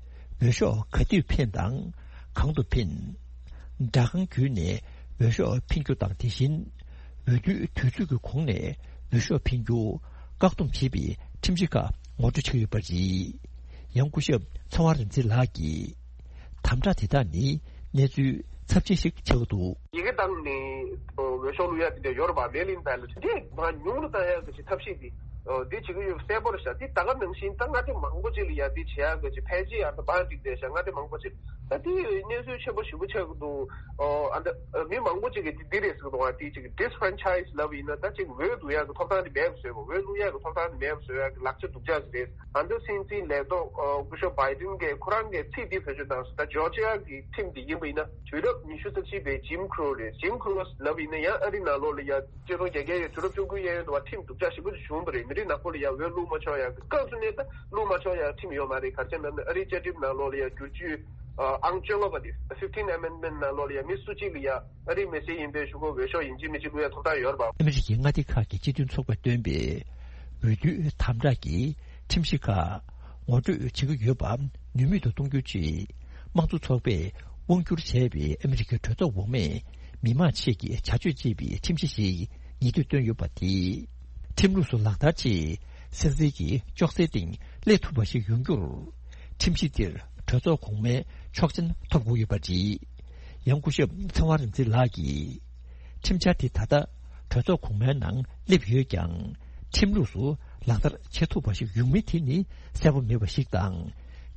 འོས་ཤོག་ག་དུས་འཕེན་དང་གང་དུ་འཕེན། སྦྲག་ཁང་བརྒྱུད་ནས་འོས་ཤོག་འཕེན་རྒྱུ་དང་དེ་བཞིན་འོས་བསྡུའི་དུས་ཚོད་ཀྱི་གོང་ནས་འོས་ཤོག་འཕེན་རྒྱུ་བཀག་སྡོམ་བྱེད་པའི་ཁྲིམས་གཞི་ཁག་ངོ་སྤྲོད་བྱས་ཡོད་པ་རེད། ཡང་སྐུ་ཞབས་ཚེ་དབང་རིག་འཛིན་ལགས་ཀྱིས། དམ་དྲག་དེ་དག་ནི་གནས་ཚུལ་ཚབས་ཆེན་ཞིག་ཆགས་ཀྱི་འདུག་ཡི་གེ་བཏང་ནས་འོས་ཤོག་བླུག་ཡ་དེ་འདྲ་ཡོད་རེད་པ། མེལ་ཨིན་བེ་ལོ་ཊི་དེ་མར་ཉུང་རུ་བཏང་ཡ་གི་ཅིག་ཐབས་ཤེས་དེ་འདི་བྱེད་ཀྱི་ཡོད་གསལ་པོ་རེད་ཤག་དེ་ད་ག་ནང་བཞིན་ད་མངའ་སྡེ་མང་པོ་ཅིག་ལ་ཡ་དེ་བྱེད་ཡ་གི་ཅིག་ཕལ་ཆེར་ཡ་ད་བང་སྒྲིག་བསྡད་ཤག་མངའ་སྡེ་མང་པོ་ཅིག་ད་དེ་གནས་ཚུལ་ཆེན་པོ་ཞེ་པོ་ཆགས་ཀྱི་འདུག་ཨ་ད་མི་མང་པོ་ཅིག་གིས་དེ་འདི་རེད་ཟེར་གི་འདུག་ཨ་དེ་ཅིག་ཌི་སི་ཕ་རན་ཆའི་སི་ལབ་ཡིན་ན་ད་ཅིག་འོས་བླུག་ཡ་གི་ཐོབ་ཐང་དེ་མེད་པ་བཟོས་པ། འོས་བླུག་ཡ་གི་ཐོབ་ཐང་དེ་མེད་པ་བཟོ་ཡ་གི་ལག་ཆ་སྡུག་ཅག་ཅིག་རེད། ཨ་ད་སྲིད་འཛིན་ལས་ཐོག་སྐུ་ཞབས་བྷའི་ཌེན་གྱིས་ཁོ་རང་གི་ཚིག་འདི་བེད་སྤྱོད་བཏང་སོང་། ད་ཇོར་ཇི་ཡ་གི་ཁྲིམས་འདི་ཡིན་པ་ཡིན་ན་དུས་རབས་ཉི་ཤུ་རྩ་གཅིག་པའི་ཇིམ་ཁྲོ་རེད། ཇིམ་ཁྲོ་ལབ་ཡིན་ན་ཡང་ཨ་རི་ནང་ལོགས་ལ་ཡ་སྤྱི་ཚོགས་རྒྱ་སྐྱེད་ཡོད་དུས་རབས་བཅུ་དགུའི་གཡས་གཡོན་དུ་བ་ཁྲིམས་སྡུག་ཅག་ཞེ་པོ་ཅིག་བྱུང་བ་རེད། མི་རིགས་ནག་པོ་ལ་ཡ་འོས་བླུག་མ་ཆོག་ཡ་གི་སྐབས་སུ་ནས་ད་བླུག་མ་ཆོག་ཡ་ཁྲིམས་ཡོད་མ་རེད། ག་རེ་བྱས་ན་ཨ་རིའི་བཅའ་ཁྲིམས་ནང་ལོགས་ལ་ཡ་བསྒྱུར་བཅོས་ ཨང་བཅོ་ལྔ་པ་དེ་fifteen amendment ནང་ལོགས་ལ་ཡ་མི་སུ་གཅིག་ལ་ཡ་ཨ་རིའི་མི་སེར་ཡིན་པའི་གཞུག་གུ་འོས་ཤོག་ཡིན་གཅིག་མིན་གཅིག་བླུག་ཡ་ཐོབ་ཐང་ཡོད་རེད་པ། ཨ་མི་རི་ཀའི་མངའ་སྡེ་ཁག་གི་སྤྱི་མཐུན་ཚོགས་པས་བཏོན་པའི་འོས་བསྡུའི་དམ་དྲག་གིས་ཁྲིམས་གཞི་ཁག་ངོ་སྤྲོད་བྱེད་ཀྱི་ཡོད་པ་ནུས་མེད་དུ་གཏོང་རྒྱུ་ཆེད། དམངས་གཙོ་ཚོགས་པས་དབང་བསྒྱུར་བྱས་པའི་ཨ་མི་རི་ཀའི་གྲོས་ཚོགས་འོག་མས་མི་མང་ཆེད་ཀྱི་བྱ་སྤྱོད་ཅེས་པའི་ཁྲིམས་གཞི་ཞིག་ཉེ་དུས་བཏོན་ཡོད་པ་དེས། ཁྲིམས་ལུགས་སུ་ལག་བསྟར་ཆེད་སེམས་ཁྲལ་གྱི་ཅོག་ཙེའི་སྟེང་སླེབས་ཐུབ་པ་ཞིག་ཡོང་རྒྱུར། ཁྲིམས་གཞི་འདིར་གྲོས་ཚོགས་གོང་མའི་ཆོག་མཆན་ཐོབ་དགོས་ཡོད་པ་རེད། ཡང་སྐུ་ཞབས་ཚེ་དབང་རིག་འཛིན་ལགས་ཀྱིས། ཁྲིམས་འཆར་དེ་ད་ལྟ་གྲོས་ཚོགས་གོང་མའི་ནང་སླེབས་ཡོད་ཀྱང་། ཁྲིམས་ལུགས་སུ་ལག་བསྟར་བྱེད་ཐུབ་པ་ཞིག་ཡོང་མིན་དེ་ནི་གསལ་པོ་མེད་པ་ཞིག་དང་།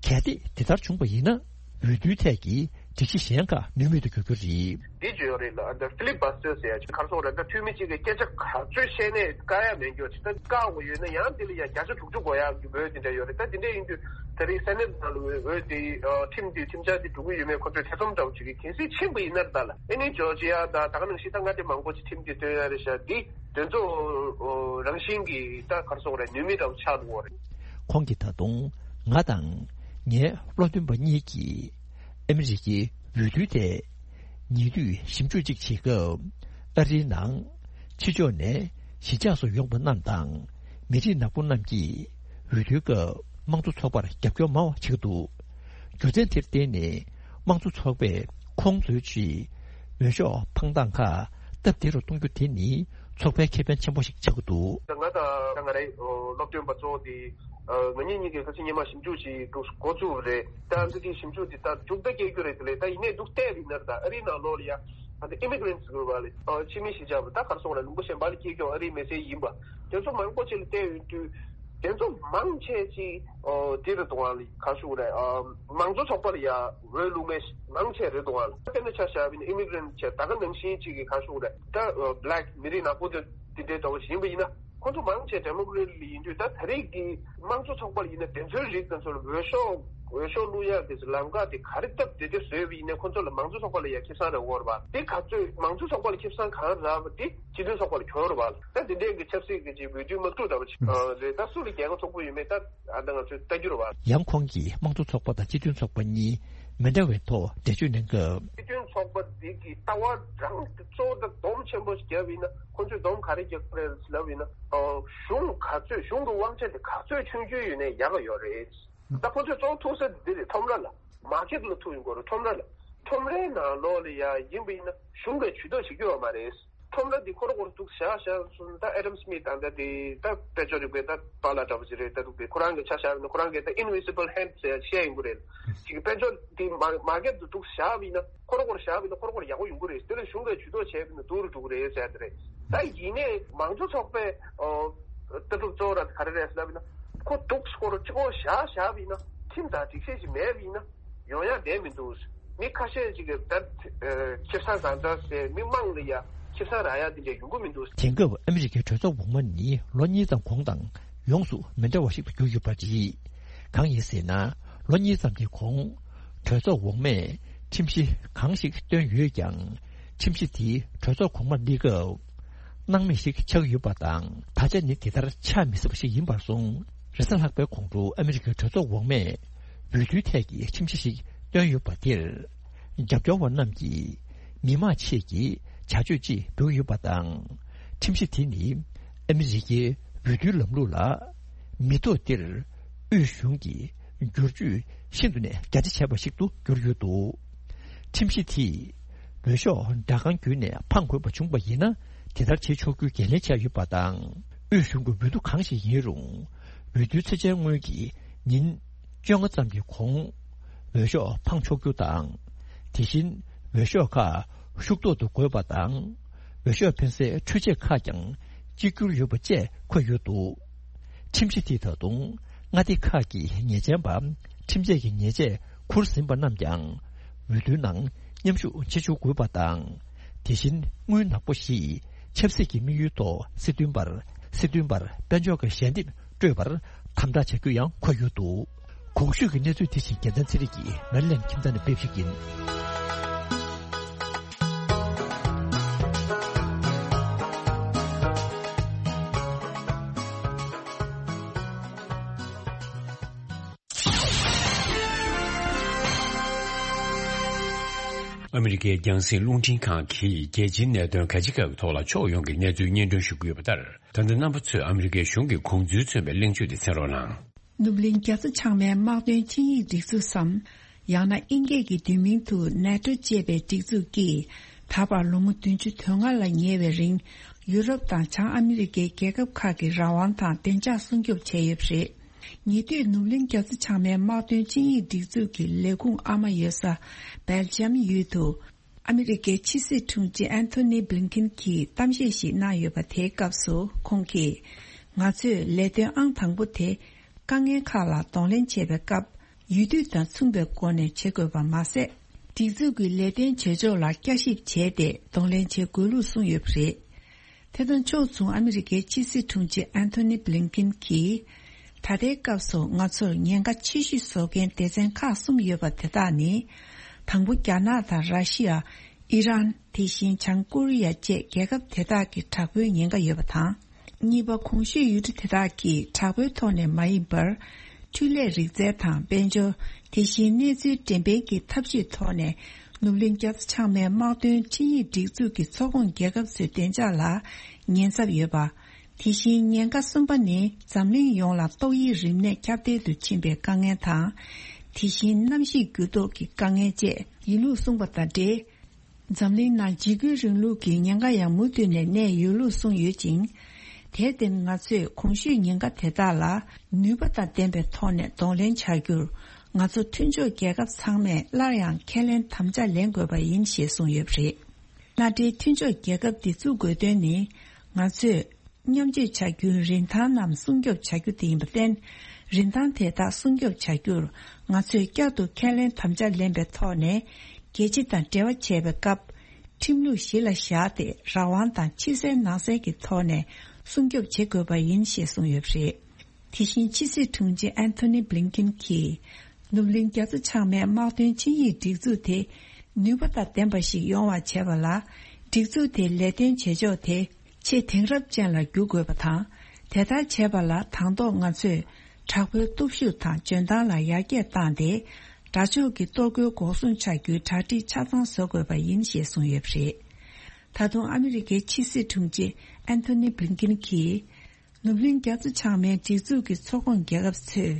གལ་ཏེ་དེ་ལྟར་བྱུང་བ་ཡིན་ན། འོས་བསྡུའི་ཐད་ཀྱི་སྒྲིག་གཞི་གཞན་ཁག་ནུས་མེད་དུ་འགྱུར་རྒྱུ་རེད། འདི་བརྗོད་ཡོད་རེད་ལ། ཨ་ད་ཕི་ལིབ་བྷ་སི་ཟེར་ཡ་ཅིག་ག་རེ་ཟེར་དགོས་རེད། ད་འཐུས་མི་གཅིག་གིས་སྐད་ཆ་ག་ཚོད་བཤད་ནའི་བཀག་ཡ་མེད་འགྱོ་ཅིག་ད་བཀག་དགོས་ཡོད་ན་ཡང་དེ་ལ་ཡ་བརྒྱ་ཆ་དྲུག་ཅུ་དགོས་ཡག་གི་འོས་དེ་འདྲ་ཡོད་རེད། ད་དེ་འདྲ་ཡིན་དུས་ད་རེས་སེ་ནེ་ཊི་ནང་ལ་འོས་འོས་དེ་ཨ་ཁྲིམས་དེ་ཁྲིམས་འཆར་དེ་འགྲོ་གི་ཡོད་མེད་ཁོ་ཚོས་ཐེ་ཚོམ་འདྲ་བོ་བྱེད་ཀྱི། གལ་སྲིད་ཕྱིན་པ་ཡིན་ན་ད་ལ་ཨེ་ནི་ཇོར་ཇི་ཡ་ད་ད་ག་ནང་བཞིན་ད་མངའ་སྡེ་མང་པོ་ཅིག་ཁྲིམས་དེ་བཏོན་ཡ་རེད་ཤག་འདི་དེ་ཚོ་རང་བཞིན་གྱིས་ད་ག་རེ་ཟེར་དགོས་རེད། ནུས་མེད་འདྲ་བོ་ཆགས་འགྲོ་གི་རེད། ཁོང་གིས་ད་དུང་ང་དང་ངའི་སློབ་སྟོན་པ་གཉིས་ཀྱིས་ཨ་མི་རི་ཀའི་འོས་བསྡུ་དེ་ཉེ་དུས་ཞིབ་འཇུག་ཅིག་བྱེད་སྐབས། ཨ་རིའི་ནང་ཕྱི་ཕྱོགས་ནས་གཞིས་ཆགས་སུ་ཡོང་པ་རྣམས་དང་མི་རིགས་ནག་པོ་རྣམས་ཀྱིས་འོས་བསྡུའི་སྐབས་དམངས་གཙོ་ཚོགས་པར་རྒྱབ་སྐྱོར་མང་བ་བྱེད་ཀྱི་འདུག་རྒྱུ་མཚན་དེར་བརྟེན་ནས་དམངས་གཙོ་ཚོགས་པས་ཁོང་ཚོའི་ཆེད་འོས་ཤོག་འཕངས་སྟངས་ཁག་སྟབས་བདེ་རུ་གཏོང་རྒྱུ་དེ་ནི་ཚོགས་པའི་ཁེ་ཕན་ཆེན་པོ་ཞིག་ཆགས་ཀྱི་འདུག་ད་ང་དང་ད་ང་རའི་སློབ་སྟོན་པ་གཙོ་བོ་དེ་ང་གཉིས་གཉིས་ཀྱིས་ཁ་སང་ཉི་མ་ཞིབ་འཇུག་ཅིག་འདུག་འགོ་བཙུགས་པ་རེད། ད་འདི་དེ་ཞིབ་འཇུག་དེ་ད་མཇུག་མཐའ་སྐྱེལ་རྒྱུ་རེད། དེ་ལས་ད་ཡིན་ནའི་འདུག་བལྟས་པ་ཡིན་ན་ད་ཨ་རིའི་ནང་ལོགས་ལ་ཡ་ད་ཨི་མི་གྷི་རེན་ཊི་ཟེར་བ་ལ་ཕྱི་མི་གཞིས་ཆགས་པ་ད་ག་རེ་ཟེར་དགོས་རེད། ལུང་པ་གཞན་པ་ལ་སྐྱེས་ཀྱང་ཨ་རིའི་མི་སེར་ཡིན་པ་དེ་ཚོ་མང་པོ་ཅིག་ལ་བལྟས་ཡོང་དུས། དེ་ཚོ་མང་ཆེ་ཅིག་ཨོ་དེ་རེད་འདུག་བ་ལ་ག་རེ་ཞུ་དགོས་རེད། ཨ་དམངས་གཙོ་ཚོགས་པ་ལ་ཡ་འོས་བླུག་མཁན་མང་ཆེ་རེད་འདུག་བ་ལ། དཔེར་ན་ཆ་བཞག་པ་ཡིན་ན་ཨི་མི་གྷི་རེན་ཊི་ཆེ་ད་ག་ནང་བཞིན་ཅིག་གི་ག་རེ་ཞུ་དགོས་རེད། ད་ཨ་བྷི་ལེག་མི་རིགས་ནག་པོ་དེ་དེ་འདྲའི་འདྲ་བོ་ཞིག་ཡིན་པ་ཡིན་ན་ཁོང་ཚོ་མང་ཆེ་ཌེ་མོ་ཀེ་རེ་ཊི་ལ་ཡིན་དུས། ད་ད་རེས་ཀྱི་དམངས་གཙོ་ཚོགས་པ་ལ་ཡིན་ན་དེ་ཚོའི་རིགས་དེ་ཚོ་ལ་འོས་ཤོག་འོས་ཤོག་བླུག་ཡག་གི་ལམ་ཁ་དེ་ག་རེ་སྟབས་བདེ་བདེ་བཟོས་པ་ཡིན་ན་ཁོང་ཚོ་ལ་དམངས་གཙོ་ཚོགས་པ་ལ་ཡ་ཁེ་བཟང་རག་གི་ཡོད་རེད་པ། དེ་ག་ཚོད་དམངས་གཙོ་ཚོགས་པ་ལ་ཁེ་བཟང་གང་རག་པ་དེ་སྤྱི་མཐུན་ཚོགས་པ་ལ་གྱོང་རེད་པ། ད་དེ་འདྲའི་གི་ཆབ་སྲིད་ཀྱི་ཅིག་འོས་བསྡུའི་དམག་འཁྲུག་འདྲ་བོ་ཅིག་ཨ་རེད། ད་སུ་ལ་རྒྱལ་ཁ་ཐོབ་ཀྱི་ཡོད་མེད་ད་ཨ་ད་ང་ཚོས་ལྟ་རྒྱུ་རེད་པ། ཡང་ཁོང་གིས་དམངས་གཙོ་ཚོགས་པ་དང་སྤྱི་མཐུན་ཚོགས་པ་གཉིས་མི་འདྲ་བའི་ཐོག་འགྲེལ་བརྗོད་གནང་སྐབས། སྤྱི་མཐུན་ཚོགས་པ་འདི་གི་ལྟ་བ་རང་གི་གཙོ་བོ་དང་སྡོམ་ཆེན་པོ་ཞིག་བརྒྱབ་ཡིན་ན། ཁོང་ཚོས་སྡོམ་ག་རེ་རྒྱག་གི་རེད་ལབ་ཡིན་ན། ཨོ་གཞུང་ག་ཚོད་གཞུང་གི་དབང་ཆ་དེ་ག་ཚོད་ཆུང་ཆུང་ཡོད་ན་ཡག་ག་ཡོད་རེད། ད་ཁོང་ཚོས་གཙོ་བོ་ཐུག་ས་འདི་རེད། ཁྲོམ་ར་ལ། མར་ཀེཊ་ལ་ཐུག་ཡོང་གི་རེད། ཁྲོམ་ར་ལ། ཁྲོམ་རའི་ནང་ལོགས་ལ་ཡ་ཡིན་པ་ཡིན་ན་གཞུང་གིས་ཇུས་གཏོགས་བྱེད་ཀྱི་ཡོད་མ་རེད། ཁྲོམ་ར་འདི་ཁོ་རང་ཁོ་རང་འདུག་བཞག་བཞག་སོང་ན། ད་ཨེ་ཌམ་སི་མིཐ་དང་ད་དེ་ད་དཔལ་འབྱོར་རིག་པའི་ད་པཱ་ལགས་འདྲ་པོ་ཅིག་རེད། ད་འདུག་དེ་ཁོ་རང་གི་ཆ་བཞག་ན་ཁོ་རང་གི་ད་ཨིན་ཝི་ཛི་བལ་ཧེན་ཌི་ཟེར་ཡ་བཤད་ཡོང་གི་རེད། ཅིག་དཔལ་འབྱོར་འདི་མ་མར་ཀེཊ་དུ་འདུག་བཞག་པ་ཡིན་ན། ཁོ་རང་ཁོ་རང་བཞག་པ་ཡིན་ན་ཁོ་རང་ཁོ་རང་ཡག་པོ་ཡོང་གི་རེད། དེ་ལ་གཞུང་གིས་ཇུས་གཏོགས་བྱས་པ་ཡིན་ན་སྡུག་རུ་འགྲོ་གི་རེད་ཟེར་ཡ་དེ་རེད། ད་ཡིན་ནའི་མང་གཙོ་ཚོགས་པའི་ཨོ་ལྟ་གྲུབ་གཙོ་བོ་ར་ག་རེ་རེད་ཟེར་ལབ་ཡིན་ན། ཁོ་འདུག་ཁོ་རང་གཅིག་པོ་བཞག་བཞག་པ་ཡིན་ན། ཁྲིམས་དང་སྒྲིག་གཞི་ཞིག་མེད་པ་ཡིན་ན། ཡོང་ཡ་བསྡད་མི་འདུག་མི་ཁ་ཤས་ཅིག་གིས་ད་ཁེ་བཟང་གང་འདྲ་ཟེར། མི་མང་ལ་ཡ་ཁེ་བཟང་རག་ཡ་དེ་འདྲ་ཡོང་གི་མི་འདུག་དེང་སྐབས་ཨ་མི་རི་ཀའི་གྲོས་ཚོགས་འོག་མ་ནི་ལོ་གཉིས་ཙམ་གོང་དང་ཡོངས་སུ་མི་འདྲ་བ་ཞིག་ཏུ་གྱུར་ཡོད་པ་རེད། གང་ཡིན་ཟེར་ན། ལོ་གཉིས་ཙམ་གྱི་གོང་གྲོས་ཚོགས་འོག་མས་ཁྲིམས་གཞི་གང་ཞིག་བཏོན་ཡོད་ཀྱང་། ཁྲིམས་གཞི་དེ་གྲོས་ཚོགས་གོང་མར་སླེབས་སྐབས་སྣང་མེད་ཞིག་ཆགས་ཡོད་པ་དང་། ད་ཆ་ནི་དེ་ལྟར་ཆགས་མི་སྲིད་པ་ཞིག་ཡིན་པར་སོང་། རེས་གཟའ་ལྷག་པའི་གོང་དུ་ཨ་མི་རི་ཀའི་གྲོས་ཚོགས་འོག་མས་འོས་བསྡུའི་ཐད་ཀྱི་ཁྲིམས་གཞི་ཞིག་བཏོན་ཡོད་པ་དེར། རྒྱབ་སྐྱོར་བ་རྣམས་ཀྱིས་མི་མང་ཆེད་ཀྱི་བྱ་སྤྱོད་ཅེས་འབོད་ཡོད་པ་དང་། ཁྲིམས་གཞི་དེ་ནི་ཨ་མི་རི་ཀའི་འོས་བསྡུའི་ལམ་ལུགས་ལ་མི་ཐོག་འདིར་དབུས་གཞུང་གིས་བསྒྱུར་བཅོས་ཤིན་ཏུ་ནས་རྒྱ་ཆེ་བྱས་པ་ཞིག་ཏུ་གྱུར་ཡོད་འདུག་ཁྲིམས་གཞི་དེས་འོས་ཤོག་སྦྲག་ཁང་བརྒྱུད་ནས་འཕང་དགོས་པ་བྱུང་བ་ཡིན་ན། དེ་ལྟར་བྱེད་ཆོག་རྒྱུའི་འགན་ལེན་བྱས་ཡོད་པ་དང་། དབུས་གཞུང་གི་འོས་བསྡུ་གང་ཞིག་ཡིན་རུང་། འོས་བསྡུའི་ཚེས་བཅད་སྔོན་གྱི་ཉིན་བཅོ་ལྔ་ཙམ་གྱི་གོང་འོས་ཤོག་འཕང་ཆོག་རྒྱུ་དང་། དེ་བཞིན་འོས་ཤོག་ཁག་ཤུགས་ཐོག་ཏུ་དགོས་པ་དང་། འོས་ཤོག་འཕེན་སའི་འཕྲུལ་ཆས་ཁག་ཀྱང་གཅིག་གྱུར་ཡོད་པ་བཅས་འཁོད་ཡོད་འདུག་ཁྲིམས་གཞི་དེས་ད་དུང་མངའ་སྡེ་ཁག་གི་ཉེས་ཅན་པ། ཁྲིམས་ཆད་ཀྱི་ཉེས་ཆད་འཁུར་ཟིན་པ་རྣམས་ཀྱང་འོས་བསྡུའི་ནང་མཉམ་ཞུགས་བྱེད་ཆོག་དགོས་པ་དང་། དེ་བཞིན་དངུལ་ནག་པོ་ཞིག་ཆབ་སྲིད་ཀྱི་དམིགས་ཡུལ་ཐོག་སྲིད་དོན་པར། སྲིད་དོན་པར་དཔལ་འབྱོར་གྱི་ཞལ་འདེབས་སྤྲོད་པར་དམ་དྲག་བྱ་རྒྱུ་ཡང་འཁོད་ཡོད་འདུག་གོང་ཞུས་ཀྱི་གནས་ཚུལ་དེ་བཞིན་རྒྱལ་མཚན་ཚེ་རིང་གིས་མེ་རི་ལེན་ཁྱིམ་ཚང་ནས་སྤེལ་བ་ཞིག་ཡིན། ཨ་མི་རི་ཀའི་རྒྱང་སྲིང་རླུང་འཕྲིན་ཁང་གིས་རྒྱལ་སྤྱིའི་གནད་དོན་ག་ཅི་ག་གི་ཐོག་ལ་ཕྱོགས་ཡོངས་ཀྱི་གནས་ཚུལ་སྙན་སྒྲོན་ཞུ་གི་ཡོད་པ་ལྟར། ད་ལྟ་རྣམ་པ་ཚོས་ཨ་མི་རི་ཀའི་གཞུང་གི་དགོངས་ཚུལ་མཚོན་པའི་གླེང་བརྗོད་དེ་གསན་རོགས་གནང་། ནུབ་གླིང་རྒྱ་མཚོ་བྱང་མའི་དམག་དོན་ཆིངས་ཡིག་སྒྲིག་འཛུགས་སམ། ཡང་ན་དབྱིན་སྐད་ཀྱི་བསྡུས་མིང་དུ་ནེ་ཊོ་ཅེས་པའི་སྒྲིག་འཛུགས་ཀྱིས། ད་བར་ལོ་ངོ་བདུན་ཅུ་དོན་ལྔ་ལ་ཉེ་བའི་རིང་། ཡུ་རོབ་དང་བྱང་ཨ་མི་རི་ཀའི་རྒྱལ་ཁབ་ཁག་གི་རང་དབང་དང་བདེ་འཇགས་སྲུང་སྐྱོབ་བྱས་ཡོད་པ་རེད། ཉེ་དུས་ནུབ་གླིང་རྒྱ་མཚོ་བྱང་མའི་དམག་དོན་ཆིངས་ཡིག་སྒྲིག་འཛུགས་ཀྱི་ལས་ཁུངས་ཨ་མ་ཡོད་ས་སྦེལ་ཇམ་ཡུལ་དུ། ཨ་མི་རི་ཀའི་ཕྱི་སྲིད་དྲུང་ཆེ་ཨན་ཐོ་ནི་བྷི་ལིན་ཀིན་གྱིས་གཏམ་བཤད་ཞིག་གནང་ཡོད་པ། དེའི་སྐབས་སུ་ཁོང་གིས། ང་ཚོས་ལས་དོན་ཨང་དང་པོ་དེ། དཀའ་ངལ་ཁག་ལ་གདོང་ལེན་བྱེད་པའི་སྐབས། ཡུལ་དུས་དང་མཚུངས་པའི་སྒོ་ནས་བྱེད་དགོས་པ་མ་ཟད། སྒྲིག་འཛུགས་ཀྱི་ལས་དོན་བྱེད་ཕྱོགས་ལ་བསྐྱར་ཞིབ་བྱས་ཏེ། གདོང་ལེན་བྱེད་དགོས་ལུགས་གསུངས་ཡོད་པ་རེད། དེ་དང་ཕྱོགས་མཚུངས། ཨ་མི་རི་ཀའི་ཕྱི་སྲིད་དྲུང་ཆེ་ཨན་ཐོ་ནི་བྷི་ལིན་ཀིན་གྱིས། ད་ལྟའི་སྐབས་སུ་ང་ཚོར་ཉེན་ཁ་ཆེ་ཤོས་བཟོ་མཁན་སྡེ་ཚན་ཁག་གསུམ་ཡོད་པ། དེ་དག་ནི། དང་པོ། རྒྱ་ནག་དང་ར་ཤི་ཡ། ཨི་རན། དེ་བཞིན་བྱང་ཀོ་རི་ཡ་བཅས་རྒྱལ་ཁབ་དེ་དག་གི་དྲག་པོའི་ཉེན་ཁ་ཡོད་པ་དང་། གཉིས་པ། གོང་ཞུས་ཡུལ་གྲུ་དེ་དག་གིས་དྲག་པོའི་ཐོག་ནས་མ་ཡིན་པར། འཕྲུལ་ལས་རིག་རྩལ་དང་དཔལ་འབྱོར། དེ་བཞིན་གནས་ཚུལ་འགྲེམས་སྤེལ་གྱི་ཐབས་ཇུས་ཐོག་ནས། ནུབ་གླིང་རྒྱ་མཚོ་བྱང་མའི་དམག་དོན་ཆིངས་ཡིག་སྒྲིག་འཛུགས་ཀྱི་ཚོགས་ཁོངས་རྒྱལ་ཁབ་ཚོའི་བདེ་འཇགས་ལ་ཉེན་ཚབས་ཡོད་པ། དེ་བཞིན་ཉེན་ཁ་གསུམ་པ་ནི། འཛམ་གླིང་ཡོངས་ལ་ཏོག་དབྱིབས་རིམས་ནད་ཁྱབ་གདལ་དུ་ཕྱིན་པའི་དཀའ་ངལ་དང་། དེ་བཞིན་གནམ་གཤིས་འགྱུར་ལྡོག་གི་དཀའ་ངལ་བཅས་ཡིན་ལུགས་གསུངས་པ་དང་འབྲེལ། འཛམ་གླིང་ནང་འཇིགས་སྐུལ་རིང་ལུགས་ཀྱི་ཉེན་ཁ་ཡང་མུ་མཐུད་ནས་གནས་ཡོད་ལུགས་གསུངས་ཡོད་ཅིང་། དེར་བརྟེན་ང་ཚོས་གོང་ཞུས་ཉེན་ཁ་དེ་དག་ལ་ནུས་པ་དང་ལྡན་པའི་ཐོག་ནས་གདོང་ལེན་བྱ་རྒྱུར། ང་ཚོ་མཐུན་ཕྱོགས་རྒྱལ་ཁབ་ཚང་མས་སླར་ཡང་ཁས་ལེན་དམ་བཅའ་ལེན་དགོས་པ་ཡིན་ཞེས་གསུངས་ཡོད་པ་རེད། མནའ་འབྲེལ་མཐུན་ཕྱོགས་རྒྱལ་ཁབ་འདི་བཙུགས་དགོས་དོན་ནི། ང་ཚོས། མཉམ་སྤྱོད་བྱ་རྒྱུའི་རིན་ཐང་རྣམས་སྲུང་སྐྱོབ་བྱ་རྒྱུ་དེ་ཡིན་པར་བརྟེན། རིན་ཐང་དེ་དག་སྲུང་སྐྱོབ་བྱ་རྒྱུར། ང་ཚོས་བསྐྱར་དུ་ཁས་ལེན་དམ་བཅའ་ལེན་པའི་ཐོག་ནས། རྒྱལ་སྤྱི་དང་འབྲེལ་བ་བྱེད་པའི་སྐབས། ཁྲིམས་ལུགས་གཞི་ལ་བཞག་སྟེ། རང་དབང་དང་ཕྱི་གསལ་ནང་གསལ་གྱི་ཐོག་ནས་སྲུང་སྐྱོབ་བྱེད་དགོས་པ་ཡིན་ཞེས་གསུངས་ཡོད་པ་རེད། དེ་བཞིན་ཕྱི་སྲིད་དྲུང་ཆེ་ཨན་ཐོ་ནི་བྷི་ལིན་ཀིན་གྱིས། ནུབ་གླིང་རྒྱ་མཚོ་བྱང་མའི་དམག་དོན་ཆིངས་ཡིག་སྒྲིག་འཛུགས་དེ། ནུས་པ་དང་ལྡན་པ་ཞིག་ཡོང་བ་བྱེད་པ་ལ། སྒྲིག་འཛུགས་དེའི་ལས་དོན་བྱེད་ཕྱོགས་དེ། ཆེས་དེང་རབས་ཅན་ལ་འགྱུར་དགོས་པ་དང་། དེ་ལྟར་བྱེད་པ་ལ་དང་ཐོག་ང་ཚོས་དྲག་པོའི་སྟོབས་ཤུགས་དང་འཇོན་ཐང་ལ་ཡར་རྒྱས་བཏང་སྟེ། དགྲ་ཕྱོགས་ཀྱི་གཏོར་རྒོལ་འགོག་སྲུང་བྱ་རྒྱུའི་གྲ་སྒྲིག་ཆ་ཚང་བཟོ་དགོས་པ་ཡིན་ཞེས་གསུངས་ཡོད་པ་རེད། ད་དུང་ཨ་མི་རི་ཀའི་ཕྱི་སྲིད་དྲུང་ཆེ་ཨན་ཐོ་ནི་བྷི་ལིན་ཀིན་གྱིས། ནུབ་གླིང་རྒྱ་མཚོ་བྱང་མའི་སྒྲིག་འཛུགས་ཀྱི་ཚོགས་ཁོངས་རྒྱལ་ཁབ་ཚོས།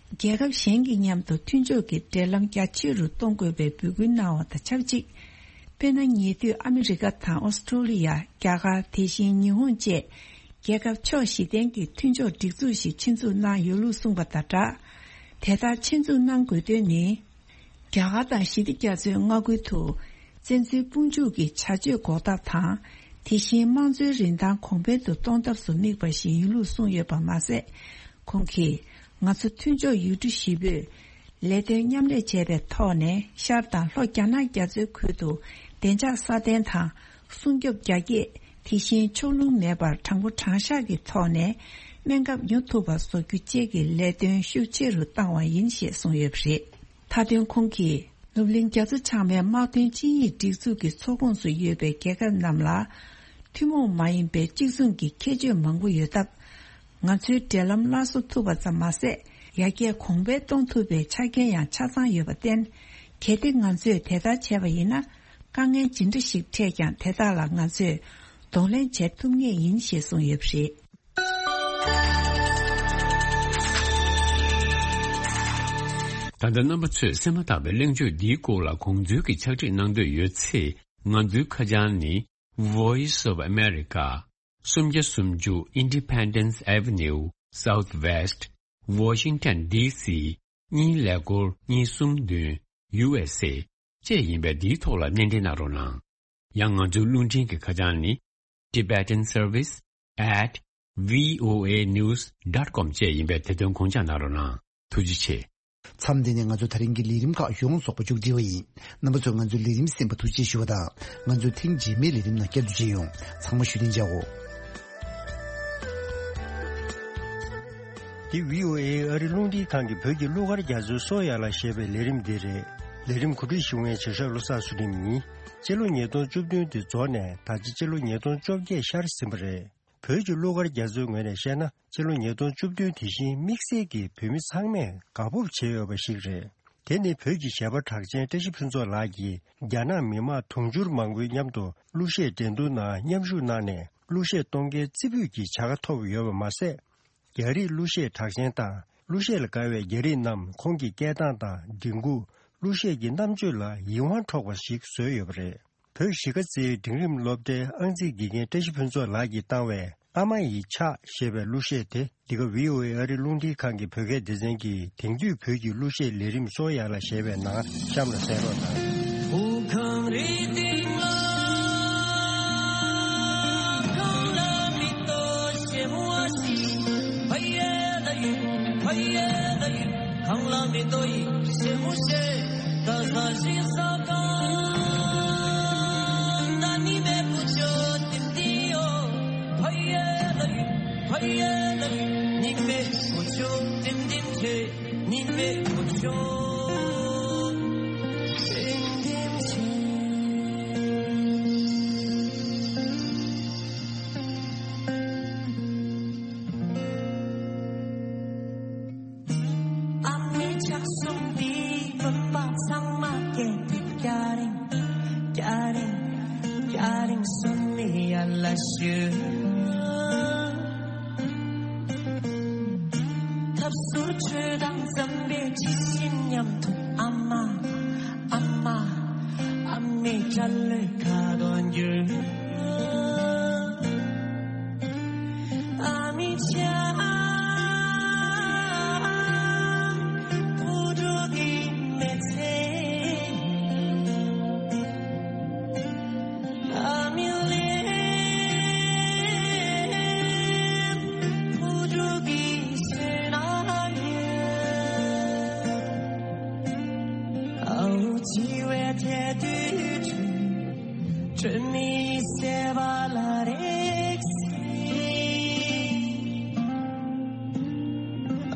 རྒྱལ་ཁབ་གཞན་གྱི་མཉམ་དུ་མཐུན་ཕྱོགས་ཀྱི་འབྲེལ་ལམ་རྒྱ་ཆེ་རུ་གཏོང་དགོས་པའི་འབོད་སྐུལ་གནང་བ་དང་ཆབས་ཅིག་དཔེར་ན། ཉེ་དུས་ཨ་མི་རི་ཀ་དང་ཨོ་སི་ཀྲོ་ལི་ཡ། རྒྱ་གར། དེ་བཞིན་ཉི་ཧོང་བཅས། རྒྱལ་ཁབ་ཕྱོགས་བཞི་ལྡན་གྱི་མཐུན་ཕྱོགས་སྒྲིག་འཛུགས་ཤིག་ཆེད་འཛུགས་གནང་ཡོད་ལུགས་གསུངས་པ་དང་སྦྲགས། དེ་ལྟར་ཆེད་འཛུགས་གནང་དགོས་དོན་ནི། རྒྱ་གར་དང་ཞི་བདེ་རྒྱ་མཚོའི་མངའ་ཁུལ་དུ། བཙན་འཛུལ་དཔུང་འཇུག་གི་བྱ་སྤྱོད་འགོག་ཐབས་དང་། དེ་བཞིན་དམངས་གཙོའི་རིན་ཐང་གོང་འཕེལ་དུ་གཏོང་ཐབས་སུ་དམིགས་པ་ཞིག་ཡིན་ལུགས་གསུངས་ཡོད་པ་མ་ཟད། ཁོང་གིས། ང་ཚོ་མཐུན་ཕྱོགས་ཡུལ་གྲུ་བཞི་པོས། ལས་དོན་མཉམ་ལས་བྱས་པའི་ཐོག་ནས། ཤར་དང་ལྷོ་རྒྱ་ནག་རྒྱ་མཚོའི་ཁུལ་དུ། བདེ་འཇགས་སྲ་བརྟན་དང་། སྲུང་སྐྱོབ་རྒྱ་སྐྱེད། དེ་བཞིན་ཕྱོགས་ལྷུང་མེད་པར། དྲང་པོ་དྲང་བཞག་གི་ཐོག་ནས། སྨན་ཁབ་ཉོ་ཐུབ་པ་བཟོ་རྒྱུ་བཅས་ཀྱི་ལས་དོན་ཤུགས་ཆེ་རུ་བཏང་བ་ཡིན་ཞེས་གསུངས་ཡོད་པ་རེད། མཐའ་དོན་ཁོང་གིས། ནུབ་གླིང་རྒྱ་མཚོ་བྱང་མའི་དམག་དོན་ཆིངས་ཡིག་སྒྲིག་འཛུགས་ཀྱི་ཚོགས་ཁོངས་སུ་ཡོད་པའི་རྒྱལ་ཁབ་རྣམས་ལ། ཐུན་མོང་མ་ཡིན་པའི་གཅིག་མཚུངས་ཀྱི་ཁྱད་ཆོས་མང་པོ་ཡོད་སྟབས། ང་ཚོའི་འབྲེལ་ལམ་སླར་གསོ་ཐུབ་པ་ཙམ་མ་ཟད། ཡར་རྒྱས་གོང་འཕེལ་གཏོང་ཐུབ་པའི་ཆ་རྐྱེན་ཡང་ཆ་ཚང་ཡོད་པར་བརྟེན། གལ་ཏེ་ང་ཚོས་དེ་ལྟར་བྱས་པ་ཡིན་ན། དཀའ་ངལ་ཇི་འདྲ་ཞིག་འཕྲད་ཀྱང་། དེ་དག་ལ་ང་ཚོས་གདོང་ལེན་བྱེད་ཐུབ་ངེས་ཡིན་ཞེས་གསུངས་ཡོད་པ་རེད། ད་ལྟ་རྣམ་པ་ཚོས་གསན་མ་ཐག་པའི་གླེང་བརྗོད་འདིའི་སྐོར་ལ་དགོངས་ཚུལ་གྱི་ཕྱག་བྲིས་གནང་འདོད་ཡོད་ཚེ། ང་ཚོའི་ཁ་བྱང་ནི། Voice of America། སུམ་བརྒྱ་སུམ་ཅུ་Independence Avenue Southwest Washington D C གཉིས་ཀླད་ཀོར་གཉིས་གསུམ་བདུན། U S A བཅས་ཡིན་པས། འདིའི་ཐོག་ལ་སྣེ་འདྲེན་གནང་རོགས་གནང་། ཡང་ང་ཚོའི་རླུང་འཕྲིན་གྱི་ཁ་བྱང་ནི། Tibetan Service at V O A news dot com བཅས་ཡིན་པས། དེ་དོན་དགོངས་འཇགས་གནང་རོགས་གནང་། ཐུགས་རྗེ་ཆེ། མཚམས་འདི་ནས་ང་ཚོ་ད་རིང་གི་ལས་རིམ་ཁག་ཡོངས་རྫོགས་པ་མཇུག་སྒྲིལ་བ་ཡིན། རྣམ་པ་ཚོས་ང་ཚོའི་ལས་རིམ་གསན་པར་ཐུགས་རྗེ་ཆེ་ཞུ་བ་དང་། ང་ཚོའི་ཐེངས་རྗེས་མའི་ལས་རིམ་ནང་བསྐྱར་དུ་མཇལ་ཡོང་། ཚང་མ་བཞུགས་གདན་འཇགས་འོ། འདི་V O A ཨ་རི་རླུང་འཕྲིན་ཁང་གི་བོད་ཀྱི་གླུ་གར་རྒྱ་མཚོའི་སོ་ཡ་ལ་ཞེས་པའི་ལས་རིམ་འདི་རེད། ལས་རིམ་གོ་སྒྲིག་ཞུ་མཁན་བྱེད་ཞབས་བློ་བཟང་ཚུལ་ཁྲིམས་ཡིན། སྤྱི་ལོ་ཉིས་སྟོང་བཅུ་བདུན་དེ་རྫོགས་ནས་ད་ཆ་སྤྱི་ལོ་ཉིས་སྟོང་བཅོ་བརྒྱད་ཤར་ཟིན་པ་རེད། བོད་ཀྱི་གླུ་གར་རྒྱ་མཚོའི་ངོས་ནས་བཤད་ན། སྤྱི་ལོ་ཉིས་སྟོང་བཅུ་བདུན་དེ་བཞིན་དམིགས་བསལ་གྱིས་བོད་མི་ཚང་མས་དགའ་སྤོབས་བྱེད་འོས་པ་ཞིག་རེད། དེ་ནི་བོད་ཀྱི་གཞས་པ་གྲགས་ཅན་བཀྲ་ཤིས་ཕུན་ཚོགས་ལགས་ཀྱིས་རྒྱ་ནག་མི་དམངས་དུང་ཕྱུར་མང་པོའི་མཉམ་དུ་གླུ་གཞས་འགྲན་བསྡུར་ནང་མཉམ་ཞུགས་གནང་ནས་གླུ་གཞས་གཏོང་མཁན་རྩེ་ཕུད་ཀྱི་བྱ་དགའ་ཐོབ་ཡོད་པ་མ་ཟད། རྒྱ་རིགས་གླུ་གཞས་གྲགས་ཅན་དང་གླུ་གཞས་ལ་དགའ་བའི་རྒྱ་རིགས་རྣམས་ཁོང་གི་སྐད་གདངས་དང་མགྲིན་ཁུག་གླུ་གཞས་ཀྱི་རྣམ་དཔྱོད་ལ་ཡིད་དབང་འཕྲོག་པ་ཞིག་བཟོས་ཡོད་པ་རེད། བོད་གཞིས་ཀ་རྩེའི་འབྲིང་རིམ་སློབ་གྲྭའི་ཨང་རྩིས་དགེ་རྒན་བཀྲ་ཤིས་ཕུན་ཚོགས་ལགས་ཀྱིས་བཏང་བའི་ཨ་མ་ཡི་ཕྱག་ཞེས་པའི་གླུ་གཞས་དེ་འདི་ག་བྷི་ཨོ་ཨེ་ཨ་རིའི་རླུང་འཕྲིན་ཁང་གི་བོད་སྐད་སྡེ་ཚན་གྱིས་དེང་དུས་བོད་ཀྱི་གླུ་གཞས་ལས་རིམ་གསོ་ཡག་ལ་ཞེས་པའི་ནང་གཤམ་ལ་གསན་རོགས་གནང་། བོད་ཁམས་རིག་སྟེང་ལ་གང་ལ་མི་གཏོགས་ཞེ་མོ་བ་ཞིག་ཕ་ཡེ་ལ་ཡུ་ཕ་ཡེ་ལ་ཡུ། གང་ལ་མི་ལྟོ་ཡི་ཞེ་མོ་ཞེ། ད་ས་ཞིག་ས་གང་ད་ནི་མེ་བུ་ཆོ་ཏིམ་ཏི་ཡོ། ཕ་ཡེ་ལ་ཡུ་ཕ་ཡེ་ལ་ཡུ། ནི་མེ་བུ་ཆོ་ཏིམ་ཏིམ་ཆེ། ནི་མེ་བུ་ཆོ་ཏིམ་ཏིམ་ཆེ། ཨ་མའི་ཕྱག་ཟུང་འདིས་བུམ་པ་ཚང་མ་སྐྱེད་དེ། སྐྱ་རེངས་སྐྱ་རེངས་སྐྱ་རེངས་སོན་ནས་ཡར་ལ་ཞུ། ཐབ་ཟུར་ཁྲོད་དང་འཛམ་བུའི་ཇི་བཞིན་མཉམ་དུ་ཨ་མ། ཨ་མ། ཨ་མའི་སྐྲ་ལོའི་ཁ་དོག་འགྱུར། ཨ་མའི་ཕྱག་བུ་ཕྲུག་གི་མི་ཚེ། ཨ་མའི་ལུས་བུ་ཕྲུག་གི་བསོད་ནམས་ཡིན། ཨ་འུ་འཆི་བའི་ཐད་དུ་སྤྲིན་མེད་སེ་བ་ལ་རེག་སྲིད།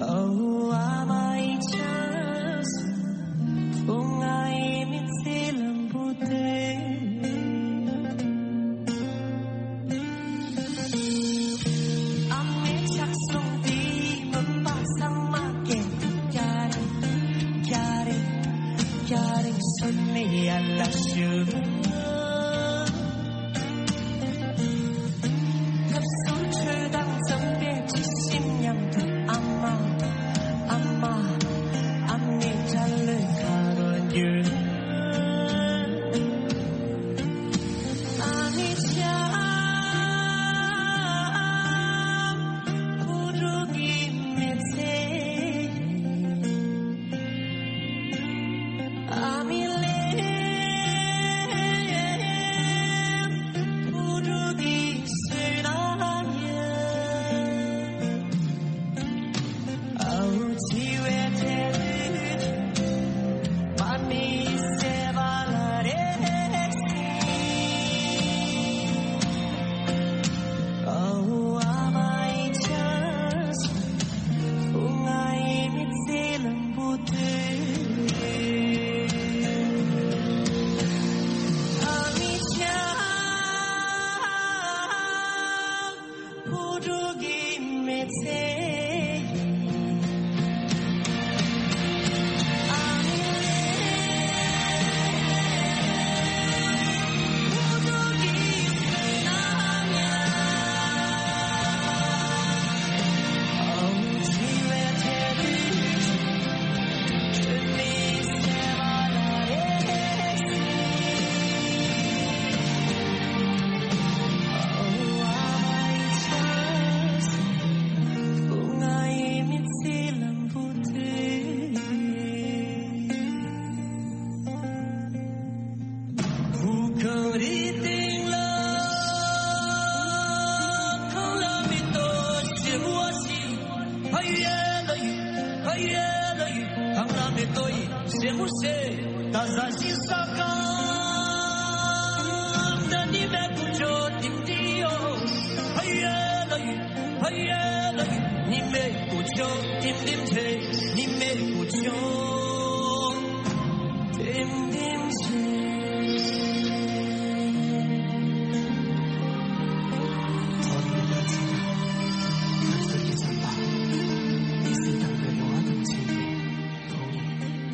ཨ་འུ་ཨ་མ་ཡི་ཆབ་སྲིད་བུ་ང་ཡི་མི་ཚེ་ལམ་བུ་དེ། ཨ་མའི་ཕྱག་ཟུང་འདིས་བུམ་པ་ཚང་མ་སྐྱེད་དེ། སྐྱ་རེངས་སྐྱ་རེངས་སྐྱ་རེངས་སོན་ནས་ཡར་ལ་ཞུ། ཐབ་ཟུར་ཁྲོད་དང་འཛམ་བུའི་ཇི་བཞིན་མཉམ་དུ་ཨ་མ། ཨ་མ། ཨ་མའི་སྐྲ་ལོའི་ཁ་དོག་འགྱུར། ཨ་མའི་ཕྱག་བུ་ཕྲུག་གི་མི་ཚེ། ཨ་མའི་ལུས་བུ་ཕྲུག་གི་བསོད་ནམས་ཡིན། ཨ་འུ་འཆི་བའི་ཐད་དུ་པ་མི་སེ་བ་ལ་རེག་སྲིད། ཨ་འུ་ཨ་མ་ཡི་ཆབ་སྲིད་བུ་ང་ཡི་མི་ཚེ་ལམ་བུ་དེ། ཨ་མའི་ཕྱག་བུ་ཕྲུག་གི་མི་ཚེ།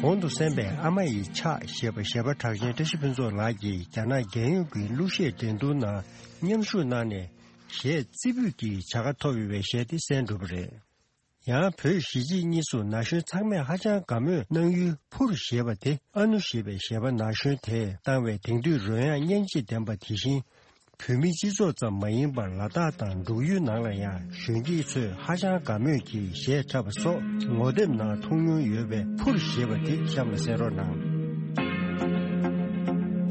གོང་དུ་གསན་པའི་ཨ་མ་ཡི་ཕྱག་ཞེས་པ་གཞས་པ་གྲགས་ཅན་བཀྲ་ཤིས་ཕུན་ཚོགས་ལགས་ཀྱིས་རྒྱ་ནག་རྒྱལ་ཡོངས་ཀྱི་གླུ་གཞས་འགྲན་བསྡུར་ནང་མཉམ་ཞུགས་གནང་ནས་གཞས་རྩེ་ཕུད་ཀྱི་བྱ་དགའ་ཐོབ་ཡོད་པའི་གཞས་དེ་གསན་གྲུབ་པ་རེད། ཡང་བོད་གཞིས་བྱེས་གཉིས་སུ་ན་གཞོན་ཚང་མས་ཧ་ཅང་དགའ་མོས་གནང་ཡུལ་ཕུར་ཞེས་པ་དེ་ཨ་ནུ་ཞེས་པའི་གཞས་པ་ན་གཞོན་དེས་བཏང་བའི་དེང་དུས་རོལ་དབྱངས་སྙན་འཇེབས་ལྡན་པ་དེ་བཞིན། བོད་མིའི་སྤྱི་ཚོགས་ཙམ་མ་ཡིན་པར་ལ་དྭགས་དང་འབྲུག་ཡུལ་ནང་ལ་ཡང་གཞོན་སྐྱེས་ཚོས་ཧ་ཅང་དགའ་མོས་ཀྱིས་གཞས་འཁྲབ་པ་སོགས་ངོ་དེབ་ནང་མཐོང་མྱོང་ཡོད་པའི་ཕུར་ཞེས་པ་དེ་གཤམ་ལ་གསན་རོགས་གནང་།